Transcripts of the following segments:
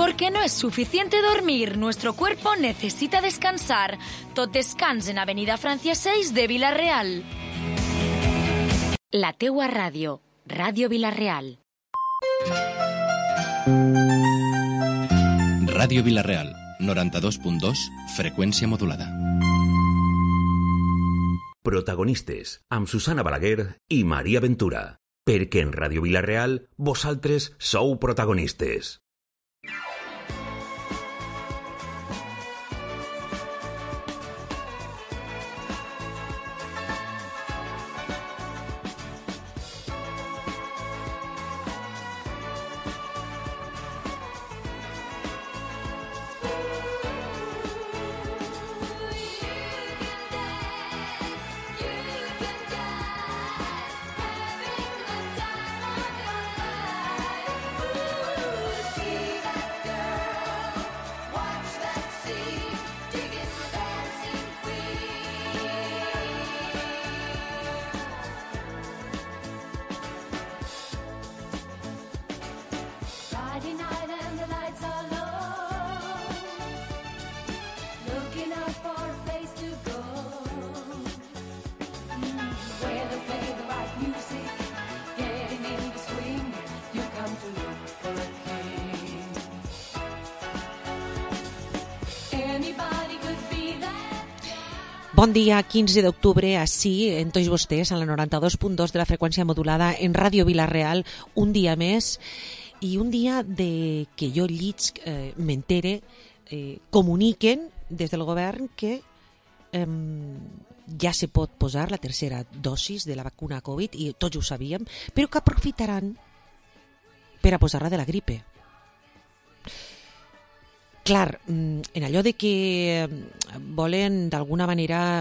Porque no es suficiente dormir, nuestro cuerpo necesita descansar. Tot descans en Avenida Francia 6 de Vila-real. La teua ràdio, Ràdio Vila-real. Ràdio Vila-real, 92.2, freqüència modulada. Protagonistes, amb Susana Balaguer i Maria Ventura. Perquè en Ràdio Vila-real, vosaltres sou protagonistes. Bon dia, 15 d'octubre, així, en tots vostès, a la 92.2 de la freqüència modulada, en Ràdio Vila-real, un dia més, i un dia de que jo llits, m'entere, comuniquen des del govern que ja se pot posar la tercera dosis de la vacuna Covid, i tots ho sabíem, però que aprofitaran per a posar-la de la gripe. Clar, en allò de que volen d'alguna manera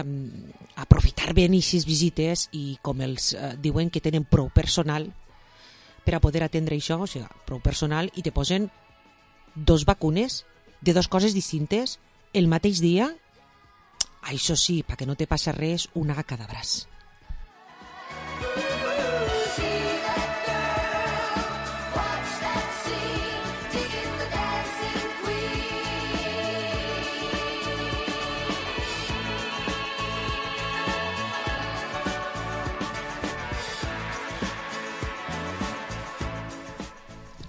aprofitar bé aquestes visites i com els diuen que tenen prou personal per a poder atendre això, o sigui, prou personal, i te posen 2 vacunes de 2 coses distintes el mateix dia, això sí, perquè no te passa res, una a cada braç.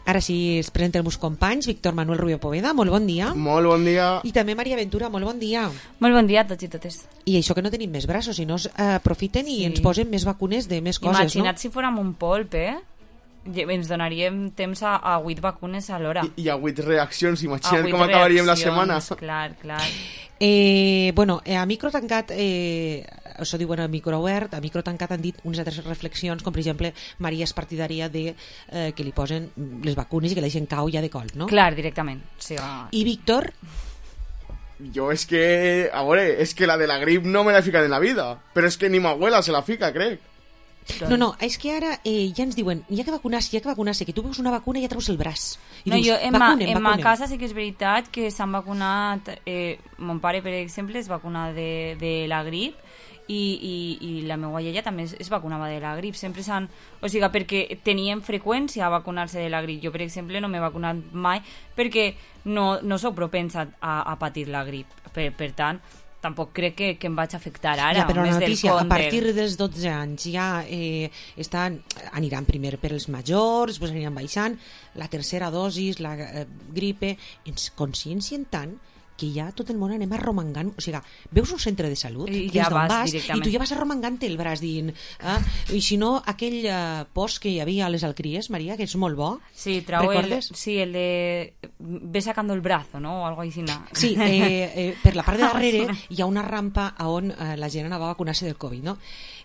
Ara sí, es presenten els meus companys. Víctor Manuel Rubio Poveda, molt bon dia. Molt bon dia. I també Maria Ventura, molt bon dia. Molt bon dia a tots i totes. I això que no tenim més braços, si no aprofiten i ens posen més vacunes de més coses, Imagina't no? si fórem un polp, ens donaríem temps a 8 vacunes a l'hora. I a 8 reaccions, imagina't com acabaríem la setmana. Clar. Bueno, a micro tancat, això diuen a micro obert, a micro tancat han dit unes altres reflexions, com per exemple Maria és partidària de que li posen les vacunes i que la deixen cau ja de col, no? Clar, directament. Sí, I Víctor? Jo és que, a veure, és que la de la grip no me la he ficat en la vida, però és que ni ma abuela se la fica, crec. No, és que ara ja ens diuen hi ha que vacunar-se, que tu veus una vacuna i ja treus el braç. I no, dius, jo en ma casa sí que és veritat que s'han vacunat, mon pare, per exemple, es vacuna de la grip i la meva iaia també es vacunava de la grip. Sempre s'han... O sigui, perquè tenien freqüència a vacunar-se de la grip. Jo, per exemple, no m'he vacunat mai perquè no soc propensa a patir la grip. Per tant, tampoc crec que em vaig afectar ara. Ja, però la notícia, a partir de... dels 12 anys ja aniran primer per els majors, després aniran baixant, la tercera dosis, la gripe, ens consciencien tant que ja tot el món anem arromangant, o sigui, veus un centre de salut I que ja és d'on vas i tu ja vas arromangant el braç dient, i si no aquell post que hi havia a les alcries, Maria, que és molt bo, sí, recordes? el de ve sacando el brazo, ¿no? O algo així. Sí, per la part de darrere hi ha una rampa on la gent anava a vacunar-se del Covid, no?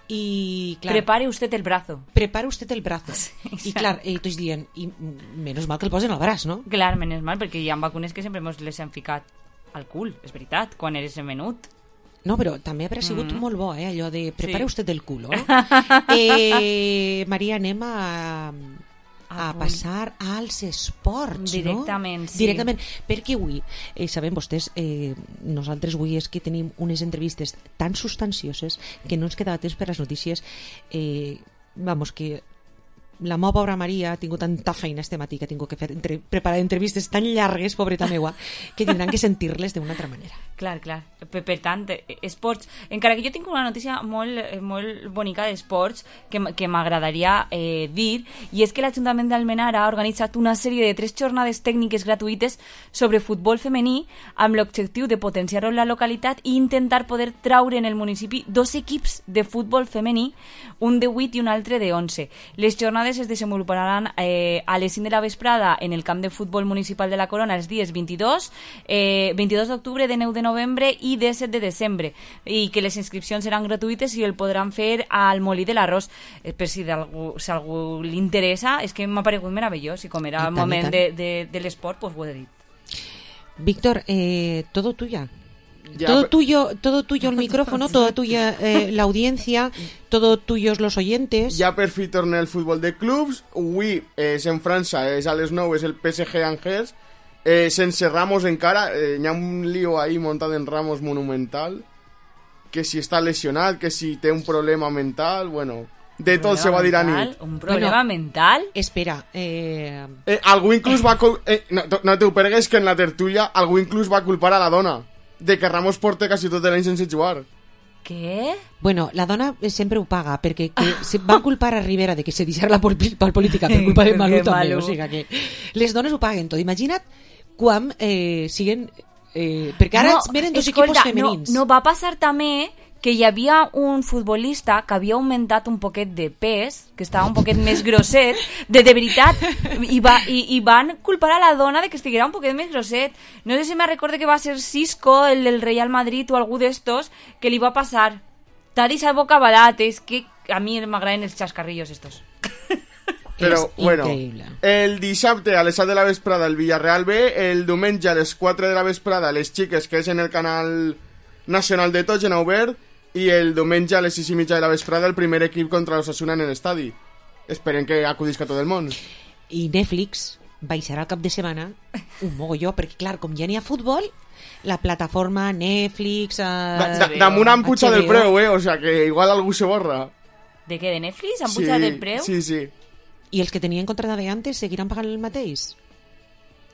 Y claro, prepare usted el brazo. Prepare usted el brazo. Sí, i clar, tots dient, i menys mal que el posen al braç, no? Clar, menys mal, perquè hi ha vacunes que sempre les hem ficat al cul, és veritat, quan eres menut. No, però també ha sigut molt bo, allò de prepare usted el culo. Maria, anem a passar als esports, directament, no? sí. Directament, perquè avui, sabem vostès, nosaltres avui és que tenim unes entrevistes tan substancioses que no ens quedava temps per les notícies, vamos, que la meva pobra Maria ha tingut tanta feina este matí que ha tingut que preparar entrevistes tan llargues, pobreta meua, que tindran que sentir-les d'una altra manera. Clar. Per tant, esports... Encara que jo tinc una notícia molt bonica d'esports que m'agradaria dir, i és que l'Ajuntament d'Almenara ha organitzat una sèrie de 3 jornades tècniques gratuïtes sobre futbol femení amb l'objectiu de potenciar-ho en la localitat i intentar poder traure en el municipi 2 equips de futbol femení, un de 8 i un altre de 11. Les jornades es desenvoluparan a les 5 de la vesprada en el camp de futbol municipal de la Corona els dies 22 d'octubre, de 9 de novembre i de 7 de desembre, i que les inscripcions seran gratuïtes i el podran fer al Molí de l'Arròs. Per si algú li interessa, és que m'ha paregut meravellós, i com era el moment de l'esport, pues ho he dit. Víctor, todo tuya. Ya, todo tuyo el micrófono, toda tuya la audiencia, todo tuyos los oyentes. Ja per fi torna el futbol de clubs. Avui és en França, és a les 9, és el PSG Angers. Sense Ramos encara, hi ha un lío ahí montat en Ramos monumental, que si està lesionat, que si té un problema mental, bueno, de tot se va dir a nit. Un problema mental? Espera, algú inclús va... no t'ho pergues, que en la tertúlia algú inclús va culpar a la dona de que Ramos porta quasi tot l'any sense jugar. Què? Bueno, la dona sempre ho paga, perquè se van culpar a Rivera de que se deixara la política per culpa de Malú també, o sigui que les dones ho paguen tot. Imagina't quan siguen... perquè ara venen 2 equipos femenins. No va passar també que hi havia un futbolista que havia augmentat un poquet de pes, que estava un poquet més grosset, de veritat, i van culpar a la dona de que estiguera un poquet més grosset. No sé si me recorde que va ser Cisco, el del Real Madrid o algú d'estos, que li va passar. T'ha deixat bocabadat, és que a mi m'agraden els xascarrillos estos. Però, bueno, el dissabte a les 7 de la vesprada el Villarreal B, el diumenge a les 4 de la vesprada les xiques, que és en el canal nacional de tots, en obert, i el diumenge a les 6:30 de la vesprada el primer equip contra l'Osasuna en l'estadi. Esperem que acudisca tot el món. I Netflix baixarà el cap de setmana un mogolló, perquè clar, com ja n'hi ha futbol, la plataforma Netflix... Damunt han pujat el preu, o sea que igual algú se borra. De què, de Netflix? Han pujat el preu? Sí. I els que tenien contracte d'antes seguiran pagant el mateix?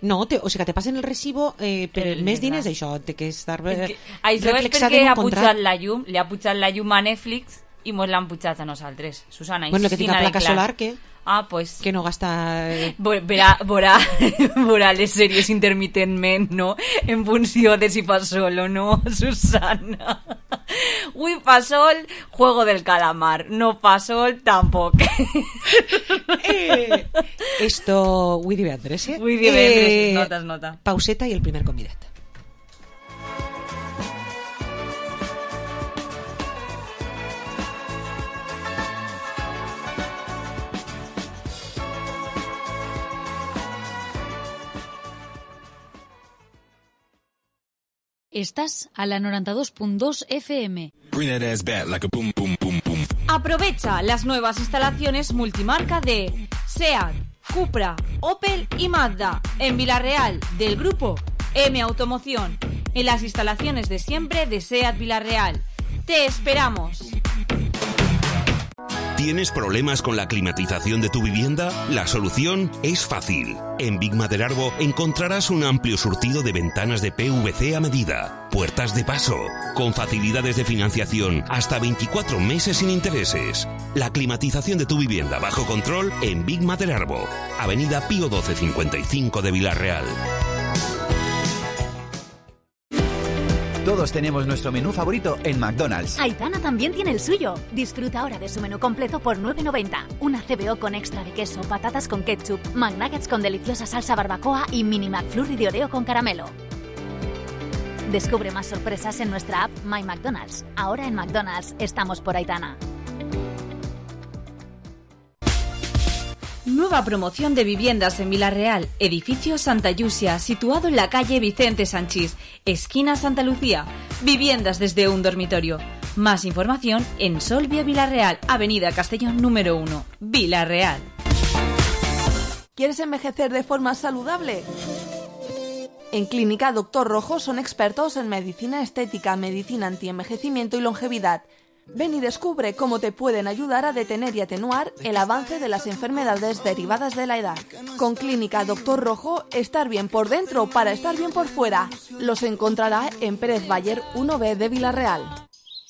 No, o sigui que te passen el recibo per més diners, això té que estar això és perquè ha pujat la llum, li ha pujat la llum a Netflix i mos l'han pujat a nosaltres. Susana, bueno, que tinga placa solar, què? Ah, pues... Que no gasta... Veurà les sèries intermitentment, no? En funció de si fa sol o no, Susana. Ui, fa sol, Juego del Calamar. No fa sol, tampoc. Esto... Ui divendres, eh? Ui divendres, nota. Pauseta i el primer convidat. Estás a la 92.2 FM. Aprovecha las nuevas instalaciones multimarca de SEAT, Cupra, Opel y Mazda en Villarreal, del grupo M Automoción, en las instalaciones de siempre de SEAT Villarreal. ¡Te esperamos! ¿Tienes problemas con la climatización de tu vivienda? La solución es fácil. En Big Maderarbo encontrarás un amplio surtido de ventanas de PVC a medida, puertas de paso, con facilidades de financiación hasta 24 meses sin intereses. La climatización de tu vivienda bajo control en Big Maderarbo, Avenida Pío 1255 de Villarreal. Todos tenemos nuestro menú favorito en McDonald's. Aitana también tiene el suyo. Disfruta ahora de su menú completo por $9.90. Una CBO con extra de queso, patatas con ketchup, McNuggets con deliciosa salsa barbacoa y mini McFlurry de Oreo con caramelo. Descubre más sorpresas en nuestra app My McDonald's. Ahora en McDonald's estamos por Aitana. Nueva promoción de viviendas en Villarreal, edificio Santa Yusia, situado en la calle Vicente Sanchís, esquina Santa Lucía. Viviendas desde un dormitorio. Más información en Solvia Villarreal, Avenida Castellón número 1, Villarreal. ¿Quieres envejecer de forma saludable? En Clínica Doctor Rojo son expertos en medicina estética, medicina antienvejecimiento y longevidad. Ven y descubre cómo te pueden ayudar a detener y atenuar el avance de las enfermedades derivadas de la edad. Con Clínica Doctor Rojo, estar bien por dentro para estar bien por fuera. Los encontrarà en Pérez Baller 1B de Vila-real.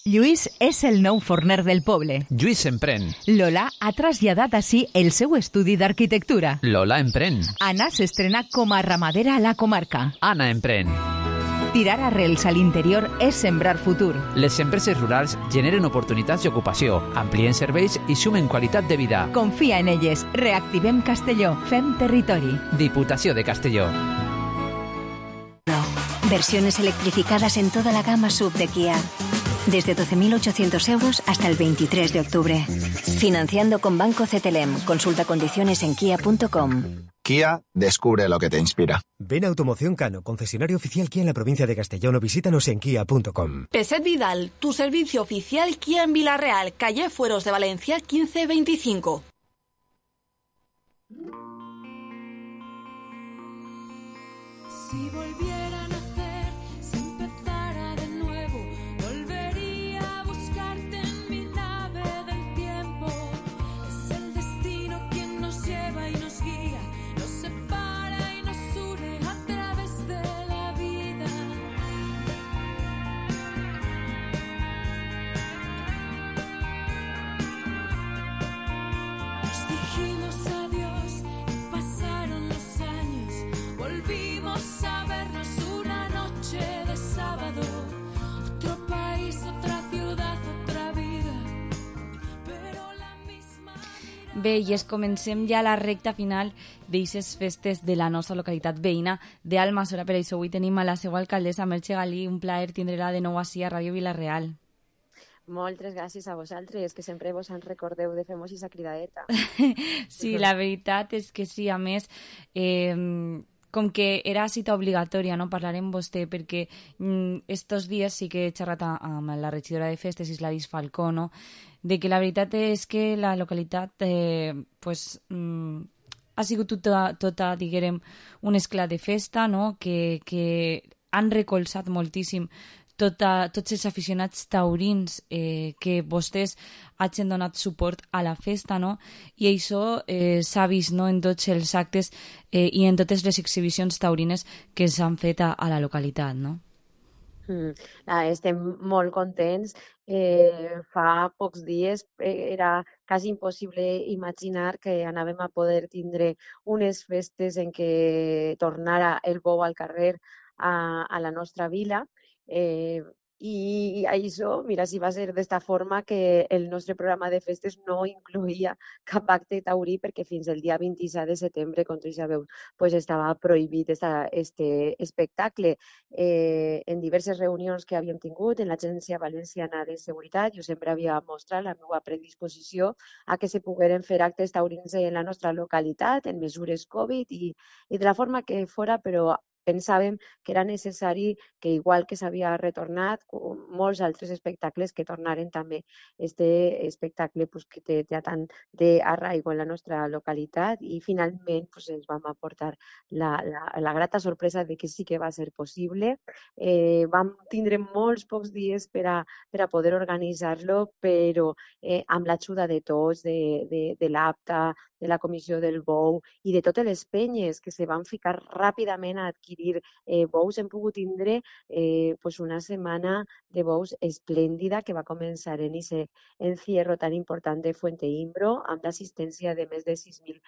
Lluís és el nou forner del poble. Lluís emprèn. Lola ha traslladat així el seu estudi d'arquitectura. Lola emprèn. Anna s'estrena com a ramadera a la comarca. Anna emprèn. Tirar arrels a l'interior és sembrar futur. Les empreses rurals generen oportunitats d'ocupació, amplien serveis i sumen qualitat de vida. Confia en elles. Reactivem Castelló. Fem territori. Diputació de Castelló. Versiones electrificadas en toda la gama SUV de Kia. Desde 12.800 euros hasta el 23 de octubre. Financiando con Banco CTLM. Consulta condiciones en kia.com. Kia, descubre lo que te inspira. Ven a Automoción Cano, concesionario oficial Kia en la provincia de Castellón, o visítanos en kia.com. Peset Vidal, tu servicio oficial Kia en Vila-real, calle Fueros de Valencia 1525. Si volviera a nacer, si empezara de nuevo, volvería a buscarte en mi nave del tiempo. Es el destino quien nos lleva y nos guía, nos separa y nos une a través de la vida. Nos dijimos adiós y pasaron los años, volvimos a vernos una noche de sábado. Otro país, otra ciudad, otra vida, però la misma... Bé, i comencem ja la recta final d'eixes festes de la nostra localitat veïna d'Almassora. Per això avui tenim a la seva alcaldessa, Merche Galí. Un plaer tindre-la de nou així a Ràdio Vila-real. Moltes gràcies a vosaltres, que sempre vos en recordeu de fer-nos aquesta cridadeta. Sí, la veritat és que sí. A més, com que era cita obligatòria, no? Parlar amb vostè, perquè estos dies sí que he xerrat amb la regidora de festes, Isladis Falcó, no? De que la veritat és que la localitat ha sigut tota, diguem, un esclat de festa, no? Que han recolzat moltíssim tots els aficionats taurins que vostès hagin donat suport a la festa, no? I això s'ha vist, no? En tots els actes i en totes les exhibicions taurines que s'han fet a la localitat, no? Estem molt contents. Fa pocs dies era quasi impossible imaginar que anàvem a poder tindre unes festes en què tornara el bou al carrer a la nostra vila. I això, mira, si va ser d'esta forma que el nostre programa de festes no incloïa cap acte taurí, perquè fins el dia 27 de setembre, com tots sabeu, estava prohibit este espectacle. En diverses reunions que havíem tingut en l'Agència Valenciana de Seguretat, jo sempre havia mostrat la meva predisposició a que se pogueren fer actes taurins en la nostra localitat, en mesures Covid i de la forma que fora, però pensàvem que era necessari que, igual que s'havia retornat, molts altres espectacles que tornaren també este espectacle que té tant d'arraigo en la nostra localitat, i finalment ens vam aportar la grata sorpresa de que sí que va ser possible. Vam tindre molts pocs dies per a poder organitzar-lo, però amb l'ajuda de tots, de l'APTA, de la Comissió del Bou i de totes les penyes que se van ficar ràpidament a adquirir bous, hem pogut tindre una setmana de bous esplèndida que va començar en aquest encierro tan important de Fuente Imbro, amb l'assistència de més de 6.000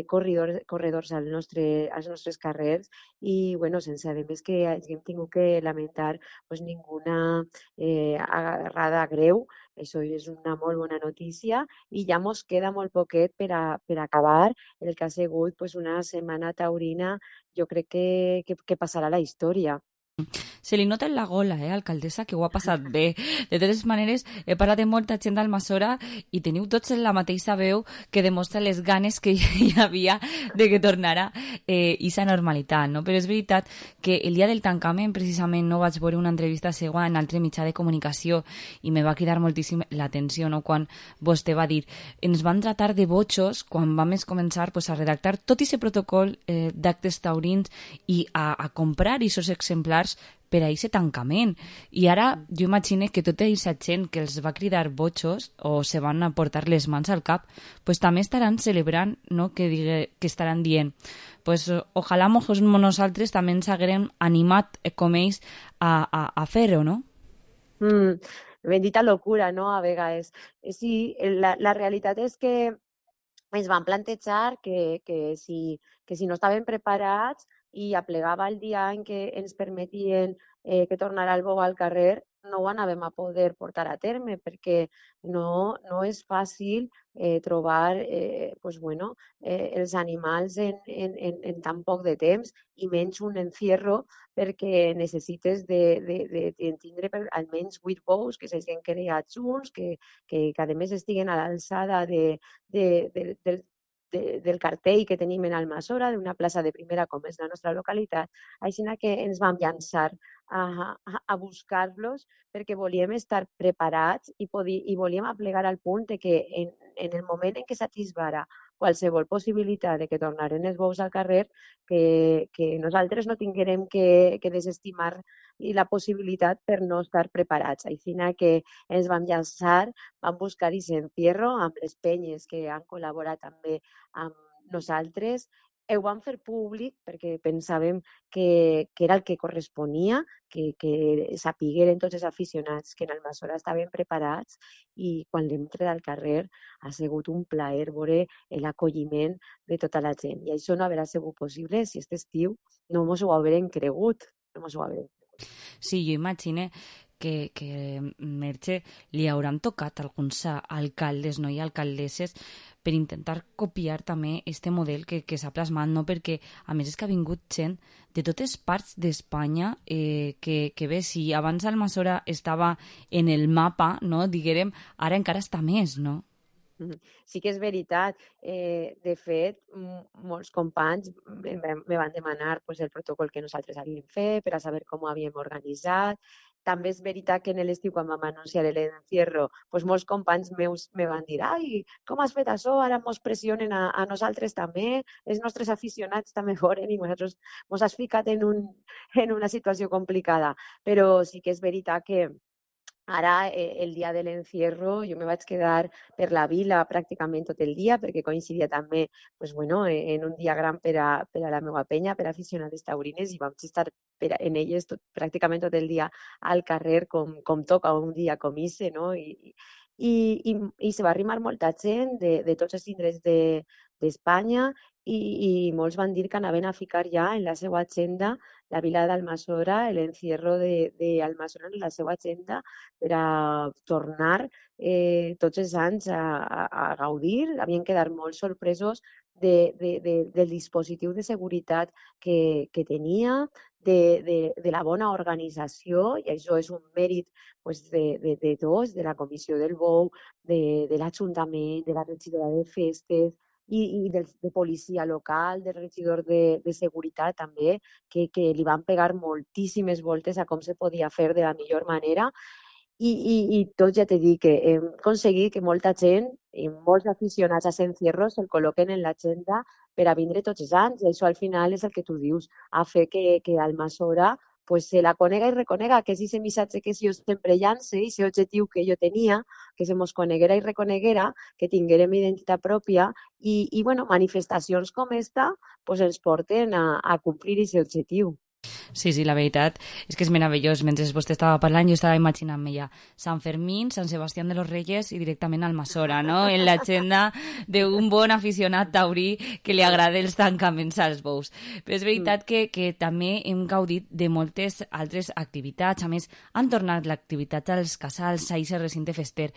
corredors als nostres carrers, i sense a més que hàgim tingut que lamentar ninguna agarrada greu. Això és una molt bona notícia, i ja mos queda molt poquet per acabar el que ha sigut una setmana taurina, jo crec que passarà a la història. Se li nota en la gola, alcaldessa, que ho ha passat bé. De totes maneres, he parlat amb molta gent d'Almassora i teniu tots la mateixa veu que demostra les ganes que hi havia de que tornara aquesta normalitat, no? Però és veritat que el dia del tancament, precisament, no vaig veure una entrevista seva en altre mitjà de comunicació i me va cridar moltíssim l'atenció, no? Quan vostè va dir, ens van tratar de botxos quan vam començar a redactar tot aquest protocol d'actes taurins i a comprar aquests exemplars preparats per a aquest tancament. I ara jo imagino que tota aquesta gent que els va cridar botxos o se van a portar les mans al cap, pues també estaran celebrant, no? que estaran dient pues ojalà nosaltres també ens haguérem animat com ells a fer-ho, no? Bendita locura, no?, a vegades. Sí, la realitat és que ens van plantejar que si no estaven preparats i aplegava el dia en què ens permetien que tornara el bou al carrer, no ho anàvem a poder portar a terme, perquè no és fàcil trobar els animals en tan poc de temps, i menys un encierro, perquè necessites de tindre almenys 8 bous que s'hagin creat junts, que a més estiguen a l'alçada del cartell que tenim en Almassora, d'una plaça de primera com és la nostra localitat. Així que ens vam llançar a buscar-los perquè volíem estar preparats i volíem aplegar al punt de que en el moment en què s'atisbara qualsevol possibilitat de que tornaren els bous al carrer, que nosaltres no tinguérem que desestimar la possibilitat per no estar preparats. Així que ens vam llançar, vam buscar aquest encierro amb les penyes que han col·laborat també amb nosaltres. Ho vam fer públic perquè pensàvem que era el que corresponia, que sapigueren tots els aficionats que en Almassora estaven preparats, i quan l'hem tret al carrer ha sigut un plaer veure l'acolliment de tota la gent. I això no haurà sigut possible si aquest estiu no mos ho haurem cregut. Sí, jo imagino que Merche li hauran tocat alguns alcaldes, no, i alcaldesses per intentar copiar també este model que s'ha plasmat, no? Perquè a més és que ha vingut gent de totes parts d'Espanya que bé, si abans Almassora estava en el mapa, no, diguérem, ara encara està més, no? Sí que és veritat. De fet, molts companys me van demanar el protocol que nosaltres havíem fet per a saber com ho havíem organitzat. També és veritat que en l'estiu, quan vam anunciar l'encierro, molts companys meus me van dir «Ai, com has fet això? Ara mos pressionen a nosaltres també, els nostres aficionats també foren i nosaltres mos has ficat en una situació complicada». Però sí que és veritat que ara, el dia de l'encierro, jo me vaig quedar per la vila pràcticament tot el dia, perquè coincidia també en un dia gran per a la meva penya, per a aficionats taurines, i vam estar en elles pràcticament tot el dia al carrer, com toca un dia com ese, no? I se va arrimar molta gent de tots els indrets d'Espanya, i molts van dir que anaven a ficar ja en la seva agenda la vila d'Almassora, l'encierro d'Almassora en la seva agenda, per a tornar tots els anys a gaudir. Havien quedat molt sorpresos del dispositiu de seguretat que tenia, de la bona organització, i això és un mèrit de tots, de la Comissió del Bou, de l'Ajuntament, de la regidora de festes, i de policia local, del regidor de seguretat també, que li van pegar moltíssimes voltes a com se podia fer de la millor manera. I tot, ja t'he dit, que hem aconseguit que molta gent i molts aficionats a l'encierro se'l col·loquen en l'agenda per a vindre tots els anys, i això al final és el que tu dius, a fer que Almassora se la conega i reconega, que és aquest missatge que jo sempre llance, i aquest objectiu que jo tenia, que se mos coneguera i reconeguera, que tinguérem identitat pròpia, i manifestacions com esta ens porten a complir aquest objectiu. Sí, la veritat és que és meravellós. Mentre vostè estava parlant, jo estava imaginant-me ja Sant Fermín, Sant Sebastián de los Reyes i directament Almassora, no? En l'agenda d'un bon aficionat taurí que li agrada els tancaments als bous. Però és veritat que també hem gaudit de moltes altres activitats. A més, han tornat l'activitat als casals, a aquest recinte fester.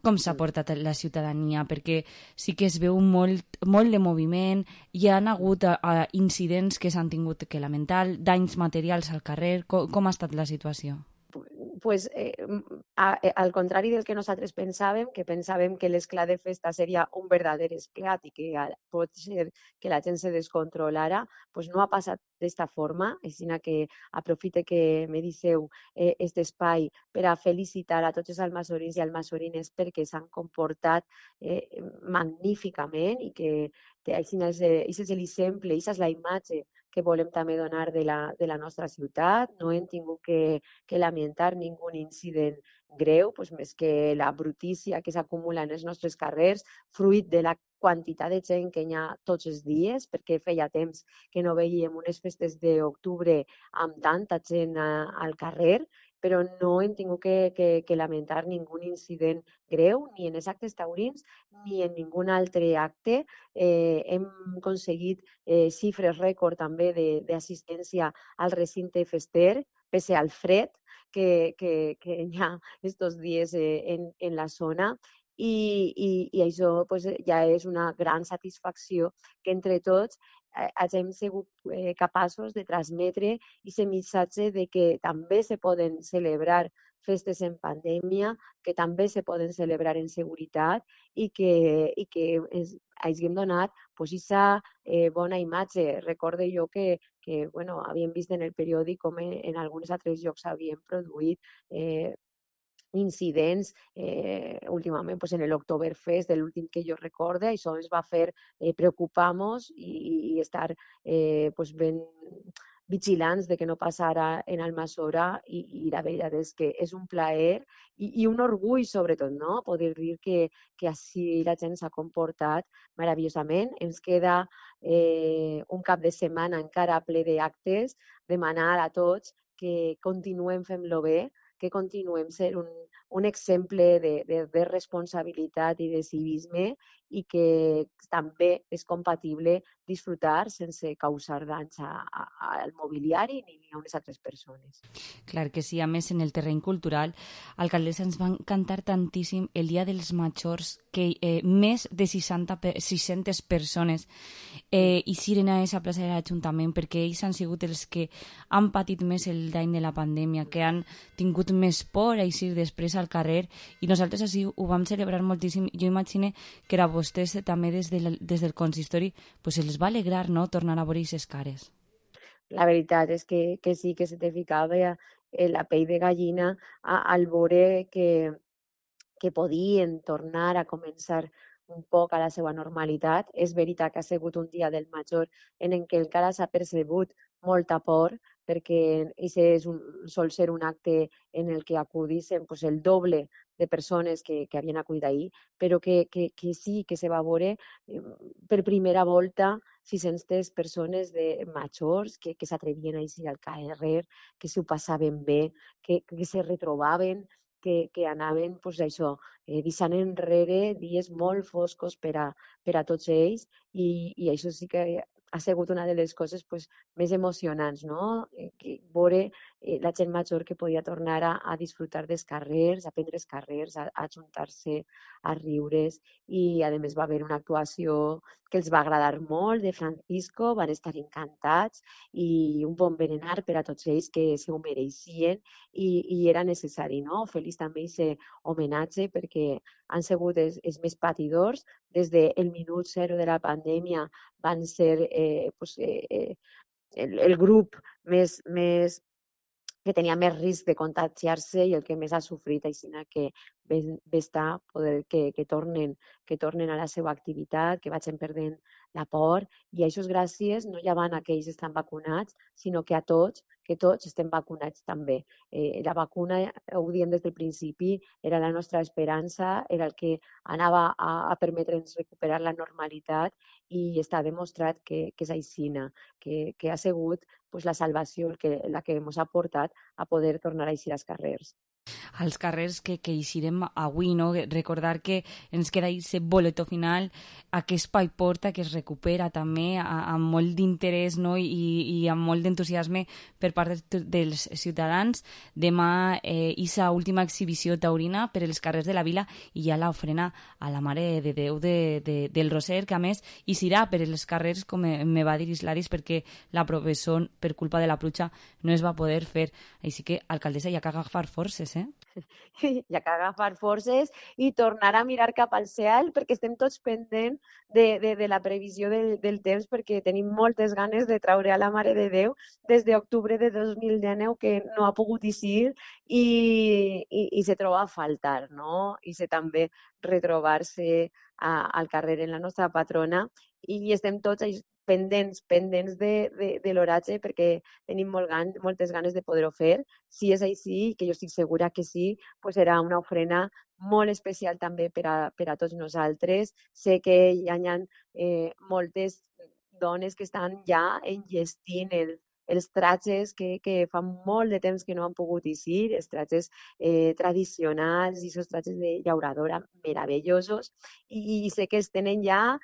Com s'ha portat la ciutadania? Perquè sí que es veu molt de moviment, hi ha hagut incidents que s'han tingut que lamentar, danys materials al carrer. Com ha estat la situació? Al contrari del que nosaltres pensàvem, que l'esclat de festa seria un verdader esclat i que pot ser que la gent se descontrolara, no ha passat d'esta forma. Així que aprofite que me disseu aquest espai per a felicitar a tots els almassorins i almassorines perquè s'han comportat magníficament i que Així és l'exemple, aquesta és la imatge que volem també donar de la nostra ciutat. No hem tingut que lamentar ningú incident greu, doncs més que la brutícia que s'acumula en els nostres carrers, fruit de la quantitat de gent que hi ha tots els dies, perquè feia temps que no veiem unes festes d'octubre amb tanta gent al carrer, però no hem tingut que lamentar ningú incident greu, ni en els actes taurins, ni en ningú altre acte. Hem aconseguit xifres rècord també d'assistència al recinte fester, pese al fred que hi ha estos dies en la zona. I això pues, ja és una gran satisfacció que entre tots hagin sigut capaços de transmetre aquest missatge de que també se poden celebrar festes en pandèmia, que també se poden celebrar en seguretat i que hagin donat aquesta bona imatge. Recorde jo que bueno, havíem vist en el periòdic com en alguns altres llocs s'havien produït incidents últimament pues, en l'Oktoberfest, de l'últim que jo recorde, això ens va fer preocupar-nos i estar pues, ben vigilants de que no passara en Almassora i la veritat és que és un plaer i un orgull sobretot, no? Poder dir que així la gent s'ha comportat meravellosament. Ens queda un cap de setmana encara ple d'actes, demanar a tots que continuem fent-lo bé, que continuem sent un exemple de responsabilitat i de civisme i que també és compatible disfrutar sense causar danys al mobiliari ni a unes altres persones. Clar que sí, a més en el terreny cultural, alcaldessa, ens va encantar tantíssim el Dia dels Majors, que més de 600 persones ixiren a aquesta plaça de l'Ajuntament perquè ells han sigut els que han patit més el dany de la pandèmia, que han tingut més por a eixir després al carrer i nosaltres així ho vam celebrar moltíssim. Jo imagino que a vostès també des del consistori pues els va alegrar, no?, tornar a veure aquestes cares. La veritat és que sí, que se te ficava la pell de gallina al veure que podien tornar a començar un poc a la seva normalitat. És veritat que ha sigut un dia del major en què encara s'ha percebut molta por, perquè sol ser un acte en el que acudissin pues, el doble de persones que havien acudit ahir, però que sí que se va veure per primera volta 600 persones majors que s'atrevien a eixir al carrer, que s'ho passaven bé, que se retrobaven, que anaven pues, això, deixant enrere dies molt foscos per a tots ells i això sí que ha sigut una de les coses pues, més emocionants, no? Veure la gent major que podia tornar a disfrutar dels carrers, a prendre els carrers, a ajuntar-se, a riure's i a més va haver una actuació que els va agradar molt de Francisco, van estar encantats i un bon berenar per a tots ells que s'ho mereixien i era necessari, no? Feliç també aquest homenatge perquè han sigut els més patidors des del minut zero de la pandèmia, van ser el grup més que tenia més risc de contagiar-se i el que més ha sofrit, així que bé està poder que tornen a la seva activitat, que vagin perdent la por, i això és gràcies no ja van a aquells que estan vacunats, sinó que a tots, que tots estem vacunats també. La vacuna, ho diem des del principi, era la nostra esperança, era el que anava a permetre'ns recuperar la normalitat i està demostrat que és aixina, que ha sigut pues, la salvació la que ens ha portat a poder tornar a eixir als carrers. Als carrers que eixirem avui, no? Recordar que ens queda aquest boletó final, aquest espai porta que es recupera també amb molt d'interès, no? I amb molt d'entusiasme per part dels ciutadans. Demà aquesta última exhibició taurina per els carrers de la vila i ja l'ofrena a la Mare de Déu del Roser, que a més eixirà per els carrers, com me va dir Isladis, perquè la professó per culpa de la pluja no es va poder fer. Així que, alcaldessa, hi ha que agafar forces, Hi ha que agafar forces i tornar a mirar cap al cel perquè estem tots pendents de la previsió del temps perquè tenim moltes ganes de traure a la Mare de Déu des d'octubre de 2019 que no ha pogut eixir i se troba a faltar, no? I se també retrobar-se al carrer en la nostra patrona i estem tots pendents de l'oratge perquè tenim moltes ganes de poder-ho fer. Si és així, que jo estic segura que sí, pues serà una ofrena molt especial també per a tots nosaltres. Sé que hi ha moltes dones que estan ja enllestint els tratges que fa molt de temps que no han pogut eixir, els tratges tradicionals i els tratges de llauradora meravellosos, i sé que els tenen ja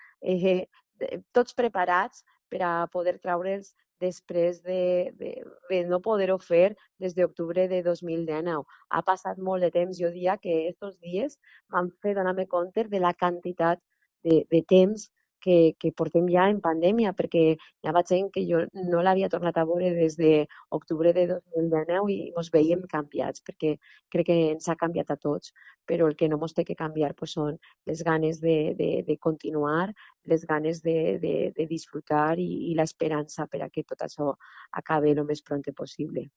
tots preparats per a poder traure'ls després de no poder-ho fer des d'octubre de 2019. Ha passat molt de temps. Jo diria que aquests dies m'han fet donar-me compte de la quantitat de temps que portem ja en pandèmia, perquè hi ha gent que jo no l'havia tornat a veure des d'octubre de 2019 i ens veiem canviats, perquè crec que ens ha canviat a tots, però el que no ens té que canviar pues, són les ganes de continuar, les ganes de disfrutar i l'esperança per a que tot això acabi el més pront possible.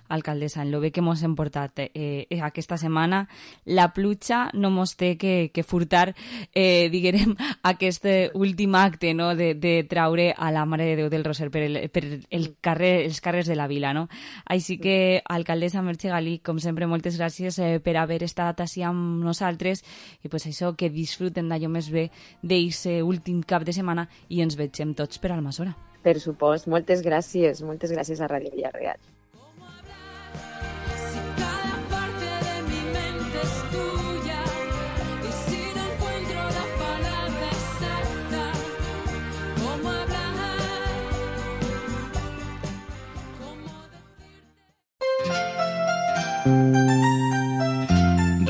Alcaldessa, en lo bé que mos hem portat aquesta setmana, la pluja no mos té que furtar, diguem, aquest últim acte, no?, de traure a la Mare de Déu del Roser per els carrers de la vila, no? Així que, alcaldessa Merche Galí, com sempre, moltes gràcies per haver estat així amb nosaltres i pues això, que disfruten d'allò més bé d'aquest últim cap de setmana i ens vegem tots per Almassora. Per supost, moltes gràcies a Ràdio Villarreal.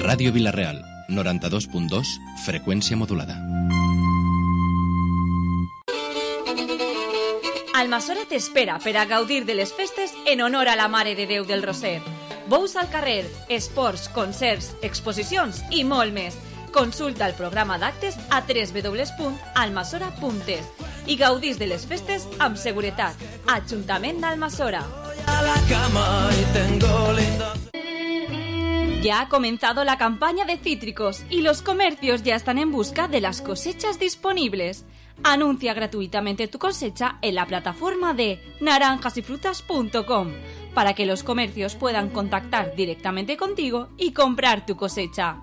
Ràdio Vila-real, 92.2, freqüència modulada. Almassora t'espera per a gaudir de les festes en honor a la Mare de Déu del Roser. Bous al carrer, esports, concerts, exposicions i molt més. Consulta el programa d'actes a www.almassora.es i gaudís de les festes amb seguretat. Ajuntament d'Almassora. Ya ha comenzado la campaña de cítricos y los comercios ya están en busca de las cosechas disponibles. Anuncia gratuitamente tu cosecha en la plataforma de naranjasyfrutas.com para que los comercios puedan contactar directamente contigo y comprar tu cosecha.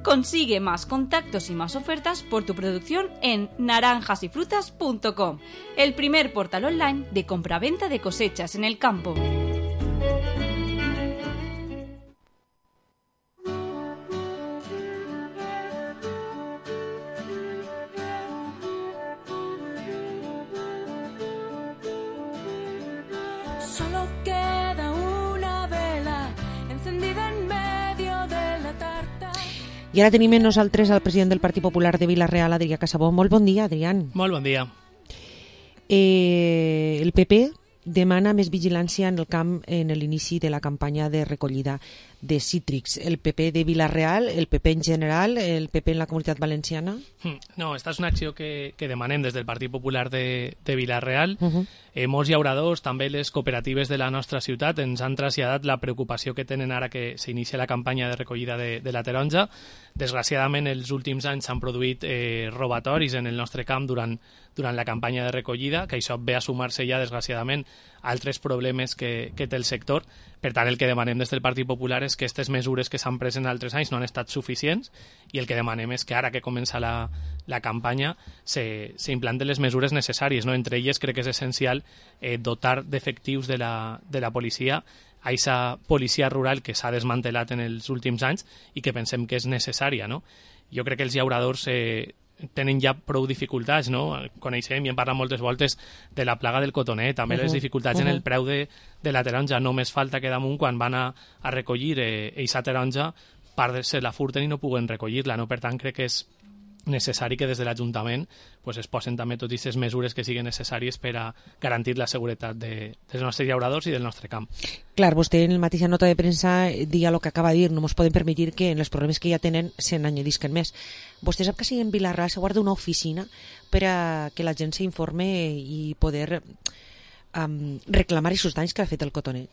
Consigue más contactos y más ofertas por tu producción en naranjasyfrutas.com, el primer portal online de compraventa de cosechas en el campo. Solo queda una vela encendida en medio de la tarta. I ara tenim amb nosaltres el president del Partit Popular de Vila-real, Adrià Casabó. Molt bon dia, Adrián. Molt bon dia. El PP demana més vigilància en el camp en l'inici de la campanya de recollida de cítrics. El PP de Vila-real, el PP en general, el PP en la Comunitat Valenciana? No, esta és una acció que demanem des del Partit Popular de Vila-real. Molts llauradors, també les cooperatives de la nostra ciutat, ens han traslladat la preocupació que tenen ara que s'inicia la campanya de recollida de la taronja. Desgraciadament, els últims anys s'han produït robatoris en el nostre camp durant la campanya de recollida, que això ve a sumar-se ja, desgraciadament, a altres problemes que té el sector. Per tant, el que demanem des del Partit Popular és que aquestes mesures que s'han pres en altres anys no han estat suficients i el que demanem és que ara que comença la campanya s'implanten les mesures necessàries, no? Entre elles crec que és essencial dotar d'efectius de la policia a aquesta policia rural que s'ha desmantelat en els últims anys i que pensem que és necessària, no? Jo crec que els llauradors tenen ja prou dificultats, no? Coneixem i hem parlat moltes voltes de la plaga del cotoner, també les dificultats en el preu de la taronja. Només falta que damunt, quan van a recollir aquesta taronja, part se la furten i no puguen recollir-la, no? Per tant, crec que és necessari que des de l'Ajuntament es posen també totes aquestes mesures que siguin necessàries per a garantir la seguretat dels nostres llauradors i del nostre camp. Clar, vostè en la mateixa nota de premsa dia el que acaba de dir, no ens podem permetre que en els problemes que ja tenen se n'añadisquen més. Vostè sap que si en Vila-real se guarda una oficina per a que la gent s'informe i poder reclamar aquests danys que ha fet el cotonet?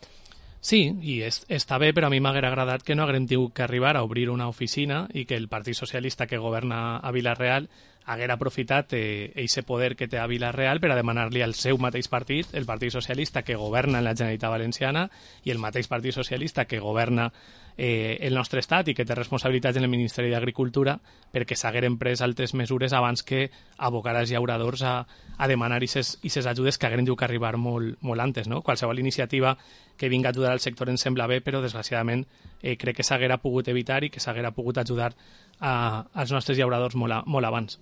Sí, i està bé, però a mi m'haguera agradat que no haguem tingut que arribar a obrir una oficina i que el Partit Socialista que governa a Vila-real haguera aprofitat eixe poder que té a Vila-real per a demanar-li al seu mateix partit, el Partit Socialista que governa en la Generalitat Valenciana i el mateix Partit Socialista que governa el nostre estat i que té responsabilitats en el Ministeri d'Agricultura, perquè s'hagueren pres altres mesures abans que abocar els llauradors a demanar aquestes ajudes que hagueren dut que arribar molt antes, no? Qualsevol iniciativa que vinga a ajudar al sector ens sembla bé, però desgraciadament crec que s'haguera pogut evitar i que s'haguera pogut ajudar als nostres llauradors molt abans.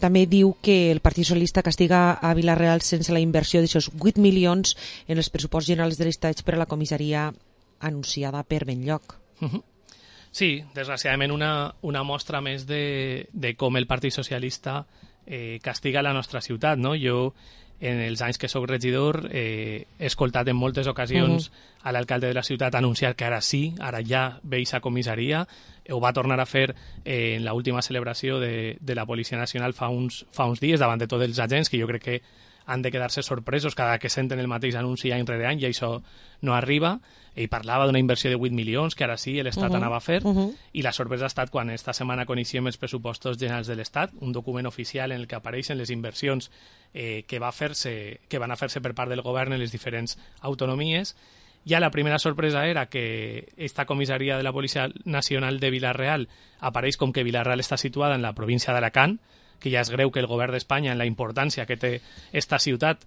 També diu que el Partit Socialista castiga a Vila-real sense la inversió d'aixòs 8 milions en els pressuposts generals de l'Estat per a la comissaria anunciada per Benlloc. Sí, desgraciadament una mostra més de com el Partit Socialista castiga la nostra ciutat, no? Jo, en els anys que sóc regidor, he escoltat en moltes ocasions a l'alcalde de la ciutat anunciar que ara sí, ara ja ve a comissaria. Ho va tornar a fer en l'última celebració de la Policia Nacional fa uns dies davant de tots els agents, que jo crec que han de quedar-se sorpresos cada que senten el mateix anunci any rere any i això no arriba. Ell parlava d'una inversió de 8 milions que ara sí l'Estat anava a fer i la sorpresa ha estat quan esta setmana coneixíem els pressupostos generals de l'Estat, un document oficial en el que apareixen les inversions que van a fer-se per part del govern en les diferents autonomies. Ja la primera sorpresa era que esta comissaria de la Policia Nacional de Vila-real apareix com que Vila-real està situada en la província d'Alacant, que ja és greu que el govern d'Espanya, en la importància que té esta ciutat,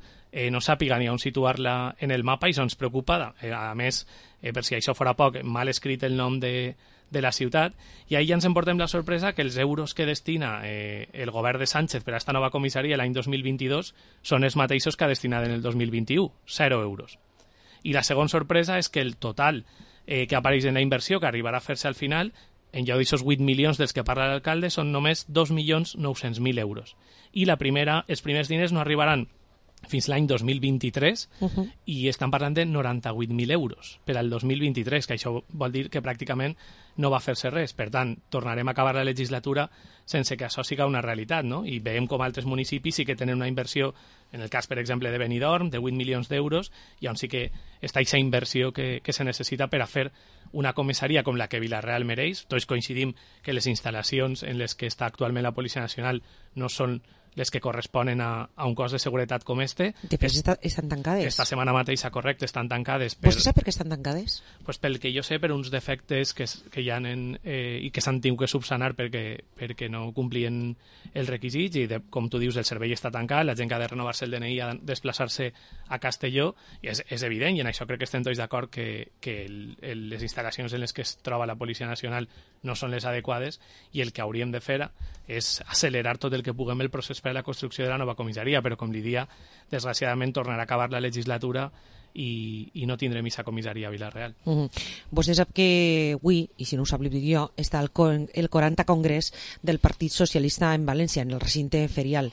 no sàpiga ni on situar-la en el mapa, i això ens preocupa. A més, per si això fora poc, mal escrit el nom de la ciutat, i ahir ja ens emportem la sorpresa que els euros que destina el govern de Sánchez per a esta nova comissaria l'any 2022 són els mateixos que ha destinat en el 2021, 0 euros. I la segona sorpresa és que el total que apareix en la inversió, que arribarà a fer-se al final, en lloc d'aquests 8 milions dels que parla l'alcalde, són només 2.900.000 euros. I els primers diners no arribaran fins l'any 2023 i estan parlant de 98.000 euros per al 2023, que això vol dir que pràcticament no va fer-se res. Per tant, tornarem a acabar la legislatura sense que això siga una realitat, no? I veiem com altres municipis sí que tenen una inversió, en el cas, per exemple, de Benidorm, de 8 milions d'euros, i on sí que està aquesta inversió que se necessita per a fer una comissaria com la que Vila-real mereix. Tots coincidim que les instal·lacions en les que està actualment la Policia Nacional no són les que corresponen a un cos de seguretat com este. De fet, estan tancades. Esta setmana mateixa, correcte, estan tancades. Vostè sap per què estan tancades? Pues pel que jo sé, per uns defectes que hi ha i que s'han tingut que subsanar perquè no complien els requisits i, com tu dius, el servei està tancat, la gent que ha de renovar-se el DNI ha de desplaçar-se a Castelló, i és evident, i en això crec que estem tots d'acord que les instal·lacions en les que es troba la Policia Nacional no són les adequades, i el que hauríem de fer és accelerar tot el que puguem el procés per a la construcció de la nova comissaria, però com li dia, desgraciadament tornarà a acabar la legislatura i no tindrem aquesta comissaria a Vila-real. Vostè sap que avui, i si no ho sap li dic jo, està el 40 congrés del Partit Socialista en València, en el recinte ferial.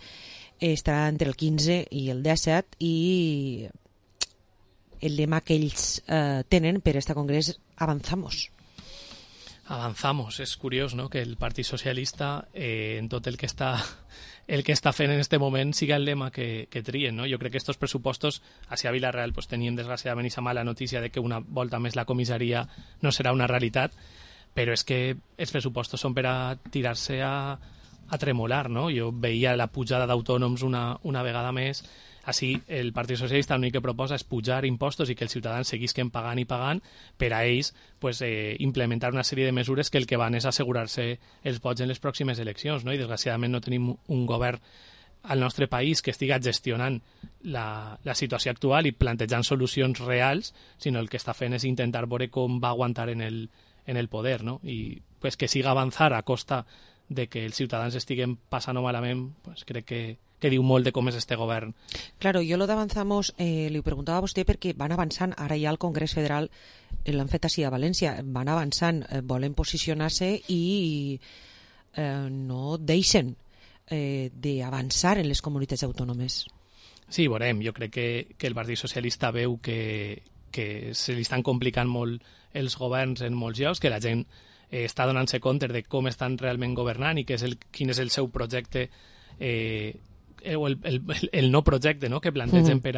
Estarà entre el 15 i el 17 i el lema que ells tenen per este congrés, Avanzamos. Avanzamos. És curiós, no?, que el Partit Socialista en tot el que està fent en este moment siga el lema que trien, no? Jo crec que estos pressupostos hacia Vila-real pues tenien desgraciadament esa mala notícia de que una volta més la comissaria no serà una realitat, però és que els pressupostos són per a tirar-se a tremolar, no? Jo veia la pujada d'autònoms una vegada més. Així, el Partit Socialista l'únic que proposa és pujar impostos i que els ciutadans seguisquen pagant i pagant per a ells pues, implementar una sèrie de mesures que el que van és assegurar-se els vots en les pròximes eleccions, no? I desgraciadament no tenim un govern al nostre país que estiga gestionant la situació actual i plantejant solucions reals, sinó el que està fent és intentar veure com va aguantar en el poder, no? I pues, que siga avançar a costa de que els ciutadans estiguen passant-ho malament, pues, crec que diu molt de com és este govern. Claro, jo lo d'Avanzamos li ho preguntava a vostè perquè van avançant, ara ja al Congrés Federal l'han fet així a València, van avançant, volen posicionar-se i no deixen d'avançar en les comunitats autònomes. Sí, veurem, jo crec que el Partit Socialista veu que se li estan complicant molt els governs en molts llocs, que la gent està donant-se compte de com estan realment governant i quin és el seu projecte el no projecte, no?, que plantegen per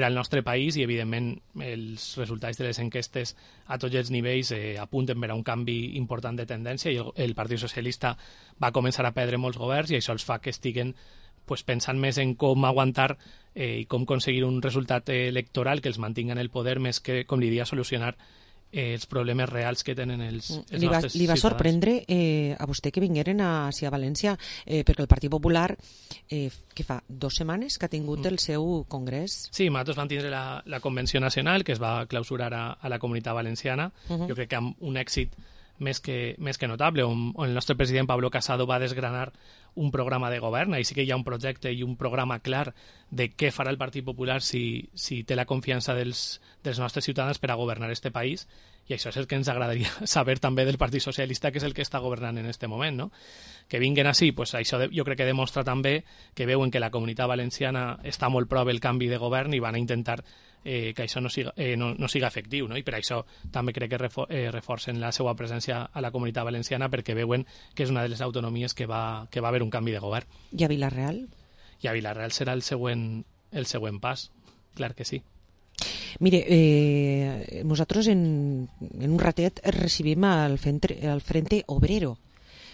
al nostre país, i evidentment els resultats de les enquestes a tots els nivells apunten per a un canvi important de tendència, i el Partit Socialista va començar a perdre molts governs, i això els fa que estiguen pensant més en com aguantar i com aconseguir un resultat electoral que els mantinga en el poder, més que, com li dia, solucionar els problemes reals que tenen els nostres ciutadans. Li va sorprendre a vostè que vingueren a València, perquè el Partit Popular, que fa 2 setmanes que ha tingut el seu congrés? Sí, nosaltres vam tindre la Convenció Nacional, que es va clausurar a la Comunitat Valenciana, jo crec que amb un èxit més que notable, on el nostre president Pablo Casado va desgranar un programa de govern. Ahí sí que hi ha un projecte i un programa clar de què farà el Partit Popular si té la confiança dels nostres ciutadans per a governar este país, i això és el que ens agradaria saber també del Partit Socialista, que és el que està governant en este moment, no? Que vinguen així, això jo crec que demostra també que veuen que la Comunitat Valenciana està molt prop del canvi de govern i van a intentar que això no siga efectiu, no? I per això també crec que reforcen la seva presència a la Comunitat Valenciana, perquè veuen que és una de les autonomies que va haver un canvi de govern. I a Vila-real? I a Vila-real serà el següent pas, clar que sí. Mire, nosaltres en un ratet recibim el Frente Obrero.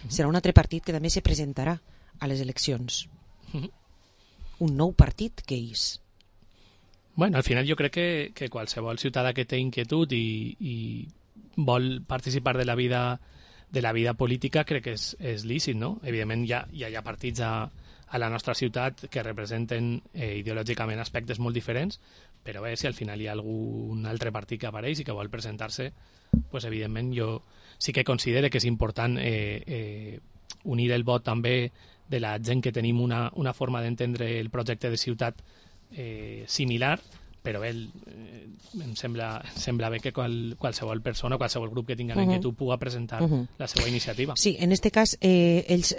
Serà un altre partit que també se presentarà a les eleccions. Un nou partit que és... Bueno, al final jo crec que qualsevol ciutadà que té inquietud i vol participar de la vida política, crec que és lícit, no? Evidentment hi ha partits a la nostra ciutat que representen ideològicament aspectes molt diferents, però bé, si al final hi ha algun altre partit que apareix i que vol presentar-se, pues evidentment jo sí que considero que és important unir el vot també de la gent que tenim una forma d'entendre el projecte de ciutat similar, però bé, em sembla bé que qualsevol persona, qualsevol grup que tinga inquietud pugui presentar la seva iniciativa. Sí, en aquest cas ells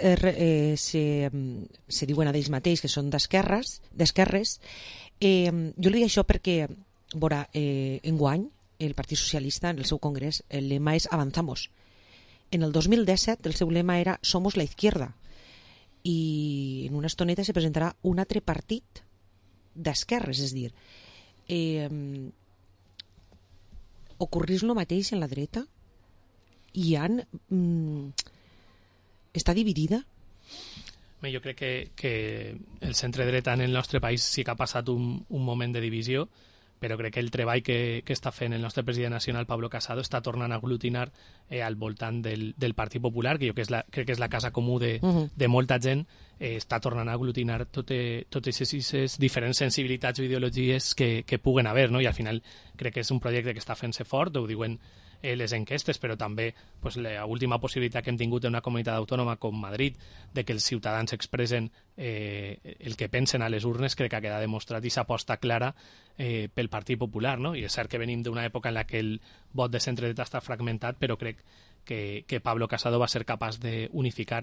se diuen a ells mateix que són d'esquerres. Jo li dic això perquè enguany el Partit Socialista en el seu congrés el lema és Avanzamos. En el 2017 el seu lema era Somos la izquierda, i en una estoneta se presentarà un altre partit d'esquerres, és a dir, ocorrís el mateix en la dreta? Està dividida? Jo crec que el centre-dreta en el nostre país sí que ha passat un moment de divisió, però crec que el treball que està fent el nostre president nacional, Pablo Casado, està tornant a aglutinar al voltant del Partit Popular, que jo crec que és la casa comú de molta gent, està tornant a aglutinar totes aquestes diferents sensibilitats o ideologies que puguen haver, no? I al final crec que és un projecte que està fent-se fort, ho diuen les enquestes, però també l'última possibilitat que hem tingut en una comunitat autònoma com Madrid, de que els ciutadans expressen el que pensen a les urnes, crec que ha quedat demostrat i s'aposta clara pel Partit Popular, no? I és cert que venim d'una època en la que el vot de centre-dreta està fragmentat, però crec que Pablo Casado va ser capaç d'unificar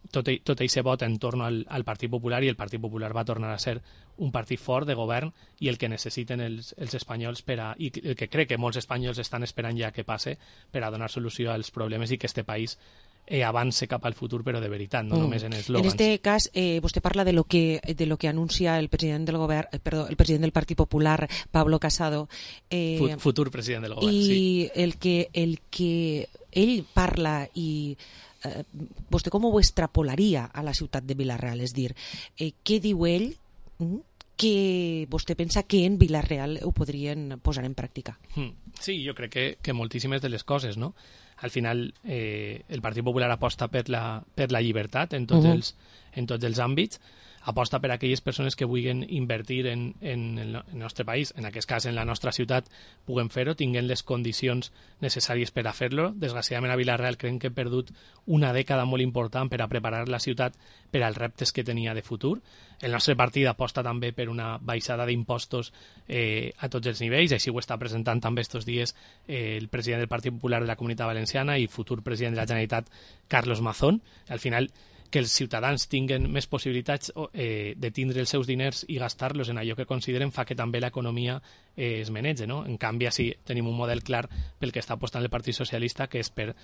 tot aquest vot en torn al Partit Popular, i el Partit Popular va tornar a ser un partit fort de govern i el que necessiten els espanyols i el que crec que molts espanyols estan esperant ja que passe per a donar solució als problemes i que este país avance cap al futur, però de veritat, no només en eslògans. En aquest cas, vostè parla de lo que anuncia el president del govern, el president del Partit Popular, Pablo Casado. Futur president del govern, sí. I el que ell parla i vostè com ho extrapolaria a la ciutat de Vila-real? És dir, què diu ell que vostè pensa que en Vila-real ho podrien posar en pràctica? Sí, jo crec que moltíssimes de les coses, no? Al final, el Partit Popular aposta per la llibertat en tots els àmbits, aposta per a aquelles persones que vulguin invertir en el nostre país, en aquest cas en la nostra ciutat, puguen fer-ho, tinguin les condicions necessàries per a fer-lo. Desgraciadament a Vila-real crec que hem perdut una dècada molt important per a preparar la ciutat per als reptes que tenia de futur. El nostre partit aposta també per una baixada d'impostos a tots els nivells, així ho està presentant també estos dies el president del Partit Popular de la Comunitat Valenciana i futur president de la Generalitat, Carlos Mazón. Al final, que els ciutadans tinguen més possibilitats de tindre els seus diners i gastar-los en allò que consideren fa que també l'economia es manege, no? En canvi, sí, tenim un model clar pel que està apostant el Partit Socialista, que és per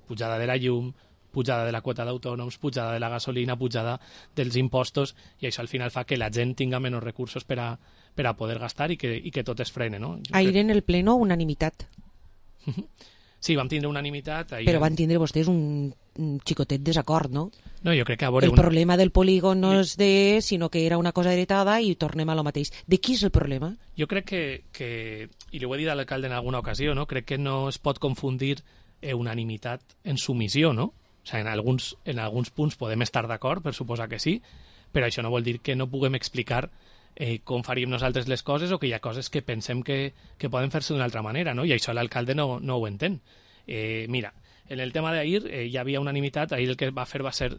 pujada de la llum, pujada de la quota d'autònoms, pujada de la gasolina, pujada dels impostos, i això al final fa que la gent tinga menys recursos per a poder gastar i que tot es frene, no? Ahir en el pleno unanimitat. Sí, vam tindre unanimitat. Però van tindre vostès un xicotet desacord, no? No, jo crec que a veure... El problema del polígon no és sinó que era una cosa heretada i tornem a lo mateix. De qui és el problema? Jo crec que i li ho he dit a l'alcalde en alguna ocasió, no? Crec que no es pot confundir unanimitat en submissió, no? O sigui, en alguns punts podem estar d'acord, per suposar que sí, però això no vol dir que no puguem explicar com faríem nosaltres les coses o que hi ha coses que pensem que poden fer-se d'una altra manera, no? I això l'alcalde no ho entén. Mira, en el tema d'ahir hi havia unanimitat. Ahir el que va fer va ser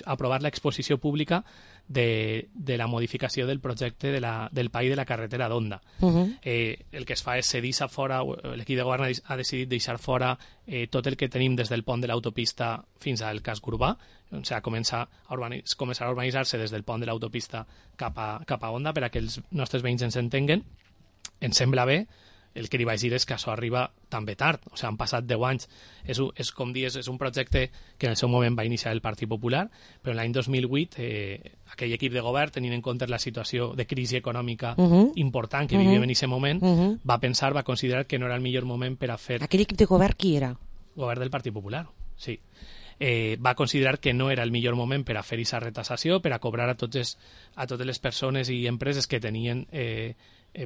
aprovar l'exposició pública de la modificació del projecte del PAI de la carretera d'Onda. El que es fa és deixar fora, l'equip de govern ha decidit deixar fora tot el que tenim des del pont de l'autopista fins al casc urbà, o sigui, començar a urbanitzar-se des del pont de l'autopista cap a Onda, per a que els nostres veïns ens entenguen. Ens sembla bé. El que li vaig dir és que això arriba també tard, o sigui, han passat 10 anys. És com dir, és un projecte que en el seu moment va iniciar el Partit Popular, però l'any 2008 aquell equip de govern, tenint en compte la situació de crisi econòmica important que vivíem en aquest moment, va considerar que no era el millor moment per a fer... Aquell equip de govern qui era? Govern del Partit Popular, sí. Va considerar que no era el millor moment per a fer aquesta retassació, per a cobrar a totes les persones i empreses que tenien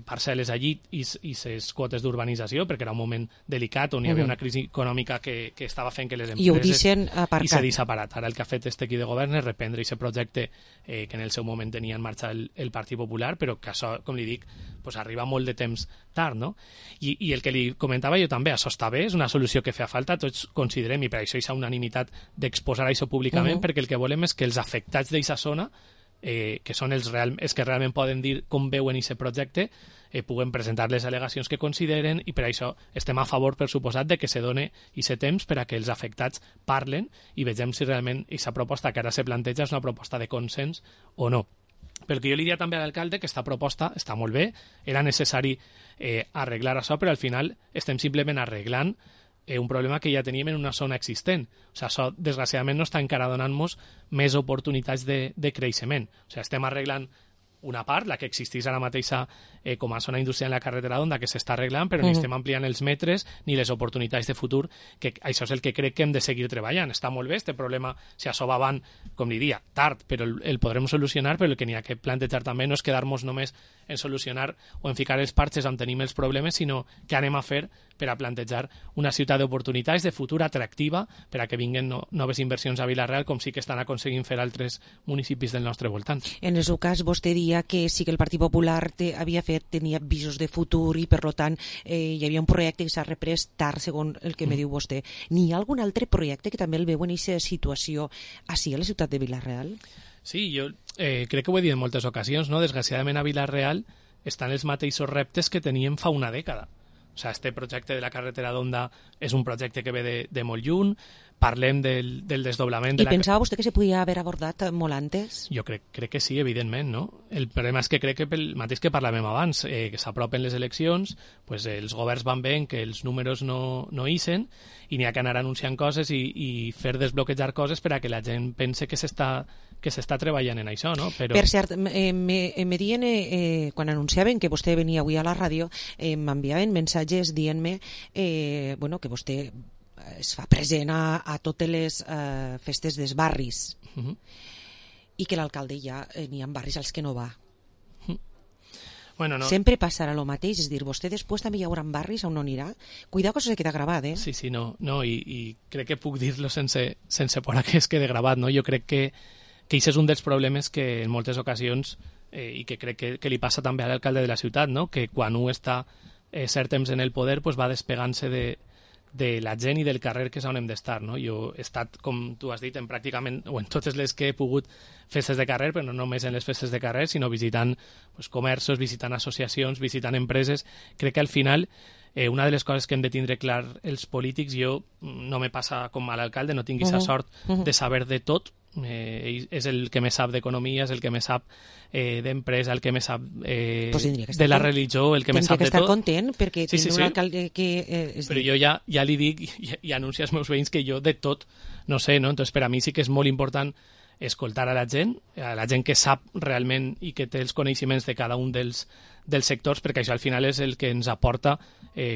parcel·les allí i ses quotes d'urbanització, perquè era un moment delicat on hi havia una crisi econòmica que estava fent que les empreses... I ho deixen aparcat. I s'ha deixat aparat. Ara el que ha fet este equip de govern és reprendre aquest projecte que en el seu moment tenia en marxa el Partit Popular, però que això, com li dic, pues arriba molt de temps tard, no? I el que li comentava jo també, això està bé, és una solució que fa falta, tots considerem, i per això hi ha unanimitat d'exposar això públicament, perquè el que volem és que els afectats d'aquesta zona, que són els que realment poden dir com veuen aquest projecte, puguem presentar les al·legacions que consideren, i per això estem a favor, per suposat, de que se doni aquest temps per a que els afectats parlen i vegem si realment aquesta proposta que ara se planteja és una proposta de consens o no. Pel que jo li diria també a l'alcalde que aquesta proposta està molt bé, era necessari arreglar això, però al final estem simplement arreglant un problema que ja teníem en una zona existent. O sigui, això, desgraciadament, no està encara donant-nos més oportunitats de creixement. O sigui, estem arreglant una part, la que existeix ara mateixa com a zona industrial en la carretera d'Onda, que s'està arreglant, però ni estem ampliant els metres ni les oportunitats de futur, que això és el que crec que hem de seguir treballant. Està molt bé, este problema, si això va avant, com diria, tard, però el podrem solucionar, però el que n'hi ha que plantejar també no és quedar-nos només en solucionar o en ficar els parxes on tenim els problemes, sinó què anem a fer per a plantejar una ciutat d'oportunitats, de futur atractiva, per a que vinguen noves inversions a Vila-real, com sí que estan aconseguint fer altres municipis del nostre voltant. En el seu cas, vostè dia que sí que el Partit Popular tenia visos de futur i, per tant, hi havia un projecte que s'ha reprès tard, segons el que me diu vostè. N'hi ha algun altre projecte que també el veu en aquesta situació així a la ciutat de Vila-real? Sí, jo crec que ho he dit en moltes ocasions, no? Desgraciadament a Vila-real estan els mateixos reptes que teníem fa una dècada. O sigui, este projecte de la carretera d'Onda és un projecte que ve de molt lluny, parlem del desdoblament... I pensava vostè que se podia haver abordat molt antes? Jo crec que sí, evidentment, no? El problema és que crec que pel mateix que parlàvem abans, que s'apropen les eleccions, pues els governs van veient que els números no ixen i n'hi ha que anar anunciant coses i fer desbloquejar coses per a que la gent pense que s'està treballant en això, no? Però... Per cert, me dient, quan anunciaven que vostè venia avui a la ràdio, m'enviaven missatges dient-me que vostè es fa present a totes les festes dels barris i que l'alcalde ja n'hi ha barris als que no va. Bueno, no. Sempre passarà el mateix, és dir, vostè després també hi haurà barris on no anirà. Cuidado que això se queda gravat, Sí, no, i crec que puc dir-lo sense por a que es quede gravat, no? Jo crec que això és un dels problemes que en moltes ocasions, i que crec que li passa també a l'alcalde de la ciutat, no? Que quan un està cert temps en el poder pues va despegant-se de la gent i del carrer, que és on hem d'estar, no? Jo he estat, com tu has dit, pràcticament, o en totes les que he pogut, festes de carrer, però no només en les festes de carrer, sinó visitant comerços, visitant associacions, visitant empreses. Crec que al final una de les coses que hem de tindre clar els polítics, jo no me passa com a l'alcalde, no tinc aquesta sort de saber de tot, és el que més sap d'economia, és el que més sap d'empresa, el que més sap de la religió, el que més sap de tot. Tindria que estar content, perquè tindre un alcalde que... Però jo ja li dic i anuncio als meus veïns que jo de tot no sé, no? Entonces, per a mi sí que és molt important escoltar a la gent que sap realment i que té els coneixements de cada un dels sectors, perquè això al final és el que ens aporta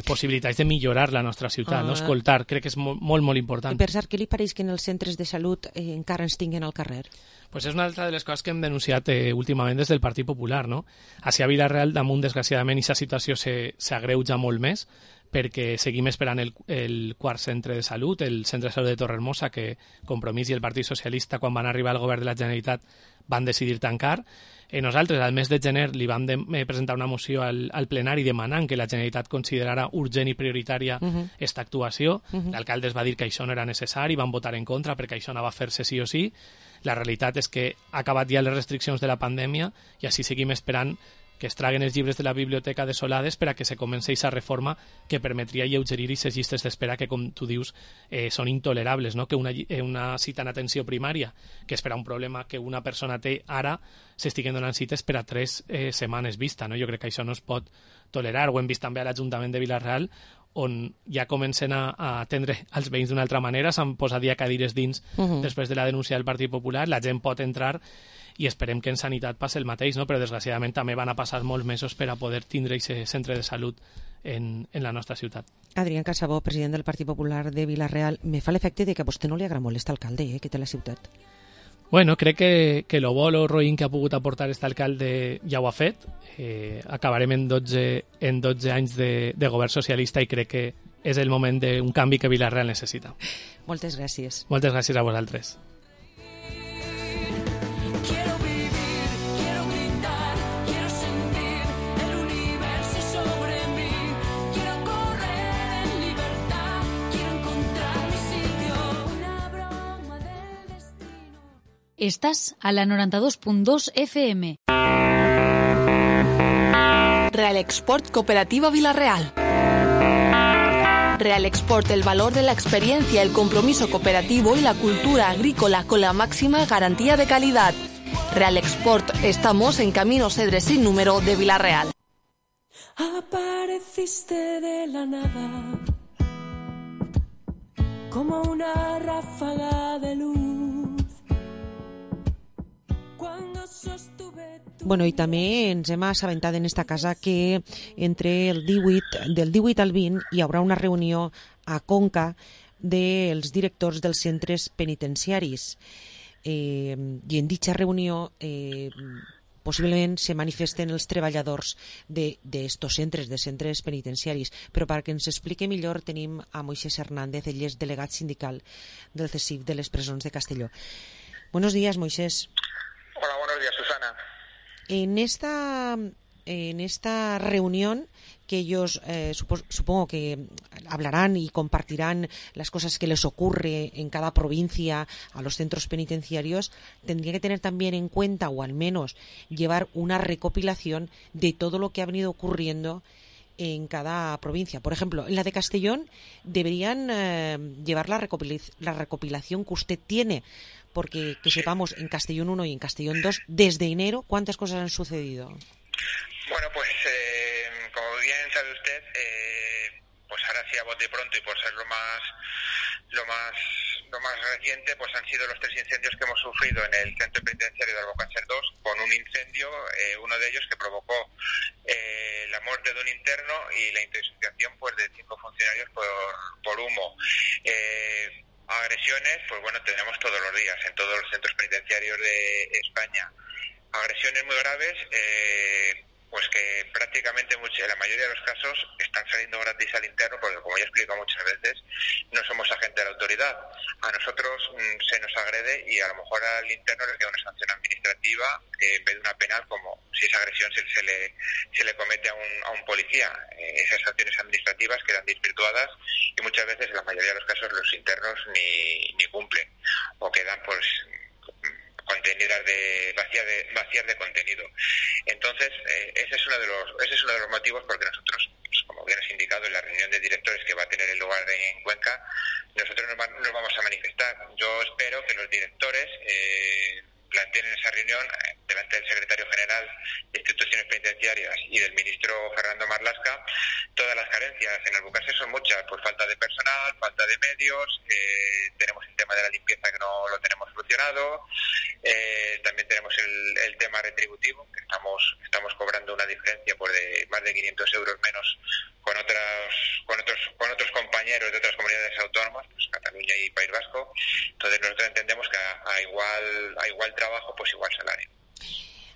possibilitats de millorar la nostra ciutat, no? Escoltar, crec que és molt, molt important. I per cert, què li pareix que en els centres de salut encara ens tinguin al carrer? Pues és una altra de les coses que hem denunciat últimament des del Partit Popular, no? Així a Vila-real, damunt, desgraciadament, aquesta situació s'agreuja molt més, perquè seguim esperant el quart centre de salut, el centre de salut de Torrehermosa, que Compromís i el Partit Socialista, quan van arribar al govern de la Generalitat, van decidir tancar. Nosaltres, al mes de gener, li vam presentar una moció al plenari demanant que la Generalitat considerara urgent i prioritària aquesta actuació. L'alcalde es va dir que això no era necessari, van votar en contra perquè això anava a fer-se sí o sí. La realitat és que ha acabat ja les restriccions de la pandèmia i així seguim esperant que es traguen els llibres de la biblioteca desolades per a que se comenci aquesta reforma que permetria alleugerir aquestes llistes d'espera que, com tu dius, són intolerables, no? Que una cita en atenció primària, que és per a un problema que una persona té ara, s'estiguen donant cites per a 3 setmanes vista, no? Jo crec que això no es pot tolerar. Ho hem vist també a l'Ajuntament de Vila-real, on ja comencen a atendre els veïns d'una altra manera, s'han posat ja cadires dins després de la denúncia del Partit Popular, la gent pot entrar i esperem que en sanitat passi el mateix, no? Però desgraciadament també van a passar molts mesos per a poder tindre aquest centre de salut en la nostra ciutat. Adrián Casabó, president del Partit Popular de Vila-real, me fa l'efecte de que a vostè no li agrada molt aquest alcalde que té la ciutat. Bueno, crec que lo bo, lo roïn que ha pogut aportar aquest alcalde ja ho ha fet. Acabarem en 12 anys de govern socialista i crec que és el moment d'un canvi que Vila-real necessita. Moltes gràcies. Moltes gràcies a vosaltres. Estás a la 92.2 FM. Real Export Cooperativa Vila-real. Real Export, el valor de la experiencia, el compromiso cooperativo y la cultura agrícola con la máxima garantía de calidad. Real Export, estamos en Camino Cedres sin número de Vila-real. Apareciste de la nada, como una ráfaga de luz. Bueno, i també ens hem assabentat en esta casa que del 18 al 20 hi haurà una reunió a Conca dels directors dels centres penitenciaris. I en dicha reunió possiblement se manifesten els treballadors d'estos centres, de centres penitenciaris. Però perquè ens explique millor tenim a Moisés Hernández, ell és delegat sindical del CESIF de les presons de Castelló. Buenos días, Moisés. Hola, buenos días, Susana. En esta reunión que ellos supongo que hablarán y compartirán las cosas que les ocurre en cada provincia a los centros penitenciarios, tendría que tener también en cuenta, o al menos llevar una recopilación de todo lo que ha venido ocurriendo en cada provincia. Por ejemplo, en la de Castellón deberían llevar la recopilación que usted tiene, porque que sepamos en Castellón 1 y en Castellón 2, desde enero, ¿cuántas cosas han sucedido? Bueno, pues como bien sabe usted, pues ahora sí a bote pronto y por ser lo más reciente, pues han sido los 3 incendios que hemos sufrido en el centro penitenciario de Albocácer 2, con un incendio, uno de ellos que provocó la muerte de un interno y la intoxicación pues de 5 funcionarios por humo. Agresiones, pues bueno, tenemos todos los días en todos los centros penitenciarios de España. Agresiones muy graves, pues que prácticamente la mayoría de los casos están saliendo gratis al interno, porque como ya he explicado muchas veces, no somos agentes de la autoridad. A nosotros se nos agrede y a lo mejor al interno le queda una sanción administrativa en vez de una penal, como si esa agresión se le comete a un policía. Esas sanciones administrativas quedan desvirtuadas y muchas veces, en la mayoría de los casos, los internos ni cumplen o quedan pues contenidas vacías de contenido. Entonces, ese es uno de los motivos porque nosotros, pues, como ya nos ha indicado en la reunión de directores que va a tener lugar en Cuenca, nosotros nos vamos a manifestar. Yo espero que los directores planteen en esa reunión, delante del secretario general de Instituciones Penitenciarias y del ministro Fernando Marlaska, todas las carencias. En Albucacer son muchas, pues falta de personal, falta de medios, tenemos el tema de la limpieza que no lo tenemos solucionado, también tenemos el tema retributivo, que estamos cobrando una diferencia por de más de 500 euros menos con otros compañeros de otras comunidades autónomas, pues Cataluña y País Vasco. Entonces nosotros entendemos que a igual trabajo, pues igual salario.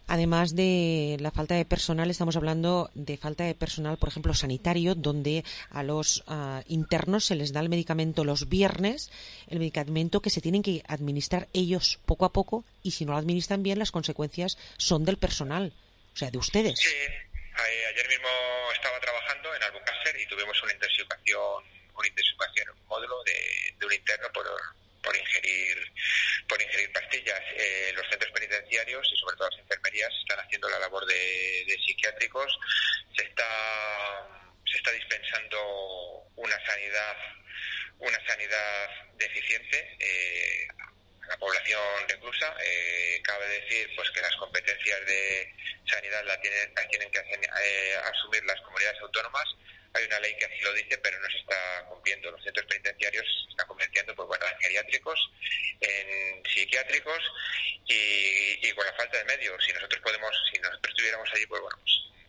Además de la falta de personal, estamos hablando de falta de personal, por ejemplo, sanitario, donde a los internos se les da el medicamento los viernes, el medicamento que se tienen que administrar ellos poco a poco, y si no lo administran bien, las consecuencias son del personal, o sea, de ustedes. Sí, ayer mismo estaba trabajando en Albucacer y tuvimos una intoxicación en un módulo de un interno por ingerir pastillas. Los centros penitenciarios y sobre todo las enfermerías están haciendo la labor de psiquiátricos. Se está dispensando una sanidad deficiente a la población reclusa. Cabe decir pues que las competencias de sanidad las tienen que asumir las comunidades autónomas. Hay una ley que así lo dice, pero no se está cumpliendo. Los centros penitenciarios se están convirtiendo en geriátricos, en psiquiátricos y con la falta de medios. Si nosotros tuviéramos allí, pues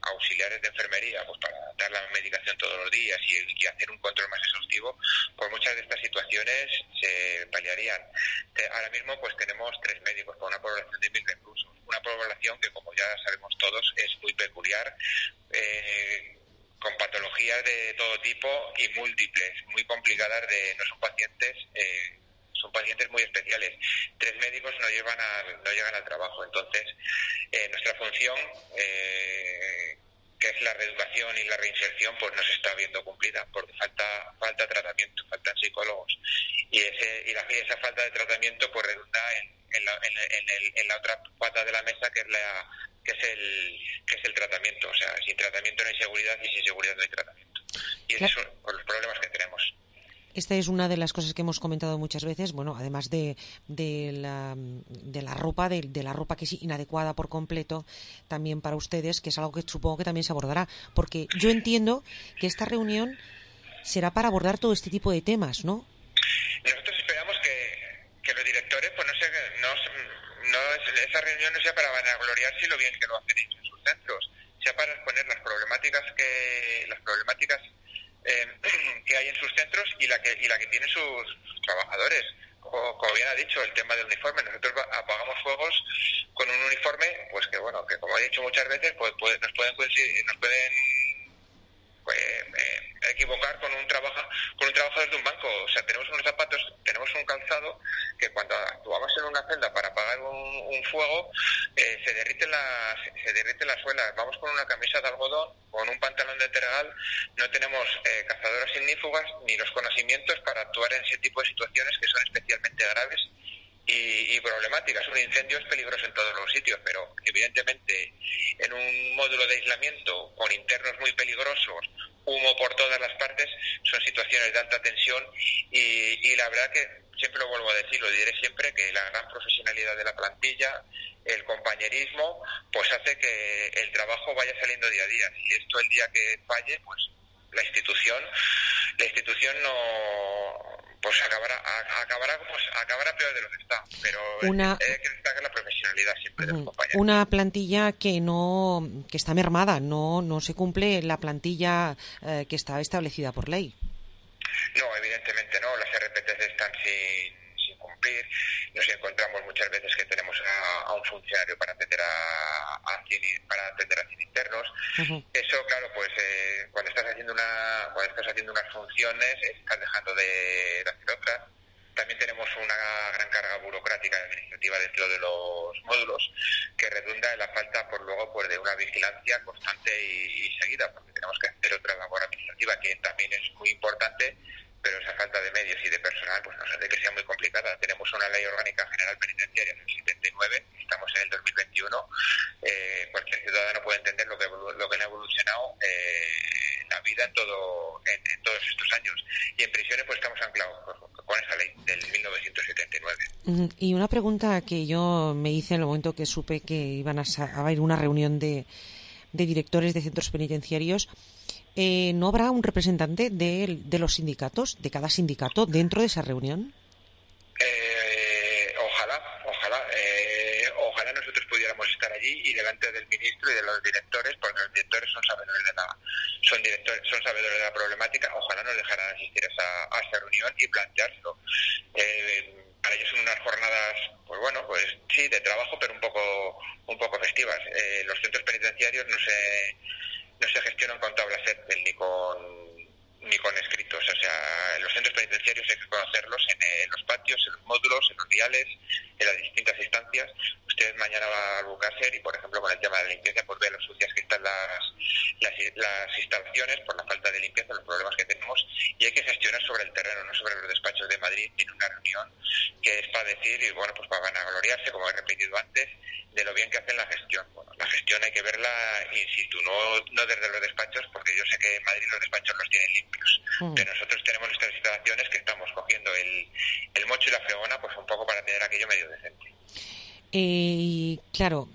auxiliares de enfermería, pues para dar la medicación todos los días y hacer un control más exhaustivo, pues muchas de estas situaciones se paliarían. Ahora mismo pues tenemos 3 médicos para una población de 1.000 reclusos. Una población que, como ya sabemos todos, es muy peculiar, con patologías de todo tipo y múltiples, muy complicadas, no son pacientes, son pacientes muy especiales. 3 médicos no llegan al trabajo. Entonces, nuestra función, que es la reeducación y la reinserción, pues no se está viendo cumplida, porque falta tratamiento, faltan psicólogos. Y esa falta de tratamiento pues redunda en la otra pata de la mesa, que es el tratamiento. O sea, sin tratamiento no hay seguridad y sin seguridad no hay tratamiento. Y esos son los problemas que tenemos. Esta es una de las cosas que hemos comentado muchas veces, bueno, además de la ropa, de la ropa que es inadecuada por completo también para ustedes, que es algo que supongo que también se abordará, porque yo entiendo que esta reunión será para abordar todo este tipo de temas, ¿no? Nosotros esperamos que los directores, pues esa reunión no sea para vanagloriarse lo bien que lo hacen ellos en sus centros, sea para exponer las problemáticas que hay en sus centros y la que tienen sus trabajadores. Como bien ha dicho, el tema del uniforme. Nosotros apagamos fuegos con un uniforme, pues que como he dicho muchas veces, pues nos pueden equivocar con un trabajador de un banco. O sea, tenemos unos zapatos, tenemos un calzado que cuando actuamos en una celda para apagar un fuego, se derriten las suelas. Vamos con una camisa de algodón, con un pantalón de tergal. No tenemos cazadoras ignífugas ni los conocimientos para actuar en ese tipo de situaciones que son especialmente graves y problemáticas. Un incendio es peligroso en todos los sitios, pero evidentemente en un módulo de aislamiento con internos muy peligrosos, humo por todas las partes, son situaciones de alta tensión y la verdad que siempre lo vuelvo a decir, lo diré siempre, que la gran profesionalidad de la plantilla, el compañerismo, pues hace que el trabajo vaya saliendo día a día. Si esto el día que falle, pues la institución no, pues acabará peor de lo que está, pero hay que destacar la profesionalidad siempre de los compañeros. Una plantilla que está mermada, no se cumple la plantilla que está establecida por ley. No, evidentemente no, las RPTs están sin cumplir. Nos encontramos muchas veces que tenemos a un funcionario para atender a 100 internos. Uh-huh. Eso, claro, pues cuando estás haciendo unas funciones, estás dejando de hacer otras. También tenemos una gran carga burocrática y administrativa dentro de los módulos que redunda en la falta de una vigilancia constante y seguida, porque tenemos que hacer otra labor administrativa que también es muy importante, pero esa falta de medios y de personal pues nos hace que sea muy complicada. Tenemos una ley orgánica general penitenciaria del 79, estamos en el 2021, cualquier ciudadano puede entender lo que ha evolucionado la vida en todos estos años. Y en prisiones pues estamos anclados con esa ley del 1979. Y una pregunta que yo me hice en el momento que supe que iban a haber una reunión de directores de centros penitenciarios. ¿No habrá un representante de los sindicatos, de cada sindicato, dentro de esa reunión? Ojalá nosotros pudiéramos estar allí y delante del ministro y de los directores, porque los directores son sabedores de la problemática. Ojalá nos dejaran asistir a esa reunión y planteárselo. Para ellos son unas jornadas, pues bueno, pues sí, de trabajo, pero un poco festivas. Los centros penitenciarios no se gestionan con tablas Excel ni con escritos. O sea, los centros penitenciarios hay que conocerlos en los patios, en los módulos, en los viales, en las distintas instancias. Usted mañana va a Albucácer y, por ejemplo, con el tema de la limpieza, pues ve lo sucias que están las instalaciones por la falta de limpieza, los problemas que tenemos, y hay que gestionar sobre el terreno, no sobre los despachos de Madrid, en una reunión que es para decir, y bueno, pues para vanagloriarse, como he repetido antes, de lo bien que hacen la gestión. Bueno, la gestión hay que verla in situ, no desde los despachos, porque yo sé que en Madrid los despachos los tienen limpios, pero nosotros tenemos nuestras instalaciones que estamos cogiendo el mocho y la fregona, pues un poco para tener aquello medio decente. Y claro,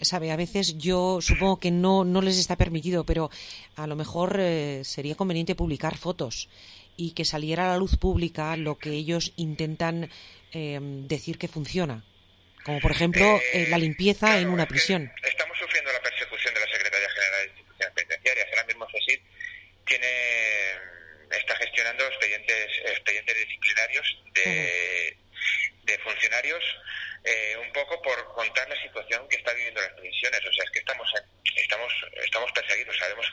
sabe, a veces yo supongo que no les está permitido, pero a lo mejor sería conveniente publicar fotos y que saliera a la luz pública lo que ellos intentan decir que funciona, como por ejemplo la limpieza en una prisión. Estamos sufriendo la persecución de la Secretaría General de Instituciones Penitenciarias. Ahora mismo CESID está gestionando expedientes disciplinarios de funcionarios, un poco por contar la situación que está viviendo las prisiones. O sea, es que estamos perseguidos, sabemos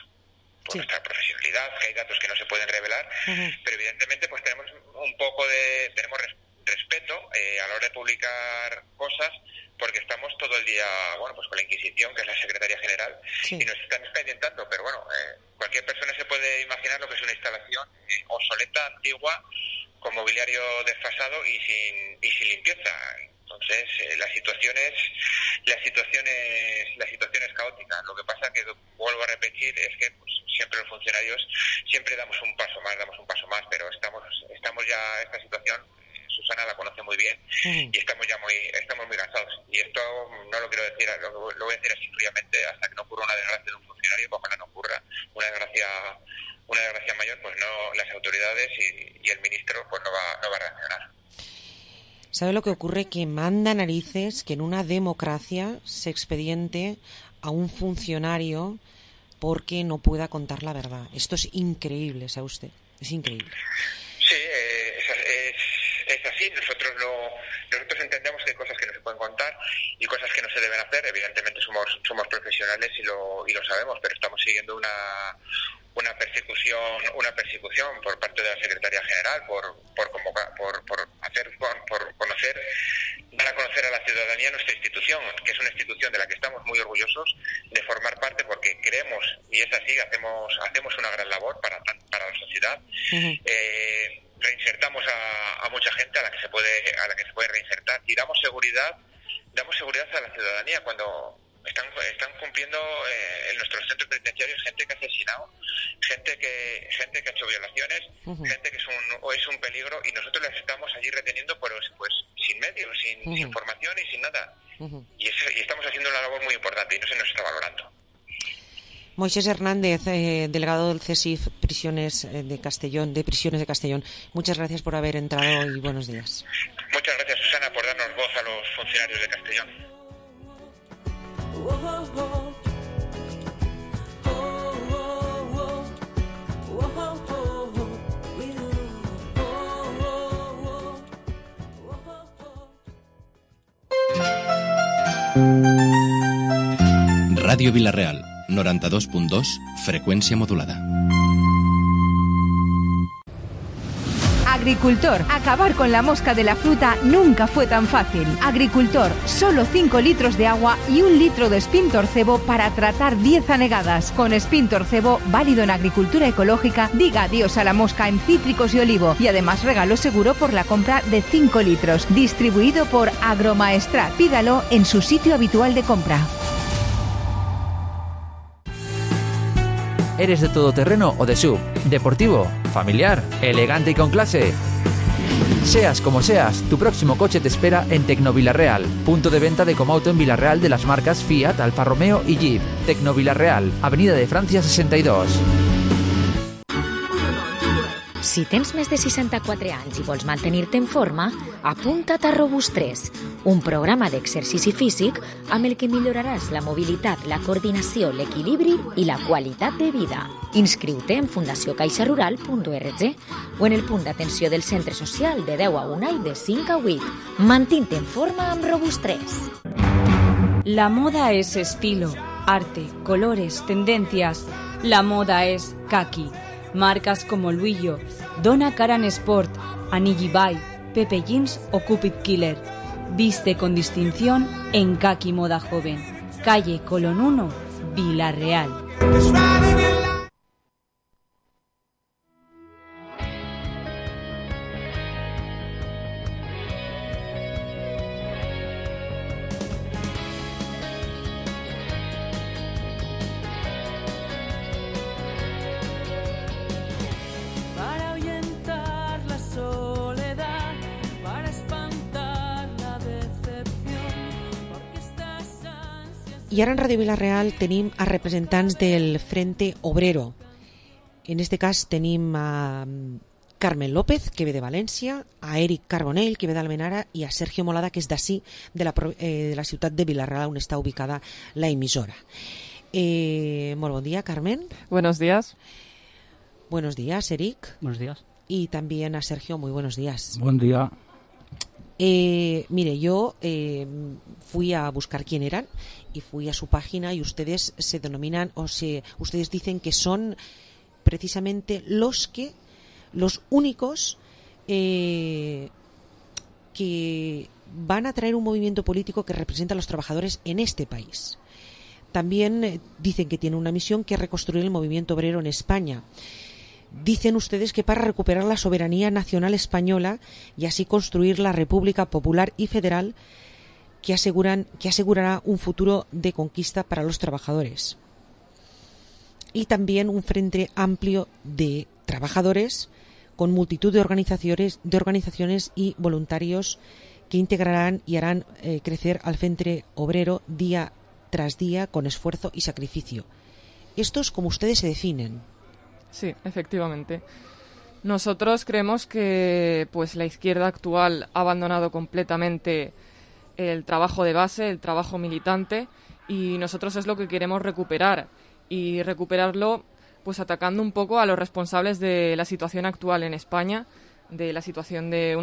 por nuestra profesionalidad que hay datos que no se pueden revelar, pero evidentemente pues tenemos respeto a la hora de publicar cosas, porque estamos todo el día, bueno, pues con la Inquisición, que es la Secretaría General, y nos están expedientando, pero bueno, cualquier persona se puede imaginar lo que es una instalación obsoleta, antigua, con mobiliario desfasado y sin limpieza. Entonces, la situación es caótica. Lo que pasa, que vuelvo a repetir, es que pues, siempre los funcionarios siempre damos un paso más, pero estamos ya, esta situación, Susana la conoce muy bien, y estamos muy cansados. Y esto no lo quiero decir, lo voy a decir así fríamente, hasta que no ocurra una desgracia de un funcionario, pues ojalá no ocurra una desgracia mayor, pues no, las autoridades y el ministro pues no va a reaccionar. ¿Sabe lo que ocurre? Que manda narices que en una democracia se expediente a un funcionario porque no pueda contar la verdad. Esto es increíble, ¿sabe usted? Es increíble. Sí, es así. Nosotros entendemos que hay cosas que no se pueden contar y cosas que no se deben hacer. Evidentemente somos profesionales y lo sabemos, pero estamos siguiendo una persecución por parte de la Secretaría General dar a conocer a la ciudadanía nuestra institución, que es una institución de la que estamos muy orgullosos de formar parte, porque creemos, y es así, hacemos una gran labor para la sociedad. Reinsertamos a mucha gente a la que se puede reinsertar, y damos seguridad a la ciudadanía cuando están cumpliendo en nuestros centros penitenciarios gente que ha asesinado, gente que ha hecho violaciones, gente que es un peligro, y nosotros las estamos allí reteniendo pues sin medios, sin formación y sin nada. Y estamos haciendo una labor muy importante y no se nos está valorando. Moisés Hernández, delegado del CESIF Prisiones de Castellón. Muchas gracias por haber entrado y buenos días. Muchas gracias, Susana, por darnos voz a los funcionarios de Castellón. Radio Vilareal, 92.2, frecuencia modulada. Agricultor, acabar con la mosca de la fruta nunca fue tan fácil. Agricultor, solo 5 litros de agua y 1 litro de Spintorcebo para tratar 10 anegadas. Con Spintorcebo, válido en agricultura ecológica, diga adiós a la mosca en cítricos y olivo. Y además regalo seguro por la compra de 5 litros. Distribuido por Agromaestrat. Pídalo en su sitio habitual de compra. ¿Eres de todoterreno o de SUV? ¿Deportivo? ¿Familiar? ¿Elegante y con clase? Seas como seas, tu próximo coche te espera en Tecnovilarreal, punto de venta de Comauto en Vilareal de las marcas Fiat, Alfa Romeo y Jeep. Tecnovilarreal, Avenida de Francia 62. Si tens més de 64 anys i vols mantenir-te en forma, apunta't a Robust3, un programa d'exercici físic amb el que milloraràs la mobilitat, la coordinació, l'equilibri i la qualitat de vida. Inscriu-te en fundaciocaixarural.org o en el punt d'atenció del centre social de 10 a 1 i de 5 a 8. Mantén-te en forma amb Robust3. La moda es estilo, arte, colores, tendencias. La moda es kaki. Marcas como Luillo, Donna Karan Sport, Anigi Bai, Pepe Jeans o Cupid Killer. Viste con distinción en Kaki Moda Joven. Calle Colón 1, Vilarreal. I ara en Ràdio Vilareal tenim a representants del Frente Obrero. En este cas tenim a Carmen López, que ve de València, a Eric Carbonell, que ve d'Almenara, i a Sergio Molada, que és d'ací, de la ciutat de Vilareal, on està ubicada la emissora. Molt bon dia, Carmen. Buenos días. Buenos días, Eric. Buenos días. Y también a Sergio, muy buenos días. Buen día. Mire, yo fui a buscar quién eran y fui a su página y ustedes se denominan, ustedes dicen que son precisamente los únicos que van a traer un movimiento político que representa a los trabajadores en este país. También dicen que tienen una misión, que es reconstruir el movimiento obrero en España. Dicen ustedes que para recuperar la soberanía nacional española y así construir la República Popular y Federal que asegurará un futuro de conquista para los trabajadores. Y también un frente amplio de trabajadores con multitud de organizaciones y voluntarios que integrarán y harán crecer al Frente Obrero día tras día con esfuerzo y sacrificio. Esto es como ustedes se definen. Sí, efectivamente. Nosotros creemos que pues la izquierda actual ha abandonado completamente el trabajo de base, el trabajo militante, y nosotros es lo que queremos recuperar, y recuperarlo pues atacando un poco a los responsables de la situación actual en España, de la situación de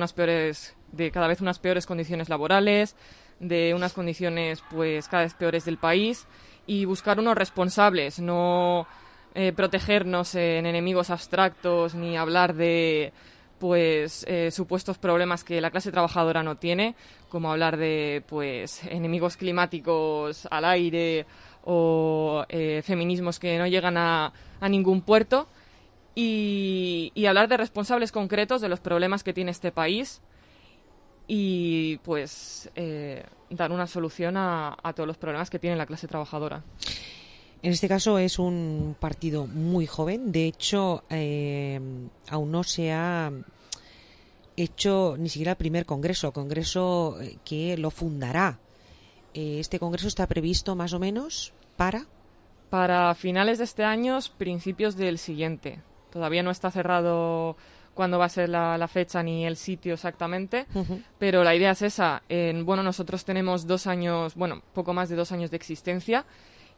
cada vez unas peores condiciones laborales, de unas condiciones pues cada vez peores del país, y buscar unos responsables, no protegernos en enemigos abstractos ni hablar de supuestos problemas que la clase trabajadora no tiene, como hablar de enemigos climáticos al aire o feminismos que no llegan a ningún puerto, y hablar de responsables concretos de los problemas que tiene este país y dar una solución a todos los problemas que tiene la clase trabajadora. En este caso es un partido muy joven. De hecho, aún no se ha hecho ni siquiera el primer congreso que lo fundará. Este congreso está previsto más o menos para finales de este año, principios del siguiente. Todavía no está cerrado cuándo va a ser la fecha ni el sitio exactamente, pero la idea es esa. Nosotros tenemos poco más de 2 años de existencia.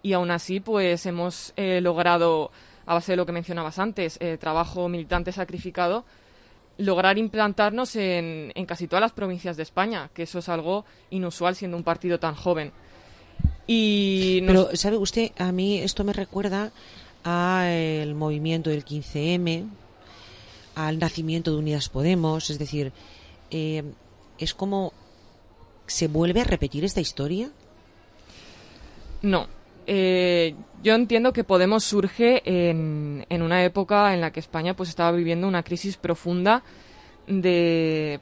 Y aún así, hemos logrado, a base de lo que mencionabas antes, trabajo militante sacrificado, lograr implantarnos en casi todas las provincias de España, que eso es algo inusual siendo un partido tan joven. Pero, ¿sabe usted? A mí esto me recuerda al movimiento del 15M, al nacimiento de Unidas Podemos, es decir, ¿es como se vuelve a repetir esta historia? No. Yo entiendo que Podemos surge en una época en la que España estaba viviendo una crisis profunda de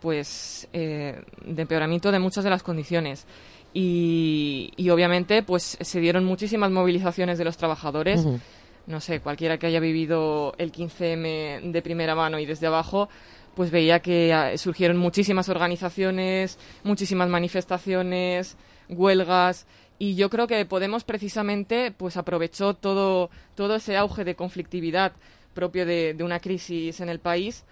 empeoramiento de muchas de las condiciones y obviamente se dieron muchísimas movilizaciones de los trabajadores. no sé, cualquiera que haya vivido el 15M de primera mano y desde abajo, pues veía que surgieron muchísimas organizaciones, muchísimas manifestaciones, huelgas, y yo creo que Podemos precisamente pues aprovechó todo ese auge de conflictividad propio de una crisis en el país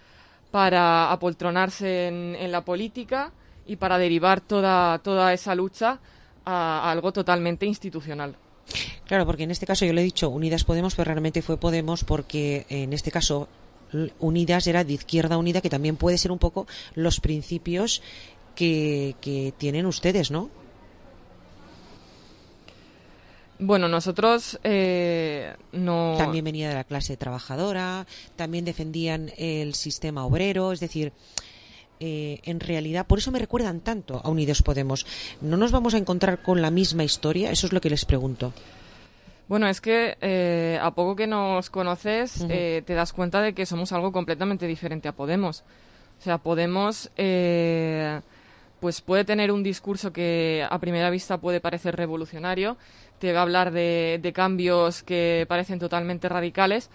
para apoltronarse en la política y para derivar toda esa lucha a algo totalmente institucional. Claro, porque en este caso yo le he dicho Unidas Podemos, pero realmente fue Podemos porque en este caso Unidas era de Izquierda Unida, que también puede ser un poco los principios que tienen ustedes, ¿no? Bueno, nosotros no... También venía de la clase trabajadora, también defendían el sistema obrero, es decir, en realidad, por eso me recuerdan tanto a Unidos Podemos. ¿No nos vamos a encontrar con la misma historia? Eso es lo que les pregunto. Bueno, es que a poco que nos conoces, te das cuenta de que somos algo completamente diferente a Podemos. O sea, Podemos pues puede tener un discurso que a primera vista puede parecer revolucionario, te va a hablar de cambios que parecen totalmente radicales,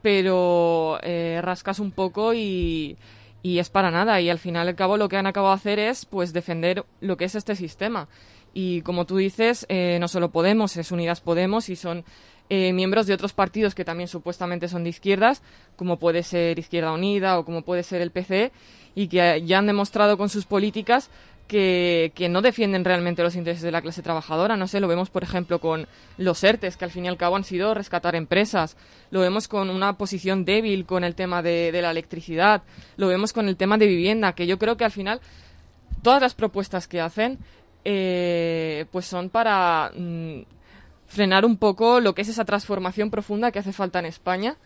pero rascas un poco y es para nada. Y al final y al cabo lo que han acabado de hacer es pues defender lo que es este sistema. Y como tú dices, no solo Podemos, es Unidas Podemos y son miembros de otros partidos que también supuestamente son de izquierdas, como puede ser Izquierda Unida o como puede ser el PCE, y que ya han demostrado con sus políticas que no defienden realmente los intereses de la clase trabajadora. No sé, lo vemos por ejemplo con los ERTEs, que al fin y al cabo han sido rescatar empresas, lo vemos con una posición débil con el tema de la electricidad, lo vemos con el tema de vivienda, que yo creo que al final todas las propuestas que hacen pues son para frenar un poco lo que es esa transformación profunda que hace falta en España.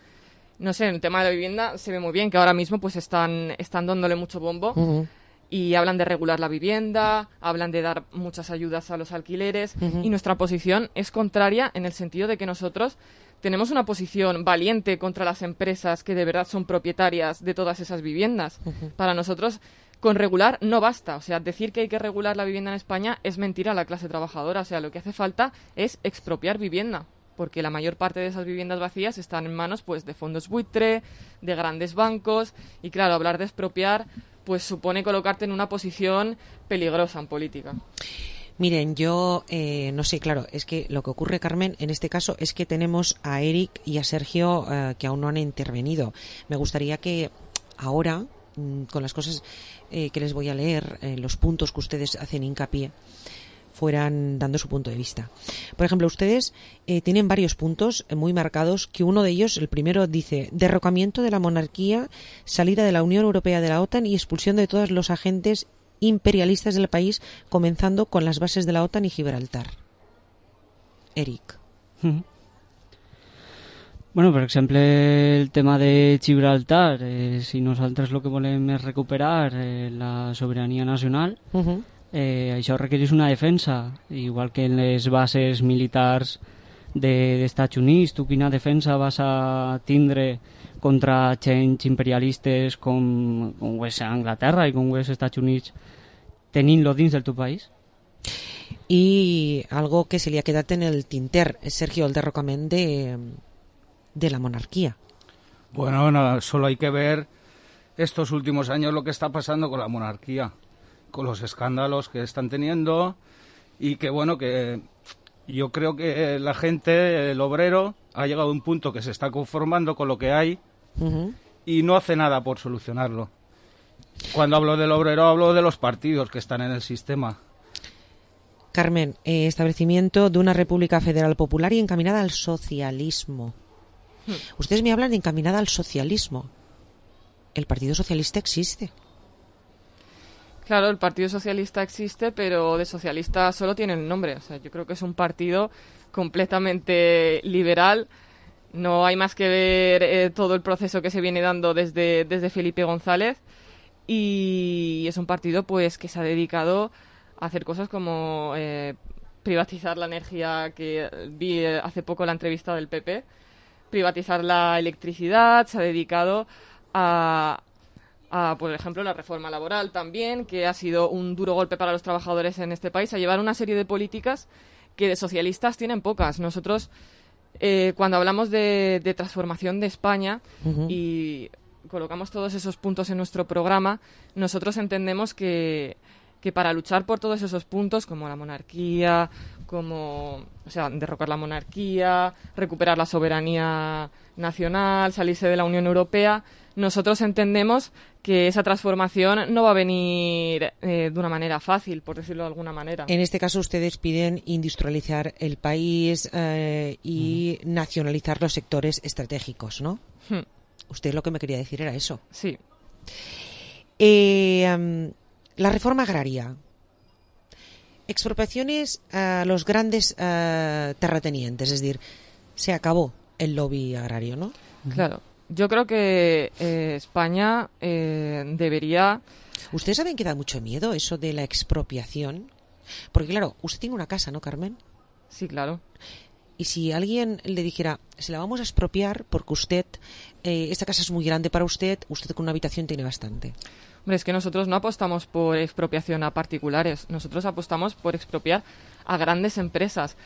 No sé, en el tema de la vivienda se ve muy bien que ahora mismo pues están dándole mucho bombo y hablan de regular la vivienda, hablan de dar muchas ayudas a los alquileres y nuestra posición es contraria en el sentido de que nosotros tenemos una posición valiente contra las empresas que de verdad son propietarias de todas esas viviendas. Para nosotros con regular no basta, o sea, decir que hay que regular la vivienda en España es mentir a la clase trabajadora, o sea, lo que hace falta es expropiar vivienda, porque la mayor parte de esas viviendas vacías están en manos pues de fondos buitre, de grandes bancos, y claro, hablar de expropiar pues supone colocarte en una posición peligrosa en política. Miren, yo no sé, claro, es que lo que ocurre, Carmen, en este caso es que tenemos a Eric y a Sergio que aún no han intervenido. Me gustaría que ahora, con las cosas que les voy a leer, los puntos que ustedes hacen hincapié, fueran dando su punto de vista. Por ejemplo, ustedes tienen varios puntos muy marcados, que uno de ellos, el primero, dice derrocamiento de la monarquía, salida de la Unión Europea de la OTAN y expulsión de todos los agentes imperialistas del país, comenzando con las bases de la OTAN y Gibraltar. Eric. Bueno, per exemple, el tema de Gibraltar, si nosaltres el que volem és recuperar la sobirania nacional, això requereix una defensa, igual que en les bases militars dels Estats Units. Tu quina defensa vas a tindre contra agents imperialistes com ho és Anglaterra i com ho és Estats Units, tenint-lo dins del teu país? Y algo que se le ha quedado en el tinter, Sergio, el derrocamiento de la monarquía. Bueno, no, solo hay que ver estos últimos años lo que está pasando con la monarquía, con los escándalos que están teniendo, y que bueno, que yo creo que la gente, el obrero, ha llegado a un punto que se está conformando con lo que hay y no hace nada por solucionarlo. Cuando hablo del obrero hablo de los partidos que están en el sistema. Carmen, establecimiento de una república federal popular y encaminada al socialismo. Ustedes me hablan de encaminada al socialismo. El Partido Socialista existe. Claro, el Partido Socialista existe, pero de socialista solo tiene el nombre. O sea, yo creo que es un partido completamente liberal. No hay más que ver todo el proceso que se viene dando desde Felipe González, y es un partido pues que se ha dedicado a hacer cosas como privatizar la energía, que vi hace poco la entrevista del PP, privatizar la electricidad, se ha dedicado a, por ejemplo, la reforma laboral también, que ha sido un duro golpe para los trabajadores en este país, a llevar una serie de políticas que de socialistas tienen pocas. Nosotros Cuando hablamos de transformación de España Ujú. y colocamos todos esos puntos en nuestro programa, nosotros entendemos que para luchar por todos esos puntos, como la monarquía, derrocar la monarquía, recuperar la soberanía nacional, salirse de la Unión Europea, nosotros entendemos que esa transformación no va a venir de una manera fácil, por decirlo de alguna manera. En este caso ustedes piden industrializar el país y nacionalizar los sectores estratégicos, ¿no? Usted lo que me quería decir era eso. Sí. La reforma agraria. Expropiaciones a los grandes terratenientes, es decir, se acabó el lobby agrario, ¿no? Claro. Yo creo que España debería... ¿Ustedes saben que da mucho miedo eso de la expropiación? Porque claro, usted tiene una casa, ¿no, Carmen? Sí, claro. Y si alguien le dijera, se la vamos a expropiar porque usted, esta casa es muy grande para usted con una habitación tiene bastante. Hombre, es que nosotros no apostamos por expropiación a particulares, nosotros apostamos por expropiar a grandes empresas.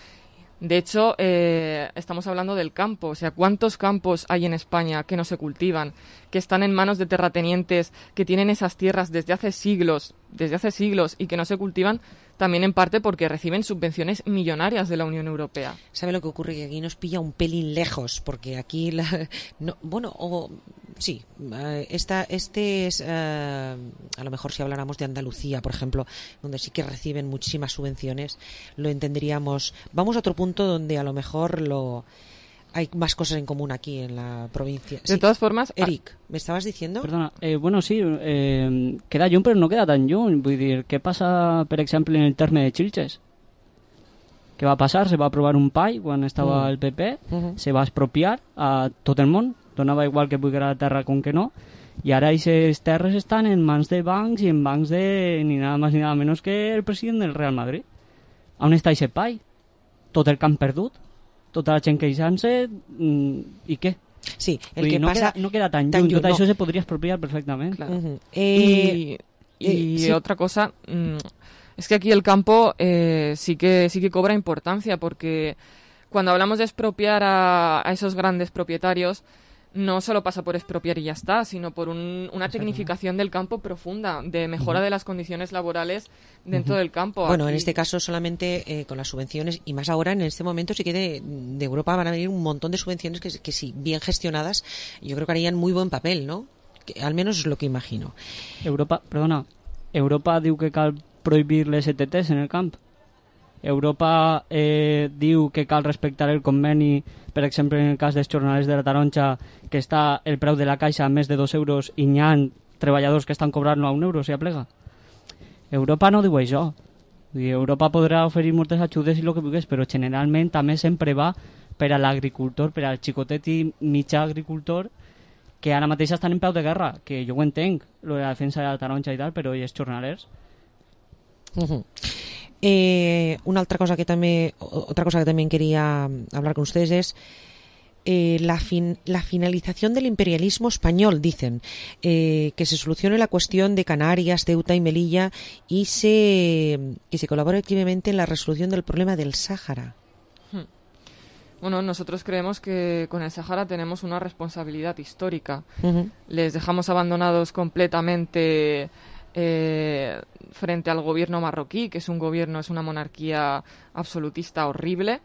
De hecho, estamos hablando del campo. O sea, ¿cuántos campos hay en España que no se cultivan, que están en manos de terratenientes, que tienen esas tierras desde hace siglos y que no se cultivan? También en parte porque reciben subvenciones millonarias de la Unión Europea. ¿Sabe lo que ocurre? Que aquí nos pilla un pelín lejos, porque aquí este es a lo mejor si habláramos de Andalucía, por ejemplo, donde sí que reciben muchísimas subvenciones, lo entenderíamos. Vamos a otro punto donde a lo mejor hay más cosas en común aquí en la provincia. De todas formas... Eric, ¿me estabas diciendo? Perdona, bueno, sí, queda lluny, però no queda tan lluny. Vull dir, què passa, per exemple, en el terme de Xilxes? Què va passar? Se va aprovar un PAI quan estava el PP, se va expropiar a tot el món, donava igual que pugui la terra com que no, i ara aquestes terres estan en mans de bancs i en bancs de ni nada más ni nada menos que el president del Real Madrid. On està aquest PAI? Tot el camp perdut? Tota la gent queixant-se i què? Sí, no queda tan lluny, tot això se podria expropiar perfectament. Claro. Y otra cosa, es que aquí el campo sí que cobra importancia, porque cuando hablamos de expropiar a esos grandes propietarios, no solo pasa por expropiar y ya está, sino por una tecnificación del campo profunda, de mejora de las condiciones laborales dentro del campo. Bueno, en este caso solamente con las subvenciones, y más ahora en este momento sí que de Europa van a venir un montón de subvenciones que si bien gestionadas, yo creo que harían muy buen papel, ¿no? Que, al menos es lo que imagino. Europa diu que cal prohibir les ETTs en el camp. Europa diu que cal respectar el conveni, per exemple, en el cas dels jornalers de la taronja, que està el preu de la caixa a més de 2 euros i n'hi ha treballadors que estan cobrant-lo a 1 euro, si aplega. Europa no diu això. Europa podrà oferir moltes ajudes i el que vulguis, però generalment també sempre va per a l'agricultor, per al xicotet i mitjà agricultor, que ara mateix estan en peu de guerra, que jo ho entenc, lo de la defensa de la taronja i tal, però i els jornalers? Otra cosa que también quería hablar con ustedes es la finalización del imperialismo español, dicen, que se solucione la cuestión de Canarias, Ceuta y Melilla y que se colabore activamente en la resolución del problema del Sáhara. Bueno, nosotros creemos que con el Sáhara tenemos una responsabilidad histórica. Les dejamos abandonados completamente frente al gobierno marroquí, que es una monarquía absolutista horrible,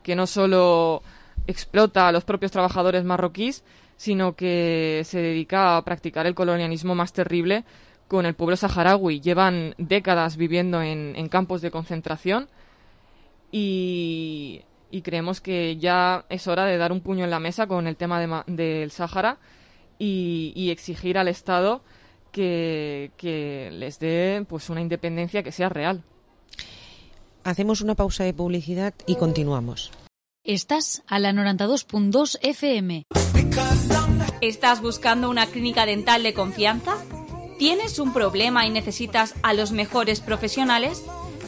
que no solo explota a los propios trabajadores marroquíes, sino que se dedica a practicar el colonialismo más terrible con el pueblo saharaui. Llevan décadas viviendo en campos de concentración y creemos que ya es hora de dar un puño en la mesa con el tema del Sáhara y exigir al Estado que les dé pues una independencia que sea real. Hacemos una pausa de publicidad y continuamos. Estás a la 92.2 FM. ¿Estás buscando una clínica dental de confianza? ¿Tienes un problema y necesitas a los mejores profesionales?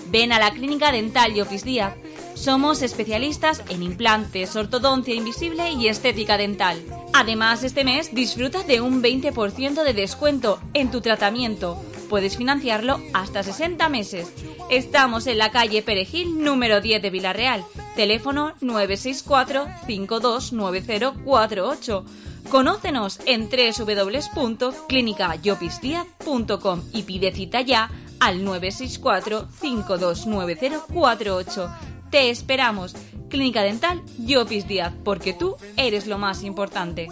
Ven a la Clínica Dental y Office Díaz. Somos especialistas en implantes, ortodoncia invisible y estética dental. Además, este mes disfruta de un 20% de descuento en tu tratamiento. Puedes financiarlo hasta 60 meses. Estamos en la calle Perejil, número 10 de Villarreal. Teléfono 964-529048. Conócenos en www.clinicayopisdiaz.com y pide cita ya al 964-529048. Te esperamos. Clínica Dental Llopis Díaz, porque tú eres lo más importante.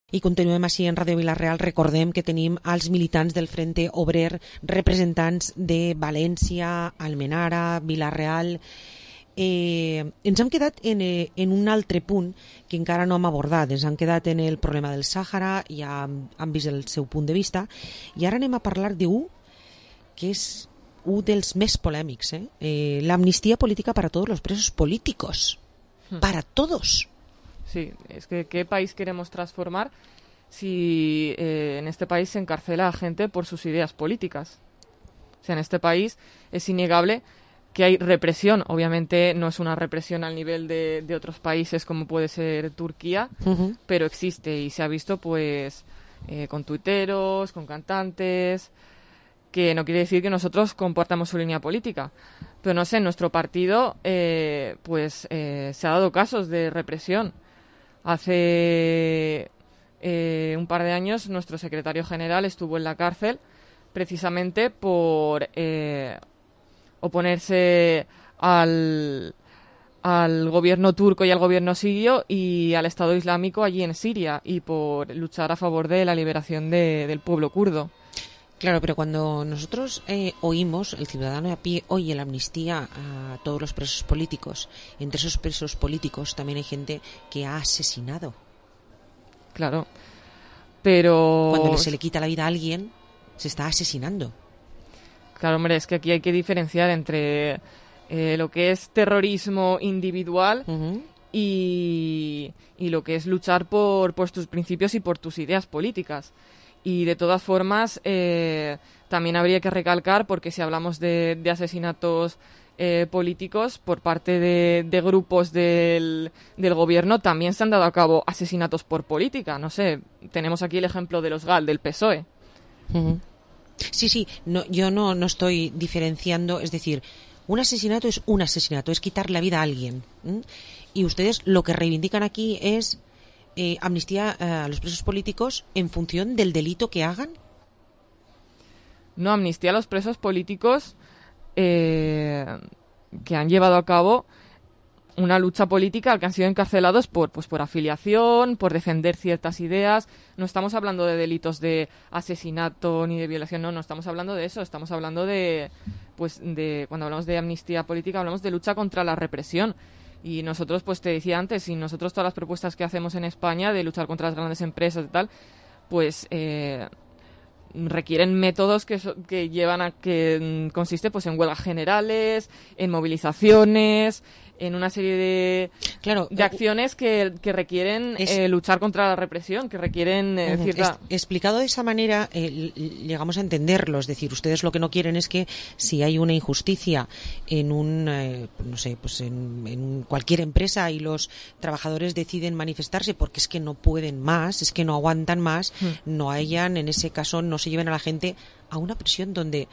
I continuem així en Ràdio Vila-real. Recordem que tenim els militants del Frente Obrer, representants de València, Almenara, Vila-real. Ens hem quedat en un altre punt que encara no hem abordat. Ens hem quedat en el problema del Sàhara, ja hem vist el seu punt de vista, i ara anem a parlar d'un que és un dels més polèmics, l'amnistia política para todos los presos políticos. Para todos. Sí, es que ¿qué país queremos transformar si en este país se encarcela a gente por sus ideas políticas? O sea, en este país es innegable que hay represión. Obviamente no es una represión al nivel de otros países como puede ser Turquía, pero existe y se ha visto pues con tuiteros, con cantantes, que no quiere decir que nosotros compartamos su línea política. Pero no sé, en nuestro partido se ha dado casos de represión. Hace un par de años nuestro secretario general estuvo en la cárcel precisamente por oponerse al gobierno turco y al gobierno sirio y al Estado Islámico allí en Siria y por luchar a favor de la liberación del pueblo kurdo. Claro, pero cuando nosotros oímos, el ciudadano de a pie oye la amnistía a todos los presos políticos, entre esos presos políticos también hay gente que ha asesinado. Claro, pero... Cuando se le quita la vida a alguien, se está asesinando. Claro, hombre, es que aquí hay que diferenciar entre lo que es terrorismo individual y lo que es luchar por tus principios y por tus ideas políticas. Y de todas formas, también habría que recalcar, porque si hablamos de asesinatos políticos por parte de grupos del gobierno, también se han dado a cabo asesinatos por política. No sé, tenemos aquí el ejemplo de los GAL, del PSOE. Sí, no, yo no estoy diferenciando, es decir, un asesinato, es quitar la vida a alguien. Y ustedes lo que reivindican aquí es amnistía a los presos políticos en función del delito que hagan. No, amnistía a los presos políticos que han llevado a cabo una lucha política al que han sido encarcelados por afiliación, por defender ciertas ideas. No estamos hablando de delitos de asesinato ni de violación, no estamos hablando de eso. Estamos hablando de cuando hablamos de amnistía política, hablamos de lucha contra la represión. Y nosotros, pues te decía antes, y nosotros todas las propuestas que hacemos en España de luchar contra las grandes empresas y tal, pues requieren métodos que llevan a que consiste pues en huelgas generales, en movilizaciones, en una serie de acciones que requieren luchar contra la represión, que requieren cierta... Explicado de esa manera, llegamos a entenderlo. Es decir, ustedes lo que no quieren es que si hay una injusticia en en cualquier empresa y los trabajadores deciden manifestarse porque es que no pueden más, es que no aguantan más, no hayan, en ese caso, no se lleven a la gente a una prisión donde,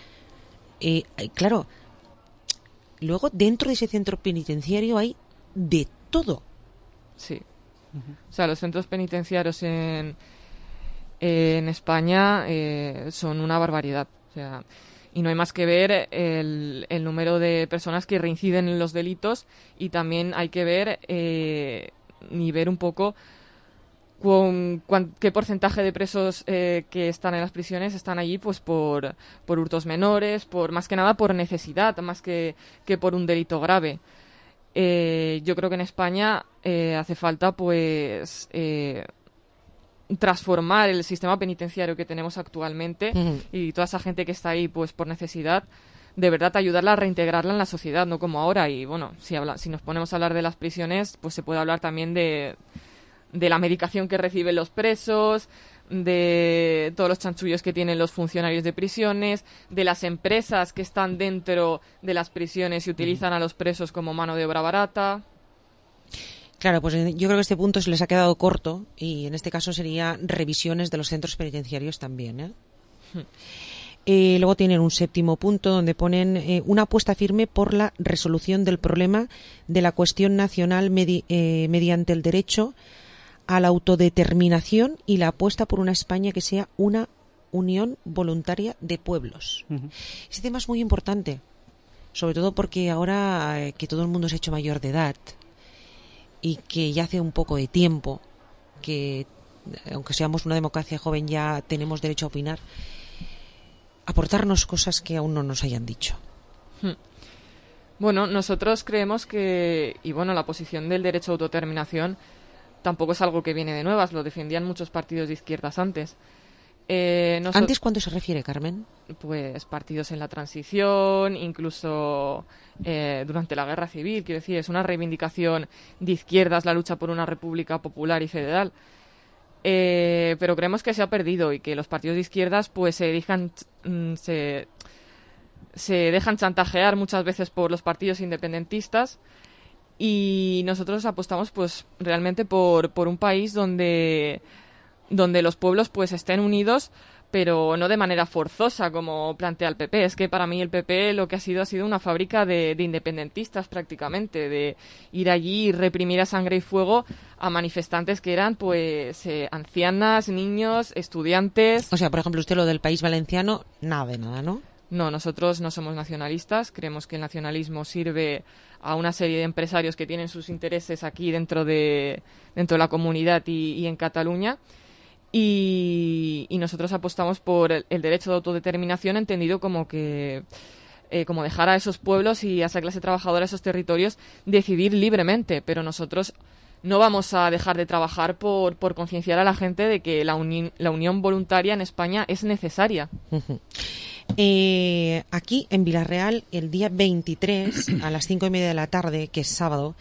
claro... Luego, dentro de ese centro penitenciario hay de todo. Sí. O sea, los centros penitenciarios en España son una barbaridad. O sea, y no hay más que ver el número de personas que reinciden en los delitos, y también hay que ver y ver un poco qué porcentaje de presos que están en las prisiones están allí pues por hurtos menores, más que nada por necesidad, más que por un delito grave. Yo creo que en España hace falta pues transformar el sistema penitenciario que tenemos actualmente, y toda esa gente que está ahí pues por necesidad, de verdad ayudarla a reintegrarla en la sociedad, no como ahora. Y bueno, si nos ponemos a hablar de las prisiones, pues se puede hablar también de la medicación que reciben los presos, de todos los chanchullos que tienen los funcionarios de prisiones, de las empresas que están dentro de las prisiones y utilizan a los presos como mano de obra barata. Claro, pues yo creo que este punto se les ha quedado corto, y en este caso sería revisiones de los centros penitenciarios también, Luego tienen un 7º punto donde ponen una apuesta firme por la resolución del problema de la cuestión nacional mediante el derecho a la autodeterminación y la apuesta por una España que sea una unión voluntaria de pueblos. Este tema es muy importante, sobre todo porque ahora que todo el mundo se ha hecho mayor de edad y que ya hace un poco de tiempo que, aunque seamos una democracia joven, ya tenemos derecho a opinar, aportarnos cosas que aún no nos hayan dicho. Bueno, nosotros creemos que, y bueno, la posición del derecho a autodeterminación tampoco es algo que viene de nuevas, lo defendían muchos partidos de izquierdas antes. ¿Antes cuándo se refiere, Carmen? Pues partidos en la transición, incluso durante la Guerra Civil, quiero decir, es una reivindicación de izquierdas la lucha por una república popular y federal. Pero creemos que se ha perdido y que los partidos de izquierdas pues se dejan chantajear muchas veces por los partidos independentistas, y nosotros apostamos pues realmente por un país donde los pueblos pues estén unidos, pero no de manera forzosa como plantea el PP. Es que para mí el PP lo que ha sido una fábrica de independentistas prácticamente, de ir allí y reprimir a sangre y fuego a manifestantes que eran pues ancianas, niños, estudiantes. O sea, por ejemplo, usted lo del País Valenciano, nada de nada, ¿no? No, nosotros no somos nacionalistas, creemos que el nacionalismo sirve a una serie de empresarios que tienen sus intereses aquí dentro de la comunidad y en Cataluña. Y nosotros apostamos por el derecho de autodeterminación, entendido como que como dejar a esos pueblos y a esa clase trabajadora, a esos territorios, decidir libremente. Pero nosotros no vamos a dejar de trabajar por concienciar a la gente de que la unión voluntaria en España es necesaria. Aquí en Vilarreal, el día 23 a las 5:30 de la tarde, que es sábado,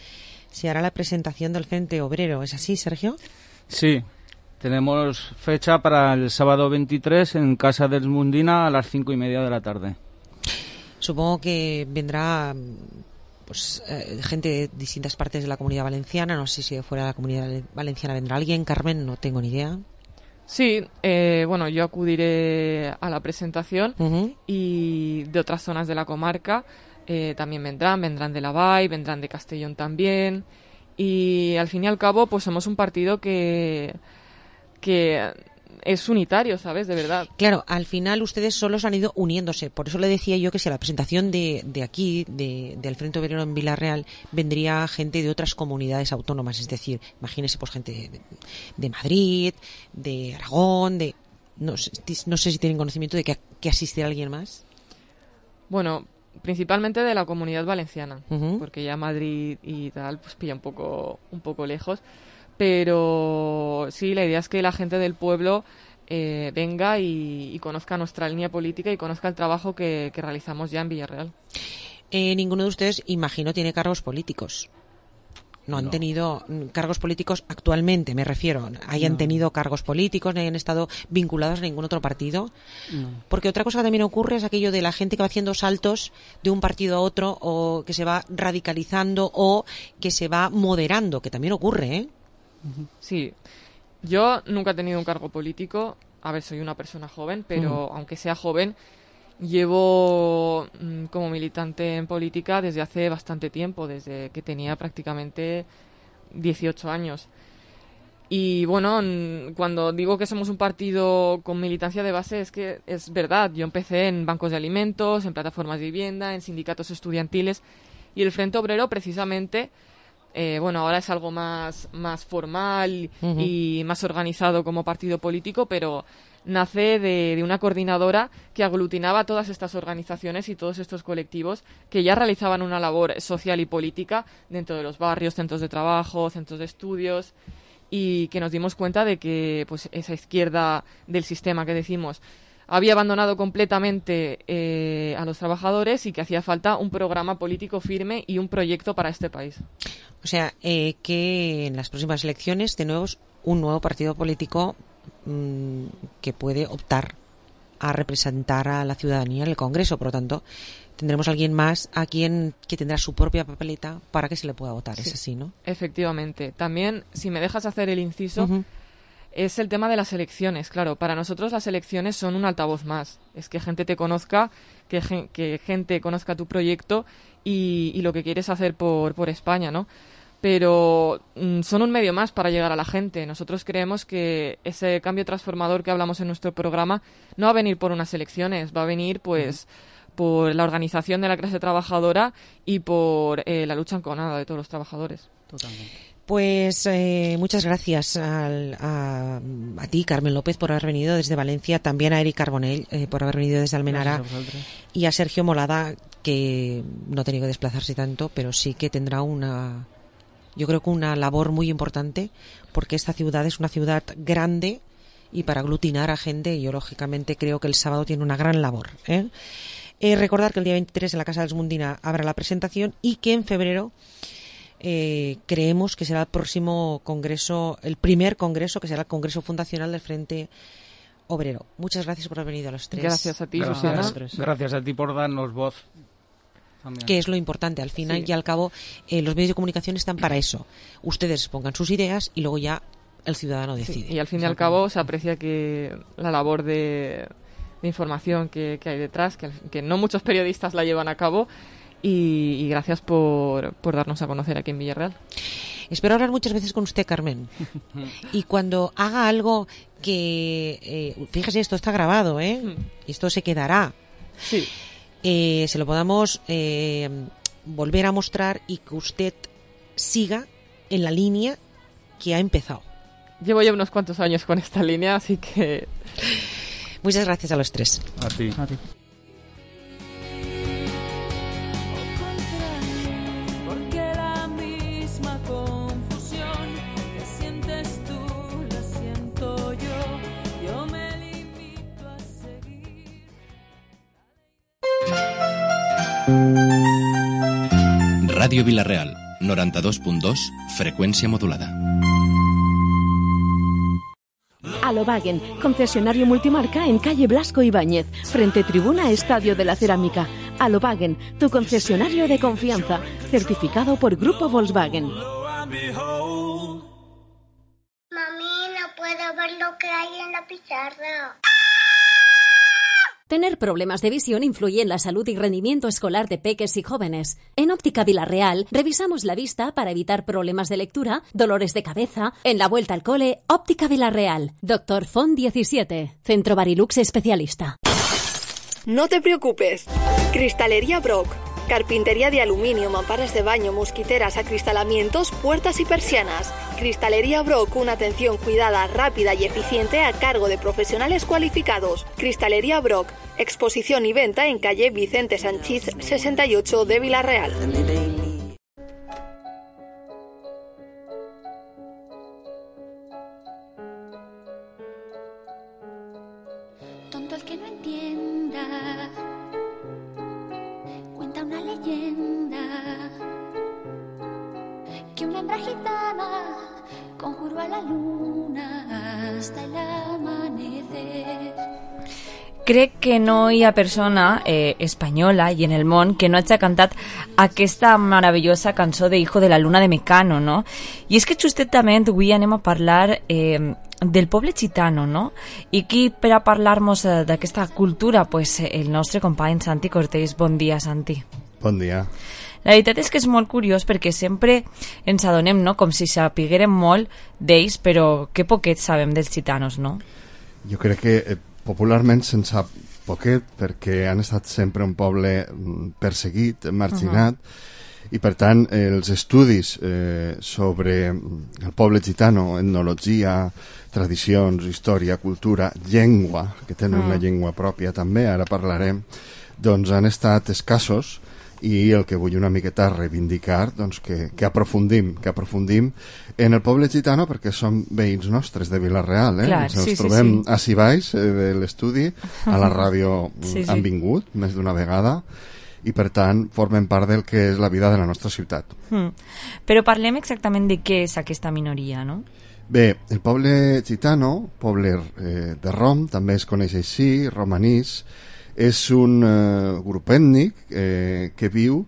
se hará la presentación del Frente Obrero. ¿Es así, Sergio? Sí. Tenemos fecha para el sábado 23 en Casa del Mundina a las 5:30 de la tarde. Supongo que vendrá pues gente de distintas partes de la Comunidad Valenciana. No sé si fuera de la Comunidad Valenciana vendrá alguien. Carmen, no tengo ni idea. Sí, bueno, yo acudiré a la presentación y de otras zonas de la comarca también vendrán de la Vall, vendrán de Castellón también, y al fin y al cabo pues somos un partido que es unitario, ¿sabes? De verdad. Claro, al final ustedes solos han ido uniéndose. Por eso le decía yo que si a la presentación de aquí, del Frente Obrero en Vilarreal, vendría gente de otras comunidades autónomas. Es decir, imagínese pues gente de Madrid, de Aragón, no sé si tienen conocimiento de que asistirá alguien más. Bueno, principalmente de la Comunidad Valenciana, porque ya Madrid y tal pues pilla un poco lejos. Pero sí, la idea es que la gente del pueblo venga y conozca nuestra línea política y conozca el trabajo que realizamos ya en Villarreal. Ninguno de ustedes, imagino, tiene cargos políticos. No han tenido cargos políticos actualmente, me refiero. ¿Hayan tenido cargos políticos? ¿No hayan estado vinculados a ningún otro partido? No. Porque otra cosa que también ocurre es aquello de la gente que va haciendo saltos de un partido a otro, o que se va radicalizando o que se va moderando, que también ocurre, ¿eh? Sí, yo nunca he tenido un cargo político. A ver, soy una persona joven, pero aunque sea joven, llevo como militante en política desde hace bastante tiempo, desde que tenía prácticamente 18 años. Y bueno, cuando digo que somos un partido con militancia de base, es que es verdad. Yo empecé en bancos de alimentos, en plataformas de vivienda, en sindicatos estudiantiles, y el Frente Obrero precisamente... bueno, ahora es algo más formal y más organizado como partido político, pero nace de una coordinadora que aglutinaba todas estas organizaciones y todos estos colectivos que ya realizaban una labor social y política dentro de los barrios, centros de trabajo, centros de estudios, y que nos dimos cuenta de que pues esa izquierda del sistema que decimos había abandonado completamente a los trabajadores y que hacía falta un programa político firme y un proyecto para este país. O sea, que en las próximas elecciones tenemos un nuevo partido político que puede optar a representar a la ciudadanía en el Congreso. Por lo tanto, tendremos a alguien más que tendrá su propia papeleta para que se le pueda votar. Sí. Es así, ¿no? Efectivamente. También, si me dejas hacer el inciso... es el tema de las elecciones. Claro, para nosotros las elecciones son un altavoz más. Es que gente te conozca, que gente conozca tu proyecto y lo que quieres hacer por España, ¿no? Pero son un medio más para llegar a la gente. Nosotros creemos que ese cambio transformador que hablamos en nuestro programa no va a venir por unas elecciones, va a venir pues por la organización de la clase trabajadora y por la lucha enconada de todos los trabajadores. Totalmente. Pues muchas gracias a ti, Carmen López, por haber venido desde Valencia, también a Eric Carbonell por haber venido desde Almenara y a Sergio Molada, que no ha tenido que desplazarse tanto, pero sí que tendrá yo creo que una labor muy importante, porque esta ciudad es una ciudad grande y para aglutinar a gente, yo lógicamente creo que el sábado tiene una gran labor. Recordar que el día 23 en la Casa dels Mundina habrá la presentación y que en febrero creemos que será el próximo congreso, el primer congreso, que será el Congreso Fundacional del Frente Obrero. Muchas gracias por haber venido a los tres. Gracias a ti, Susana. Gracias a ti por darnos voz. También. Que es lo importante, al final y al cabo los medios de comunicación están para eso. Ustedes pongan sus ideas y luego ya el ciudadano decide. Sí, y al fin y al cabo se aprecia que la labor de información que hay detrás, que no muchos periodistas la llevan a cabo, y gracias por darnos a conocer aquí en Villarreal. Espero hablar muchas veces con usted, Carmen. Y cuando haga algo que... fíjese, esto está grabado, esto se quedará. Sí. Se lo podamos volver a mostrar y que usted siga en la línea que ha empezado. Llevo ya unos cuantos años con esta línea, así que... Muchas gracias a los tres. A ti. A ti. Porque la misma confusión que sientes tú la siento yo me limito a seguir. Ràdio Vila-real, 92.2, freqüència modulada. Alobagen, concesionario multimarca en calle Blasco Ibáñez, frente tribuna Estadio de la Cerámica. Alobagen, tu concesionario de confianza, certificado por Grupo Volkswagen. Mami, no puedo ver lo que hay en la pizarra. Tener problemas de visión influye en la salud y rendimiento escolar de peques y jóvenes. En Óptica Vila-real revisamos la vista para evitar problemas de lectura, dolores de cabeza. En la vuelta al cole, Óptica Vila-real. Dr. Font 17, Centro Barilux especialista. No te preocupes. Cristalería Brock. Carpintería de aluminio, mamparas de baño, mosquiteras, acristalamientos, puertas y persianas. Cristalería Brock, una atención cuidada, rápida y eficiente a cargo de profesionales cualificados. Cristalería Brock, exposición y venta en calle Vicente Sanchís 68 de Vila-real. Tonto el que no entienda. Cuenta una leyenda que una hembra gitana conjuró a la luna hasta el amanecer. Crec que no hi ha persona espanyola i en el món que no hagi cantat aquesta meravellosa cançó de Hijo de la Luna de Mecano, no? I és que justament avui anem a parlar del poble gitano, no? I qui per a parlar-nos d'aquesta cultura, pues el nostre company Santi Cortés. Bon dia, Santi. Bon dia. La veritat és que és molt curiós perquè sempre ens adonem, no?, com si sapiguérem molt d'ells, però que poquet sabem dels gitanos, no? Jo crec que popularment se'n sap poquet perquè han estat sempre un poble perseguit, marginat, i per tant els estudis sobre el poble gitano, etnologia, tradicions, història, cultura, llengua, que tenen una llengua pròpia també, ara parlarem, doncs han estat escassos, i el que vull una miqueta reivindicar, doncs que aprofundim en el poble gitano, perquè són veïns nostres de Vila-real, Clar, ens trobem ací baix de l'estudi, a la ràdio han vingut més d'una vegada, i per tant formen part del que és la vida de la nostra ciutat. Però parlem exactament de què és aquesta minoria, no? Bé, el poble gitano, poble de Rom, també es coneix així, romanís, és un grup ètnic que viu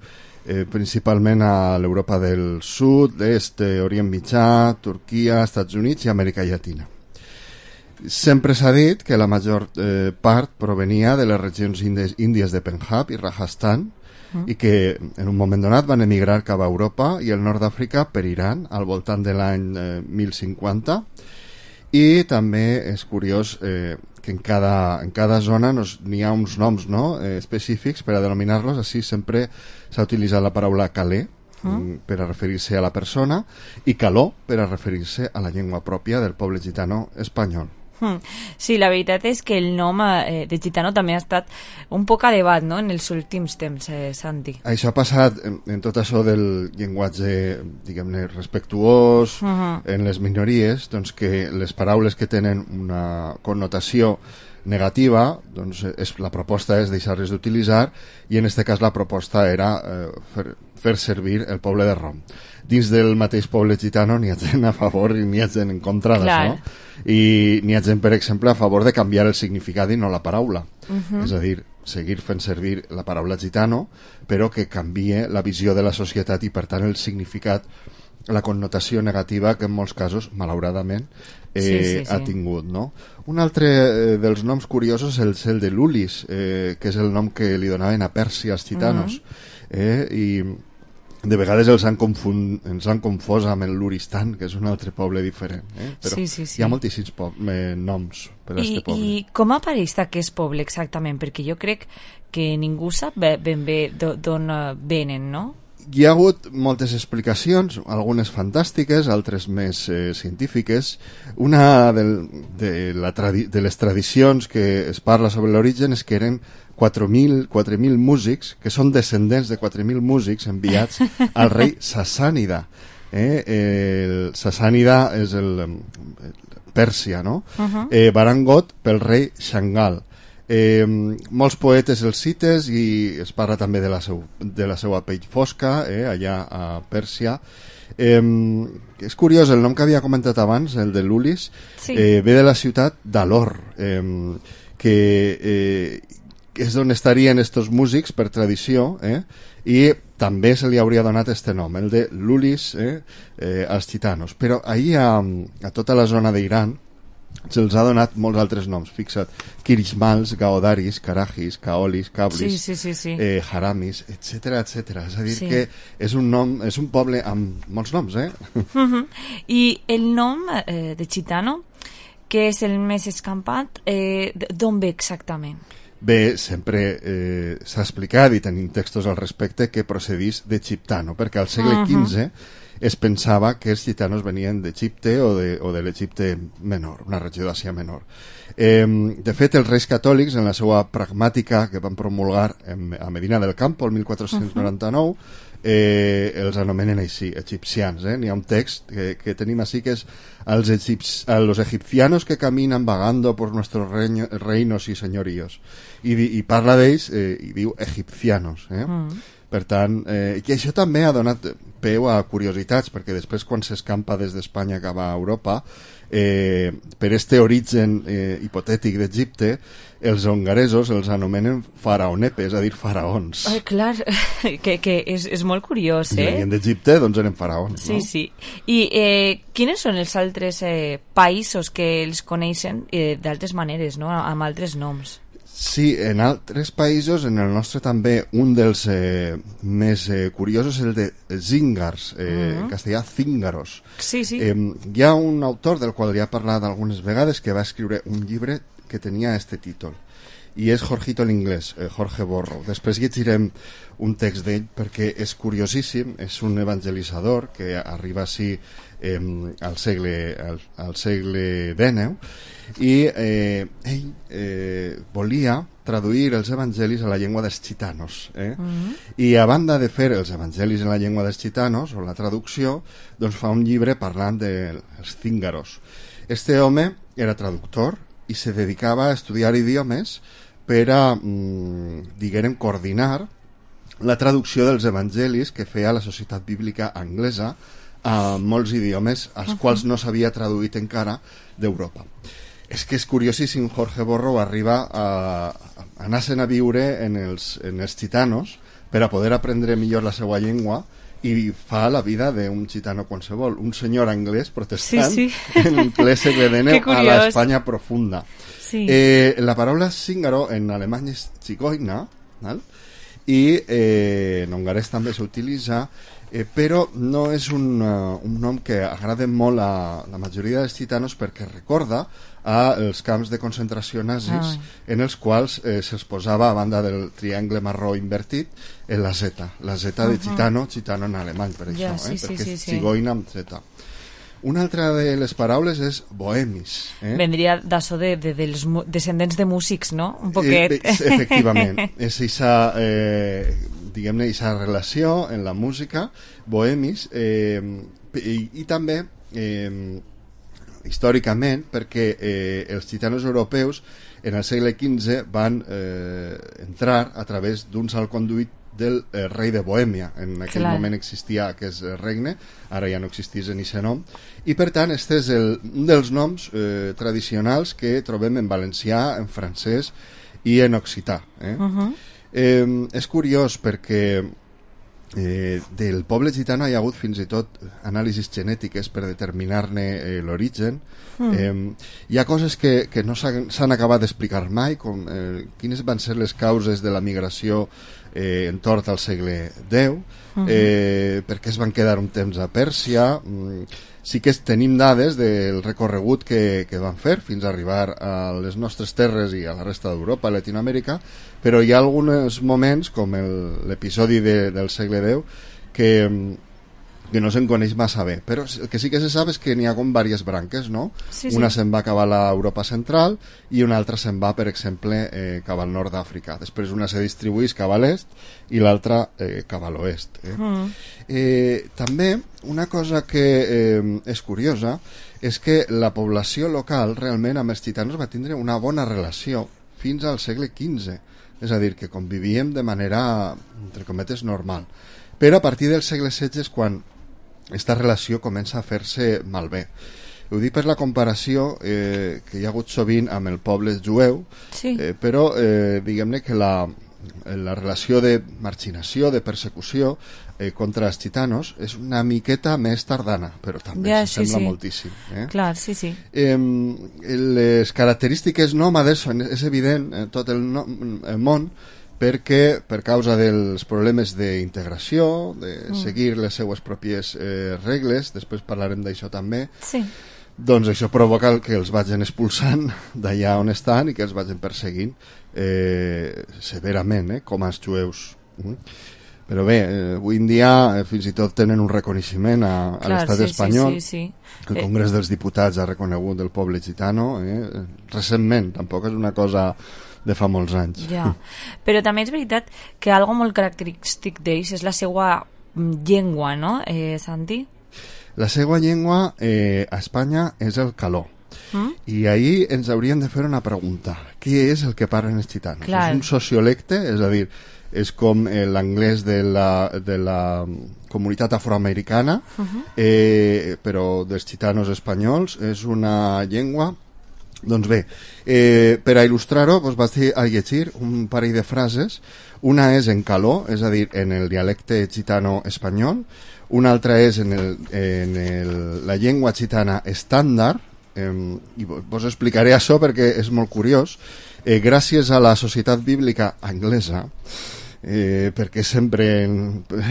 principalment a l'Europa del Sud, l'Est, Orient Mitjà, Turquia, Estats Units i Amèrica Llatina. Sempre s'ha dit que la major part provenia de les regions índies de Punjab i Rajasthan, i que en un moment donat van emigrar cap a Europa i el nord d'Àfrica per Iran al voltant de l'any 1050. I també és curiós que en cada zona n'hi ha uns noms, no? Específics per a denominar-los. Així sempre s'ha utilitzat la paraula calé per a referir-se a la persona i caló per a referir-se a la llengua pròpia del poble gitano espanyol. Sí, la veritat és que el nom de gitano també ha estat un poc a debat, no?, en els últims temps, Santi. Això ha passat en tot això del llenguatge, diguem-ne, respectuós en les minories, doncs que les paraules que tenen una connotació negativa, doncs la proposta és deixar-les d'utilitzar, i en aquest cas la proposta era fer servir el poble de Rom. Dins del mateix poble gitano n'hi ha gent a favor i n'hi ha gent en contra d'això, i n'hi ha gent, per exemple, a favor de canviar el significat i no la paraula. És a dir, seguir fent servir la paraula gitano, però que canvie la visió de la societat i, per tant, el significat, la connotació negativa que en molts casos, malauradament, ha tingut, no? Un altre dels noms curiosos és el de Lulis, que és el nom que li donaven a Pèrsia als gitanos, i de vegades ens han confós amb el Luristan, que és un altre poble diferent, però hi ha moltíssims noms per a aquest poble. I com apareix aquest poble exactament? Perquè jo crec que ningú sap ben bé d'on venen, no? Hi ha hagut moltes explicacions, algunes fantàstiques, altres més científiques. Una de les tradicions que es parla sobre l'origen és que eren 4.000 músics, que són descendents de 4.000 músics enviats al rei Sassànida. El Sassànida és el Pèrsia, no? Barangot pel rei Shangal. Molts poetes els cites i es parla també de la seva pell fosca, allà a Pèrsia. És curiós, el nom que havia comentat abans, el de Lulis, ve de la ciutat d'Alor, que és on estarien estos músics per tradició, i també se li hauria donat este nom, el de Lulis, als gitanos. Però ahir a tota la zona d'Iran se'ls ha donat molts altres noms, fixa't: Kirishmals, Gaodaris, Karajis, Kaolis, Kablis, Haramis, etc. És a dir, que és un poble amb molts noms, I el nom de gitano, que és el més escampat, d'on ve exactament? Bé, sempre s'ha explicat, i tenim textos al respecte, que procedís d'Egiptano, perquè al segle XV es pensava que els gitanos venien d'Egipte o de l'Egipte menor, una regió d'Àsia menor. De fet, els reis catòlics, en la seva pragmàtica que van promulgar a Medina del Campo el 1499, els anomenen així, egipcians. N'hi ha un text que tenim així que és a los egipcianos que caminan vagando por nuestros reinos y señoríos, i parla d'ells i diu egipcianos. Per tant, i això també ha donat peu a curiositats, perquè després quan s'escampa des d'Espanya cap a Europa, per este origen hipotètic d'Egipte, els hongaresos els anomenen faraonepe, és a dir, faraons. Clar, que és molt curiós, I venien d'Egipte, doncs eren faraons, no? Sí. I quins són els altres països que els coneixen d'altres maneres, no?, amb altres noms? Sí, en altres països, en el nostre també, un dels més curiosos és el de Zingars, en castellà Cíngaros. Hi ha un autor del qual ja he parlat algunes vegades que va escriure un llibre que tenia este títol, i és Jorgito l'Inglès, Jorge Borrow. Després llegirem un text d'ell perquè és curiosíssim, és un evangelitzador que arriba així al segle XIX, i ell volia traduir els evangelis a la llengua dels gitanos, i a banda de fer els evangelis en la llengua dels gitanos o la traducció, doncs fa un llibre parlant dels cíngaros. Este home era traductor i se dedicava a estudiar idiomes per a, diguem, coordinar la traducció dels evangelis que feia la Societat Bíblica Anglesa a molts idiomes als quals no s'havia traduït encara d'Europa. És que és curiosíssim, Jorge Borrow arriba a anar-se'n a viure en els gitanos per a poder aprendre millor la seva llengua i fa la vida d'un gitano qualsevol, un senyor anglès protestant Sí. en el ple segle XIX a l'Espanya profunda. Sí. La paraula zíngaro en alemany és zigoina, val? I en hongarès també s'utilitza, però no és un nom que agrada molt a la majoria dels gitanos perquè recorda als camps de concentració nazis en els quals se'ls posava a banda del triangle marró invertit la Z de gitano en alemany, per això, perquè és zigoina amb Z. Una altra de les paraules és bohemis. Vendria d'això dels descendents de músics, no? Un poquet. Efectivament. És diguem-ne, aquesta relació en la música, bohemis, i també històricament, perquè els gitanos europeus en el segle XV van entrar a través d'un salconduit del rei de Bohèmia. En aquell moment existia aquest regne, ara ja no existís en aquest nom, i per tant este és un dels noms tradicionals que trobem en valencià, en francès i en occità. És curiós perquè del poble gitano hi ha hagut fins i tot anàlisis genètiques per determinar-ne l'origen. Hi ha coses que no s'han acabat d'explicar mai, com quines van ser les causes de la migració entorn al segle X, per què es van quedar un temps a Pèrsia. Sí que tenim dades del recorregut que van fer fins a arribar a les nostres terres i a la resta d'Europa, a Latinoamèrica, però hi ha alguns moments, com l'episodi del segle X, que no se'n coneix massa bé, però el que sí que se sap és que n'hi ha com diverses branques, no? Una se'n va cap a l'Europa central i una altra se'n va, per exemple, cap al nord d'Àfrica. Després una se distribueix cap a l'est i l'altra cap a l'oest. També una cosa que és curiosa és que la població local realment amb els gitanos va tindre una bona relació fins al segle XV, és a dir, que convivíem de manera, entre cometes, normal. Però a partir del segle XVI és quan aquesta relació comença a fer-se malbé. Ho dic per la comparació que hi ha hagut sovint amb el poble jueu, però diguem-ne que la relació de marginació, de persecució contra els gitanos és una miqueta més tardana, però també sembla moltíssim. Clar, sí. Les característiques nòmades és evident en tot el món, perquè per causa dels problemes d'integració, de seguir les seues pròpies regles, després parlarem d'això també, doncs això provoca que els vagin expulsant d'allà on estan i que els vagin perseguint severament, com als jueus. Però bé, avui en dia fins i tot tenen un reconeixement a l'estat espanyol. El Congrés dels Diputats ha reconegut el poble gitano recentment, tampoc és una cosa de fa molts anys. Però també és veritat que algo molt característic d'ells és la seva llengua, no, Santi? La seva llengua a Espanya és el caló. I ahir ens hauríem de fer una pregunta. Què és el que parlen els gitanos? És un sociolecte, és a dir, és com l'anglès de la comunitat afroamericana, però dels gitanos espanyols. És una llengua. Doncs bé, per a il·lustrar-ho vaig a llegir un parell de frases. Una és en caló, és a dir, en el dialecte gitano espanyol. Una altra és en la llengua gitana estàndard, i vos explicaré això perquè és molt curiós. Gràcies a la Societat Bíblica Anglesa, perquè sempre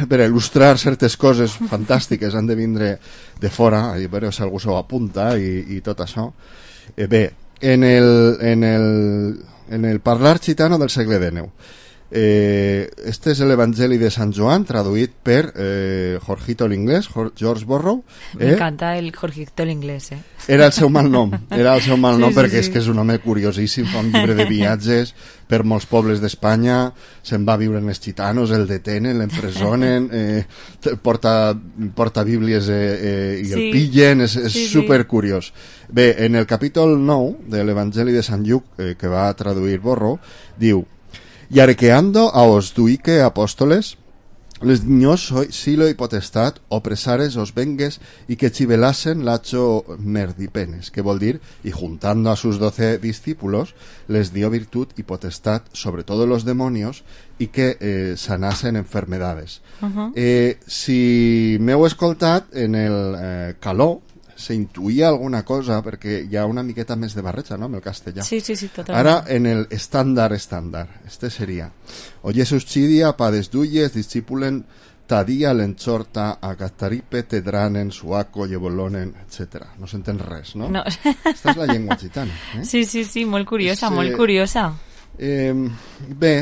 per il·lustrar certes coses fantàstiques han de vindre de fora, a veure si algú s'ho apunta i tot això. Bé, en el parlar gitano del segle XIX, este és l'Evangeli de Sant Joan, traduït per Jorgito l'Inglés, George Borrow. M'encanta el Jorgito l'Inglés, Era el seu malnom, perquè és que és un home curiosíssim, fa un llibre de viatges per molts pobles d'Espanya, se'n va viure en els gitanos, el detenen, l'empresonen, porta bíblies i el pillen, és supercuriós. Bé, en el capítol 9 de l'Evangeli de Sant Lluc, que va traduir Borrow, diu: «Y arqueando a os duique apóstoles, Les niños silo y potestat opresares os vengues y que chivelasen lacho merdipenes, que vol dir, y juntando a sus 12 discípulos, les dio virtud y potestad sobre todos los demonios y que sanasen enfermedades. Si m'heu escoltat en el caló, s'intuïa alguna cosa, perquè hi ha una miqueta més de barreja, no?, amb el castellà. Sí, totalment. Ara, en el estándar, este seria: Oye suscidia, pades duyes, discipulen tadia, l'enxorta, a Cataripe, tedranen, suaco, llevolonen, etc. No s'entén res, no? No. Esta és la llengua gitana. Sí, molt curiosa, molt curiosa. Bé,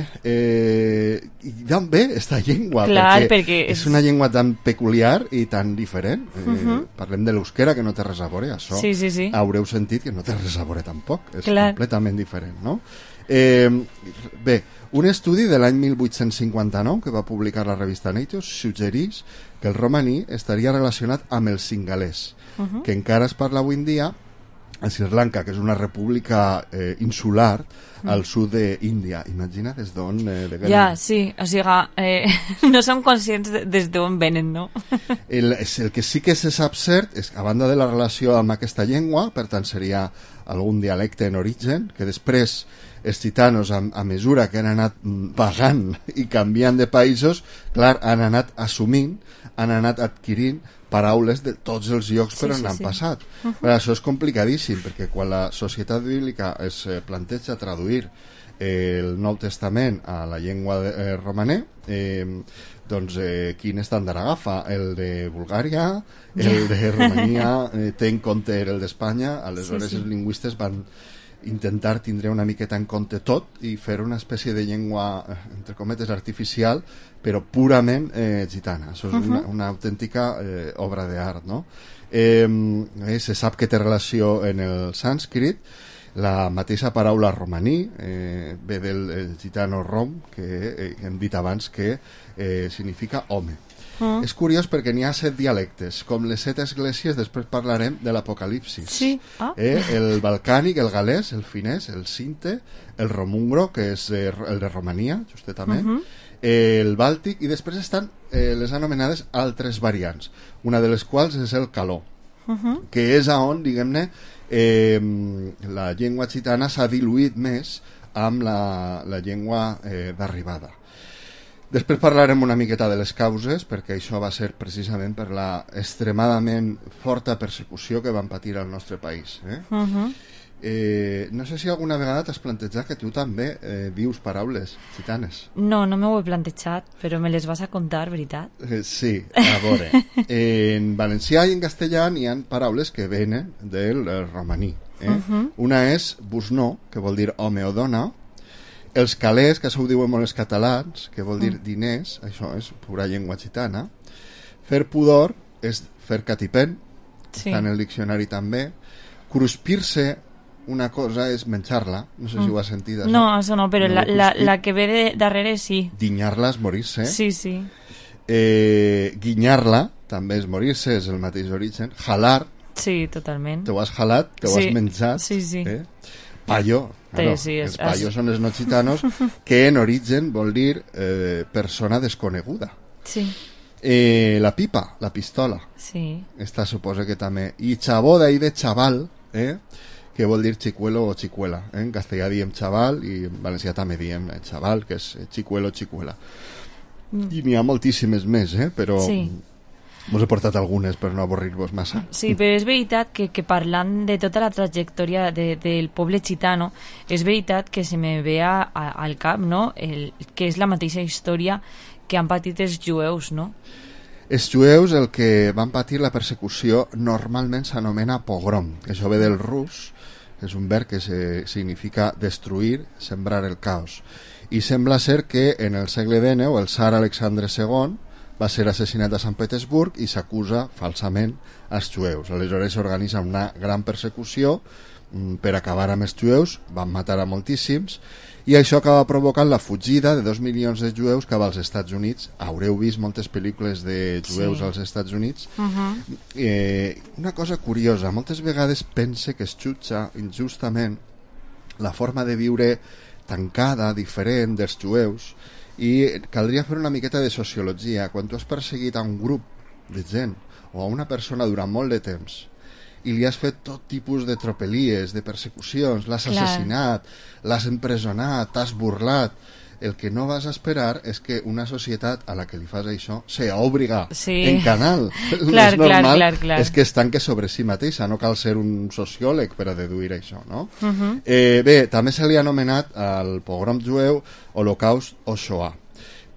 d'on ve esta llengua? Clar, perquè és una llengua tan peculiar i tan diferent. Parlem de l'euskera, que no té res a veure, això sí. haureu sentit que no té res a veure tampoc, és Clar. completament diferent, no? Bé, un estudi de l'any 1859 que va publicar la revista Nature suggerís que el romaní estaria relacionat amb el singalès, que encara es parla avui en dia a Sri Lanka, que és una república insular al sud d'Índia. Imagina des d'on venen. Ja, sí, o sigui, no som conscients des d'on venen, no? El que sí que se sap cert és que, a banda de la relació amb aquesta llengua, per tant seria algun dialecte en origen, que després els gitanos, a mesura que han anat vagant i canviant de països, clar, han anat assumint, han anat adquirint paraules de tots els llocs per on han passat. Però això és complicadíssim, perquè quan la societat bíblica es planteja traduir el Nou Testament a la llengua romaní, doncs quin estàndard agafa? El de Bulgària, el de Romania, té en compte el d'Espanya, aleshores els lingüistes van intentar tindre una miqueta en compte tot i fer una espècie de llengua, entre cometes, artificial, però purament gitana. Això és una autèntica obra d'art, no? Se sap que té relació en el sànscrit. La mateixa paraula romaní ve del gitano rom, que hem dit abans que significa home. És curiós perquè n'hi ha 7 dialectes. Com les 7 esglésies, després parlarem de l'Apocalipsis. Sí. El balcànic, el galès, el finès, el sinte, el romungro, que és el de Romania, justament, el bàltic, i després estan les anomenades altres variants, una de les quals és el caló, que és on, diguem-ne, la llengua gitana s'ha diluït més amb la llengua d'arribada. Després parlarem una miqueta de les causes, perquè això va ser precisament per la extremadament forta persecució que van patir al nostre país. No sé si alguna vegada t'has plantejat que tu també dius paraules gitanes. No m'ho he plantejat, però me les vas a contar, veritat? Sí, a veure. En valencià i en castellà hi ha paraules que venen del romaní. Una és busnó, que vol dir home o dona. Els calés, que això ho diuen molt els catalans, que vol dir diners, això és pura llengua gitana. Fer pudor és fer catipent, està en el diccionari també. Cruspir-se, una cosa és menjar-la, no sé si ho has sentit. Això. No, això no, però la que ve darrere sí. Dinyar-la és morir-se. Sí. Guinyar-la també és morir-se, és el mateix origen. Jalar. Sí, totalment. Te ho has jalat, te ho has menjat. Sí. Payo. Claro, els payos són els no gitanos, que en origen vol dir persona desconeguda. Sí. La pipa, la pistola. Sí. Esta suposa que també. I xavó d'ahí de xaval, que vol dir xicuelo o xicuela. En castellà diem xaval i en valencià també diem xaval, que és xicuelo o xicuela. I n'hi ha moltíssimes més, però... Sí. Vos he portat algunes per no avorrir-vos massa. Sí, però és veritat que parlant de tota la trajectòria del poble gitano, és veritat que se me ve al cap, no?, que és la mateixa història que han patit els jueus, no? Els jueus, el que van patir la persecució, normalment s'anomena pogrom, que això ve del rus, que és un verb que significa destruir, sembrar el caos. I sembla ser que en el segle XIX el tsar Alexandre II va ser assassinat a Sant Petersburg i s'acusa falsament als jueus. Aleshores s'organitza una gran persecució per acabar amb els jueus, van matar a moltíssims, i això acaba provocant la fugida de 2 milions de jueus cap als Estats Units. Haureu vist moltes pel·lícules de jueus als Estats Units. Una cosa curiosa, moltes vegades pense que es jutja injustament la forma de viure tancada, diferent dels jueus, I caldria fer una miqueta de sociologia. Quan tu has perseguit a un grup de gent o a una persona durant molt de temps i li has fet tot tipus de tropelies, de persecucions, l'has assassinat, l'has empresonat, t'has burlat, el que no vas a esperar és que una societat a la que li fas això sea obligar en canal. Clar, és normal clar. és que es tanque sobre si mateixa, no cal ser un sociòleg per a deduir això, no? Bé, també se li ha anomenat al pogrom jueu Holocaust o Shoah,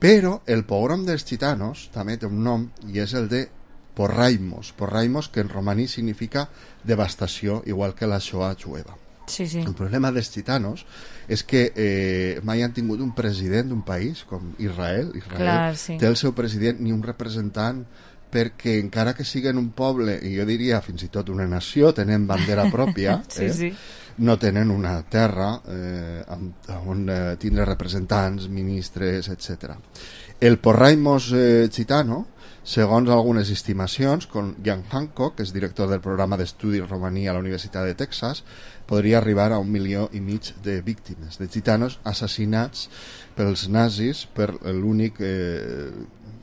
però el pogrom dels gitanos també té un nom i és el de Porraimos, que en romaní significa devastació, igual que la Shoah jueva. Sí. El problema dels gitanos és que mai han tingut un president d'un país com Israel. Té el seu president ni un representant, perquè encara que siguen un poble, i jo diria fins i tot una nació, tenen bandera pròpia, no tenen una terra on tindre representants, ministres, etc. El Porraimos gitano, segons algunes estimacions, con Jan Hancock, que és director del programa d'estudis romaní a la Universitat de Texas, podria arribar a 1,5 milió de víctimes, de gitanos assassinats pels nazis per l'únic,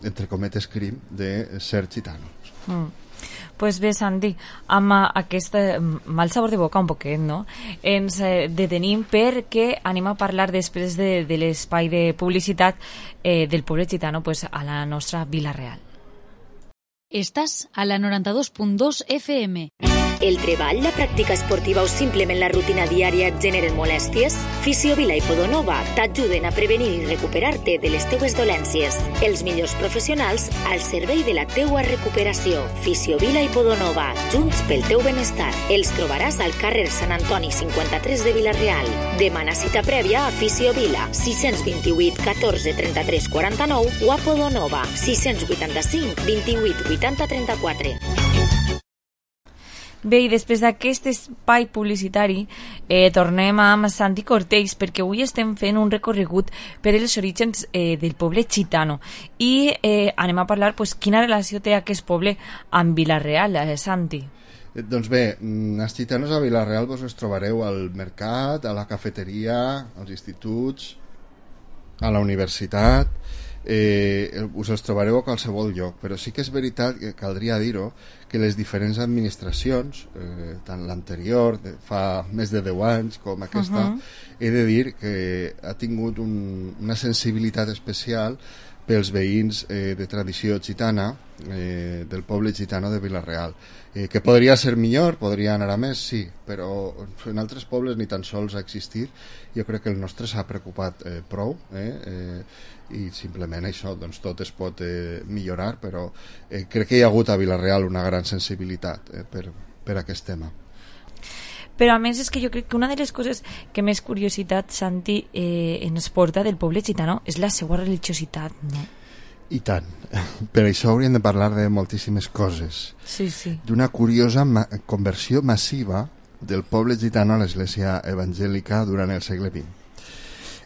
entre cometes, crim de ser gitanos. Pues bé, Santi, amb aquest mal sabor de boca un poquet, no? Ens detenim perquè anem a parlar després de l'espai de publicitat del poble gitano pues, a la nostra Vila Real. Estàs a la 92.2 FM. El treball, la pràctica esportiva o simplement la rutina diària et generen molèsties? Fisiovila i Podonova t'ajuden a prevenir i recuperar-te de les teues dolències. Els millors professionals al servei de la teua recuperació. Fisiovila i Podonova, junts pel teu benestar. Els trobaràs al carrer Sant Antoni 53 de Vila-real. Demana cita prèvia a Fisiovila 628 14 33 49 o a Podonova 685 28 80 34. Bé, i després d'aquest espai publicitari tornem amb Santi Cortells perquè avui estem fent un recorregut per els orígens del poble gitano i anem a parlar pues, quina relació té aquest poble amb Vila-real, Santi. Doncs bé, els gitanos a Vila-real vos els trobareu al mercat, a la cafeteria, als instituts, a la universitat, us els trobareu a qualsevol lloc, però sí que és veritat que caldria dir-ho que les diferents administracions, tant l'anterior, fa més de 10 anys com aquesta, he de dir que ha tingut una sensibilitat especial pels veïns de tradició gitana, del poble gitano de Vila-real, que podria ser millor, podria anar a més, sí, però en altres pobles ni tan sols ha existit. Jo crec que el nostre s'ha preocupat prou, i simplement això, doncs tot es pot millorar, però crec que hi ha hagut a Vila-real una gran sensibilitat per aquest tema. Però a més és que jo crec que una de les coses que més curiositat, Santi, ens porta del poble gitano és la seva religiositat, no? I tant. Per això hauríem de parlar de moltíssimes coses. Sí. D'una curiosa conversió massiva del poble gitano a l'església evangèlica durant el segle XX.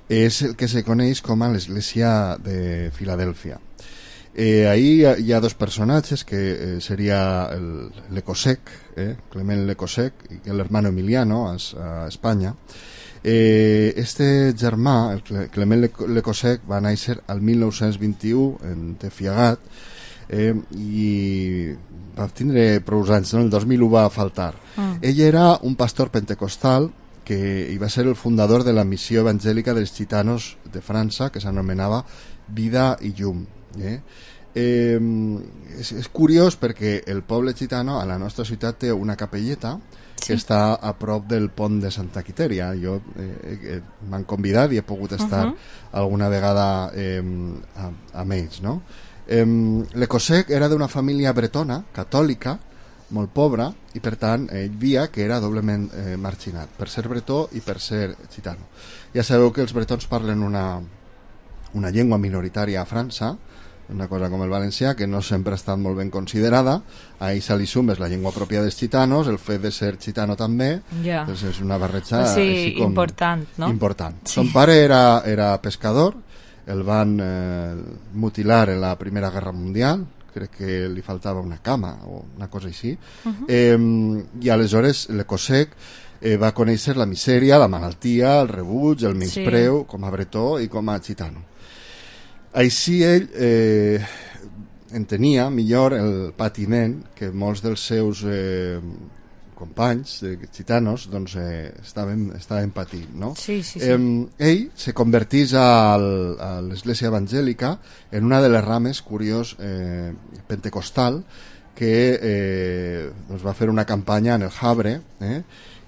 És el que se coneix com a l'església de Filadèlfia. Ahí hi ha dos personatges que seria l'Ecosec, Clement l'Ecosec, i l'hermano Emiliano a Espanya. Este germà, el Clement l'Ecosec, va néixer al 1921 en Tefiagat i va tindre prou anys, no? El 2001 va faltar. Ell era un pastor pentecostal que hi va ser el fundador de la missió evangèlica dels gitanos de França, que s'anomenava Vida i Llum. És curiós perquè el poble gitano a la nostra ciutat té una capelleta que està a prop del pont de Santa Quitèria. M'han convidat i he pogut estar alguna vegada amb ells, no? L'Ecosec era d'una família bretona, catòlica, molt pobra, i per tant ell via que era doblement marginat per ser bretó i per ser gitano. Ja sabeu que els bretons parlen una llengua minoritària a França, una cosa com el valencià, que no sempre ha estat molt ben considerada. Ahí se li sumes la llengua pròpia dels gitanos, el fet de ser gitano també, doncs és una barreja important, no? Important. Son pare era pescador, el van mutilar en la Primera Guerra Mundial, crec que li faltava una cama o una cosa així, i aleshores l'Ecosec va conèixer la misèria, la malaltia, el rebuig, el menyspreu com a bretó i com a gitano. Així ell entenia millor el patiment que molts dels seus companys gitanos doncs, estaven patint, no? Sí. Ell se convertís a l'Església Evangèlica en una de les rames, curiós, pentecostal, que doncs va fer una campanya en el Havre,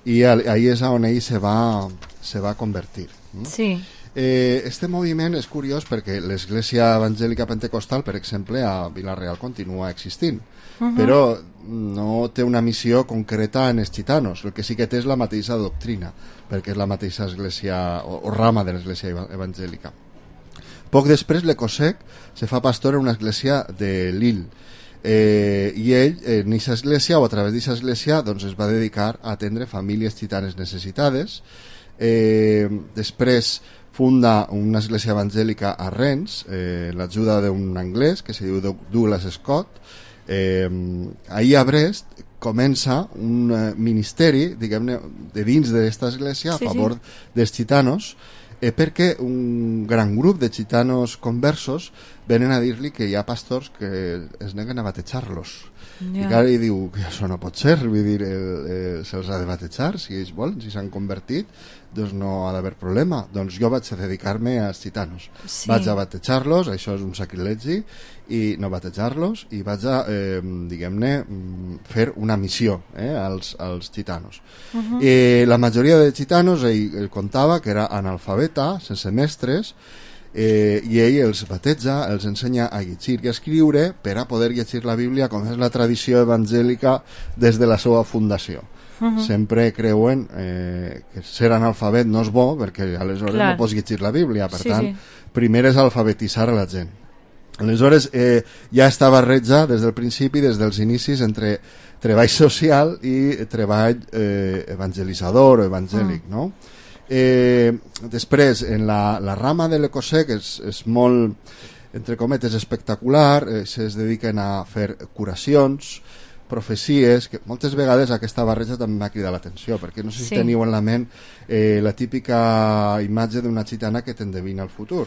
i ahí és on ell se va convertir. Sí. Este moviment és curiós perquè l'Església Evangèlica Pentecostal, per exemple, a Vila-real continua existint, però no té una missió concreta en els gitanos. El que sí que té és la mateixa doctrina, perquè és la mateixa església o rama de l'Església Evangèlica. Poc després, l'Ecosec se fa pastor en una església de Lille, i ell en aquesta església o a través d'aquesta església doncs, es va dedicar a atendre famílies gitanes necessitades. Després funda una església evangèlica a Rennes, l'ajuda d'un anglès que se diu Douglas Scott. Ahir a Brest comença un ministeri, diguem-ne, de dins d'aquesta església a favor dels gitanos, perquè un gran grup de gitanos conversos venen a dir-li que hi ha pastors que es neguen a batejar-los. I clar, ell diu que això no pot ser, vull dir, se'ls ha de batejar, si ells volen, si s'han convertit, doncs no ha d'haver problema. Doncs jo vaig a dedicar-me als gitanos. Vaig a batejar-los, això és un sacrilegi, i no batejar-los, i vaig a, diguem-ne, fer una missió als gitanos. La majoria de gitanos, ell contava que era analfabeta, sense mestres, i ell els bateja, els ensenya a llegir i a escriure per a poder llegir la Bíblia com és la tradició evangèlica des de la seva fundació. Sempre creuen que ser analfabet no és bo perquè aleshores no pots llegir la Bíblia, per tant primer és alfabetitzar a la gent. Aleshores ja està barreja des del principi, des dels inicis, entre treball social i treball evangelitzador o evangèlic, no? Després en la rama de l'Ecosec és molt, entre cometes, espectacular, es dediquen a fer curacions, profecies, que moltes vegades aquesta barreja també m'ha cridat l'atenció, perquè no sé si teniu en la ment la típica imatge d'una gitana que t'endevina el futur.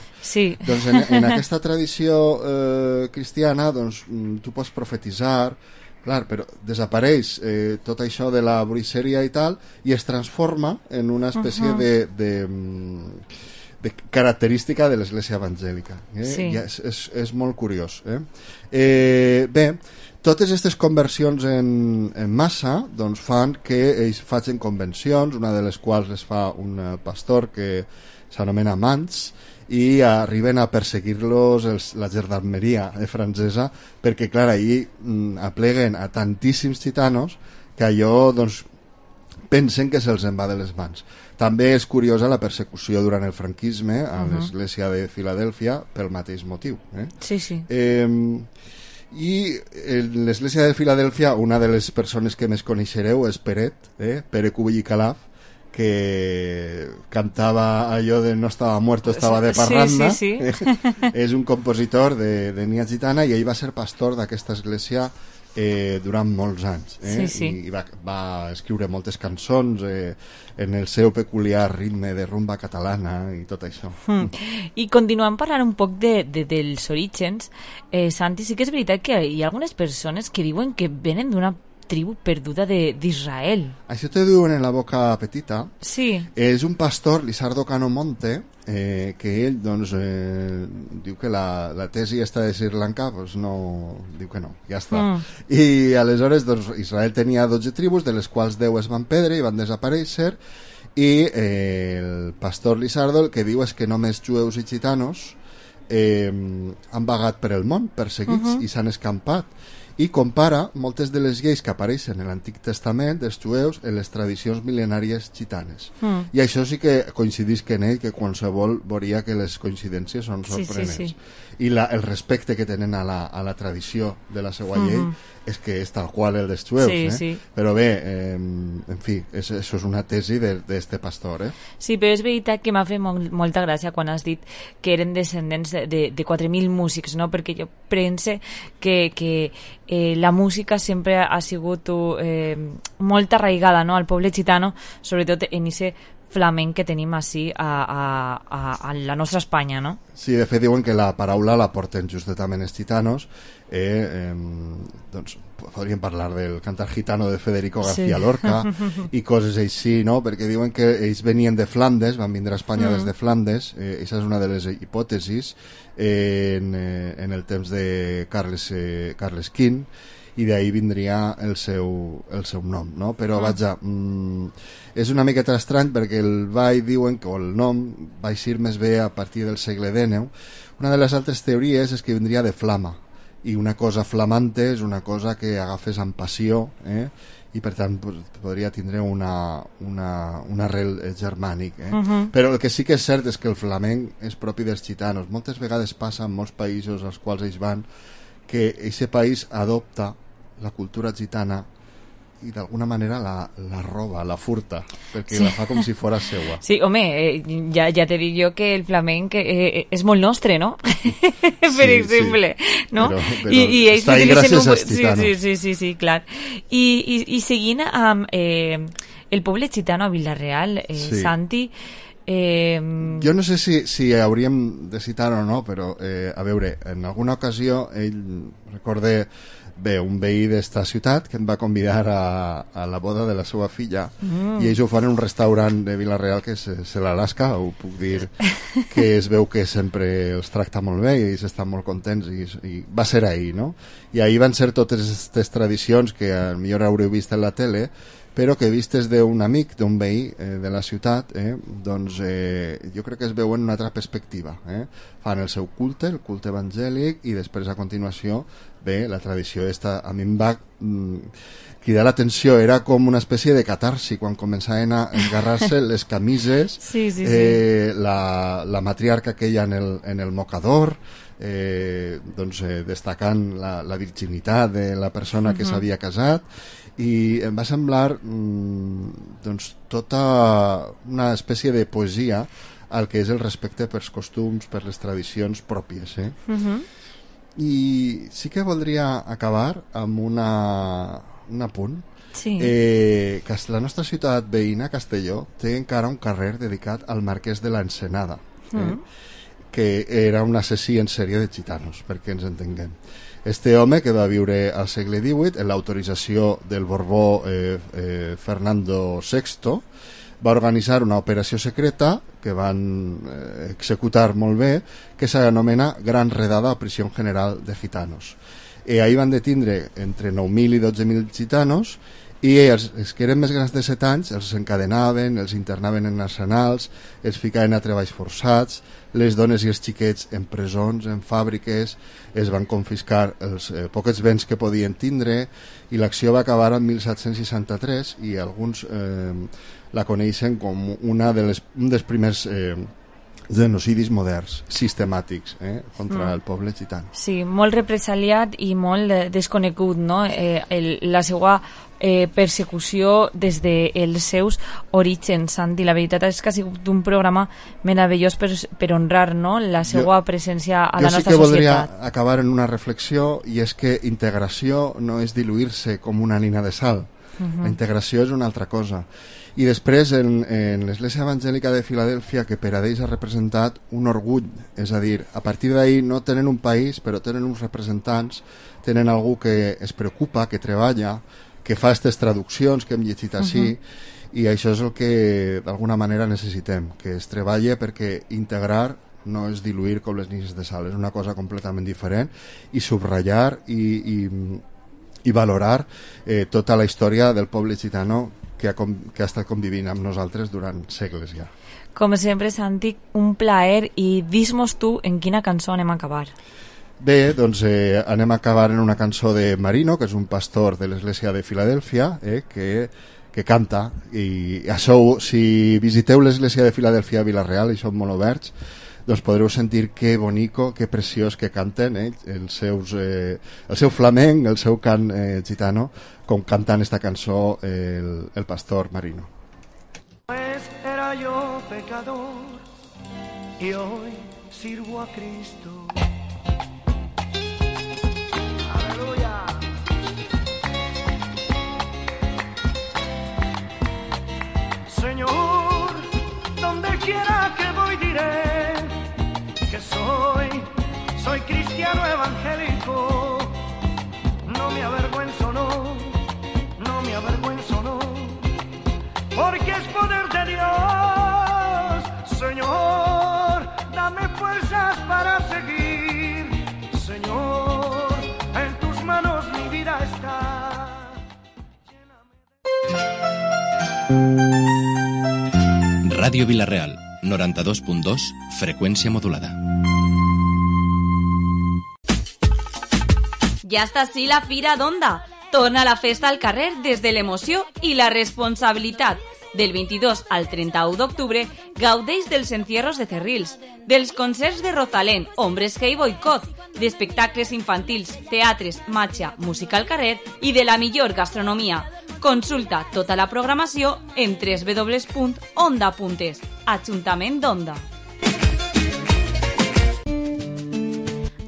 Doncs en aquesta tradició cristiana doncs, tu pots profetitzar. Clar, però desapareix tot això de la bruixeria i tal i es transforma en una espècie de característica de l'Església Evangèlica. I és molt curiós. Bé, totes aquestes conversions en massa doncs, fan que ells facin convencions, una de les quals les fa un pastor que s'anomena Mans, i arriben a perseguir-los la gendarmeria francesa perquè, clar, ahir apleguen a tantíssims gitanos que allò, doncs, pensen que se'ls en va de les mans. També és curiosa la persecució durant el franquisme a l'església de Filadèlfia pel mateix motiu. I l'església de Filadèlfia, una de les persones que més coneixereu és Pere Cubell i Calaf, que cantava allò de no estava muerto, estava de parranda. És un compositor d'ètnia gitana i ell va ser pastor d'aquesta església durant molts anys i va escriure moltes cançons en el seu peculiar ritme de rumba catalana i tot això. I continuant parlant un poc dels orígens, Santi, sí que és veritat que hi ha algunes persones que diuen que venen d'una tribu perduda d'Israel. Això te diuen en la boca petita. És un pastor, Lizardo Cano Monte, que ell doncs, diu que la tesi està de Sri Lanka, doncs no, diu que no, ja està. I aleshores doncs, Israel tenia 12 tribus, de les quals 10 es van perdre i van desaparèixer, i el pastor Lizardo el que diu és que només jueus i gitanos han vagat per el món, perseguits, i s'han escampat. I compara moltes de les lleis que apareixen en l'Antic Testament dels jueus en les tradicions mil·lenàries gitanes. I això sí que coincidís en ell, que qualsevol veuria que les coincidències són sorprenents. I el respecte que tenen a la tradició de la seva llei és que és tal qual el dels jueus. Però bé, en fi, això és una tesi d'este pastor. Sí, però és veritat que m'ha fet molta gràcia quan has dit que eren descendents de 4.000 músics, no? Perquè jo pense que la música sempre ha sigut molt arraigada, no? Al poble gitano, sobretot en aquest flamenc que tenim així a la nostra Espanya, no? Sí, de fet diuen que la paraula la porten justament els gitanos, doncs podríem parlar del cantar gitano de Federico García Lorca i coses així, no? Perquè diuen que ells venien de Flandes, van vindre a Espanya des de Flandes, això és una de les hipòtesis en el temps de Carles V, i d'ahir vindria el seu nom, no? Però vaja, és una miqueta estrany perquè el ball diuen que el nom va eixir més bé a partir del segle XIX. Una de les altres teories és que vindria de flama, i una cosa flamante és una cosa que agafes amb passió, i per tant podria tindre un arrel germànic, però el que sí que és cert és que el flamenc és propi dels gitanos. Moltes vegades passa en molts països als quals ells van que aquest país adopta la cultura gitana i d'alguna manera la roba, la furta, perquè la fa com si fos seua. Sí, home, ja te dic jo que el flamenc és molt nostre, no? Per exemple, no? Però està ahí gràcies als gitanos. Sí, clar. I seguint amb el poble gitano a Vila-real, Santi... Jo no sé si hauríem de citar o no, però a veure, en alguna ocasió recorde un veí d'esta ciutat que em va convidar a la boda de la seva filla i ells ho fan en un restaurant de Vila-real que és l'Alaska, ho puc dir, que es veu que sempre els tracta molt bé i ells estan molt contents i va ser ahir, no? I ahir van ser totes aquestes tradicions que potser haureu vist en la tele, però que vistes d'un amic, d'un veí de la ciutat, doncs jo crec que es veuen una altra perspectiva. Fan el seu culte, el culte evangèlic, i després a continuació ve la tradició esta. A mi em va cridar l'atenció, era com una espècie de catarsi quan començaven a engarrar-se les camises, la matriarca aquella en el mocador, doncs destacant la virginitat de la persona que s'havia casat, i em va semblar doncs tota una espècie de poesia al que és el respecte pels costums, per les tradicions pròpies. I sí que voldria acabar amb un apunt. Que la nostra ciutat veïna, Castelló, té encara un carrer dedicat al marquès de l'Ensenada, que era un assassí en sèrie de gitanos, perquè ens entenguem. Este home, que va viure al segle XVIII, en l'autorització del Borbó Fernando VI, va organitzar una operació secreta que van executar molt bé, que s'anomena Gran Redada a Prisión General de Gitanos. Ahí van detindre entre 9.000 i 12.000 gitanos, i els que eren més grans de 7 anys els encadenaven, els internaven en arsenals, els ficaven a treballs forçats, les dones i els xiquets en presons, en fàbriques, es van confiscar els poquets béns que podien tindre, i l'acció va acabar en 1763 i alguns la coneixen com un dels primers genocidis moderns, sistemàtics, contra el poble gitano. Sí, molt represaliat i molt desconegut, no? La seva persecució des dels seus orígens, Santi. La veritat és que ha sigut un programa meravellós per honrar, no?, la seva presència a la nostra societat. Jo sí que voldria acabar en una reflexió, i és que integració no és diluir-se com una nina de sal. La integració és una altra cosa. I després en l'Església Evangèlica de Filadèlfia, que per a ells ha representat un orgull, és a dir, a partir d'ahir no tenen un país, però tenen uns representants, tenen algú que es preocupa, que treballa, que fa aquestes traduccions que hem llegit així, i això és el que d'alguna manera necessitem, que es treballe, perquè integrar no és diluir com les nines de sal, és una cosa completament diferent, i subratllar i valorar tota la història del poble gitano que ha estat convivint amb nosaltres durant segles ja. Com sempre, Santi, un plaer, i dis-mos tu en quina cançó anem a acabar. Bé, doncs anem a acabar en una cançó de Marino, que és un pastor de l'església de Filadèlfia, que canta, i això, si visiteu l'església de Filadèlfia a Vila-real, i són molt oberts, doncs podreu sentir que bonico, que preciós que canten el seu flamenc, el seu cant gitano, com cantant esta cançó el pastor Marino. Pues era yo pecador y hoy sirvo a Cristo. Aleluya. Señor, donde quiera que voy diré que soy cristiano evangélico. No me avergüenzo, no me avergüenzo, no, porque es poder de Dios. Señor, dame fuerzas para seguir. Señor, en tus manos mi vida está. Ràdio Vila-real, 92.2, freqüència modulada. Ja està així la Fira d'Onda. Torna la festa al carrer des de l'emoció i la responsabilitat. Del 22 al 31 d'octubre gaudeix dels encierros de Cerrils, dels concerts de Rosalén, Hombres G i Boicot, d'espectacles infantils, teatres, matxa, música al carrer i de la millor gastronomia. Consulta tota la programació en www.onda.es. Ajuntament d'Onda.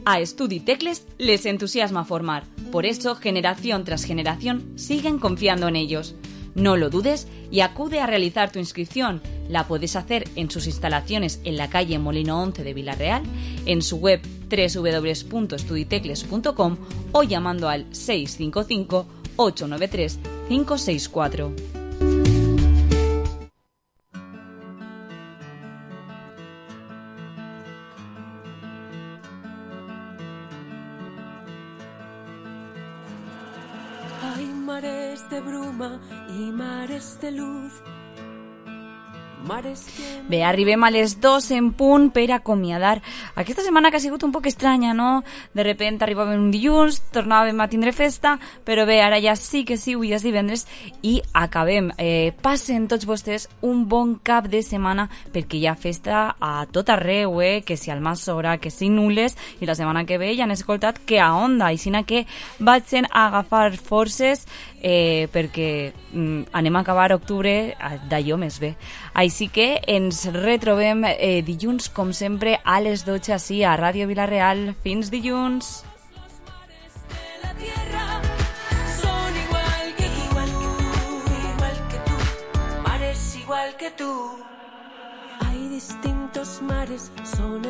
A Estudi Tecles les entusiasma formar. Por eso, generación tras generación, siguen confiando en ellos. No lo dudes y acude a realizar tu inscripción. La puedes hacer en sus instalaciones en la calle Molino 11 de Vila-real, en su web www.estuditecles.com o llamando al 655 893 564. Hay mares de bruma y mares de luz. Bé, arribem a les 2 en punt per acomiadar aquesta setmana que ha sigut un poc estranya, no? De repente arribàvem un dilluns, tornàvem a tindre festa, però bé, ara ja sí que sí, avui és divendres i acabem. Passen tots vostès un bon cap de setmana perquè hi ha festa a tot arreu, que si al Massora, que si Nules, i la setmana que ve ja han escoltat que a Onda, i sinó que vagin a agafar forces perquè anem a acabar octubre d'allò més bé. Així que ens retrobem dilluns, com sempre, a les 12 així a Ràdio Vila-real. Fins dilluns! Son igual que tú, mares igual que tú. Hay distintos mares, son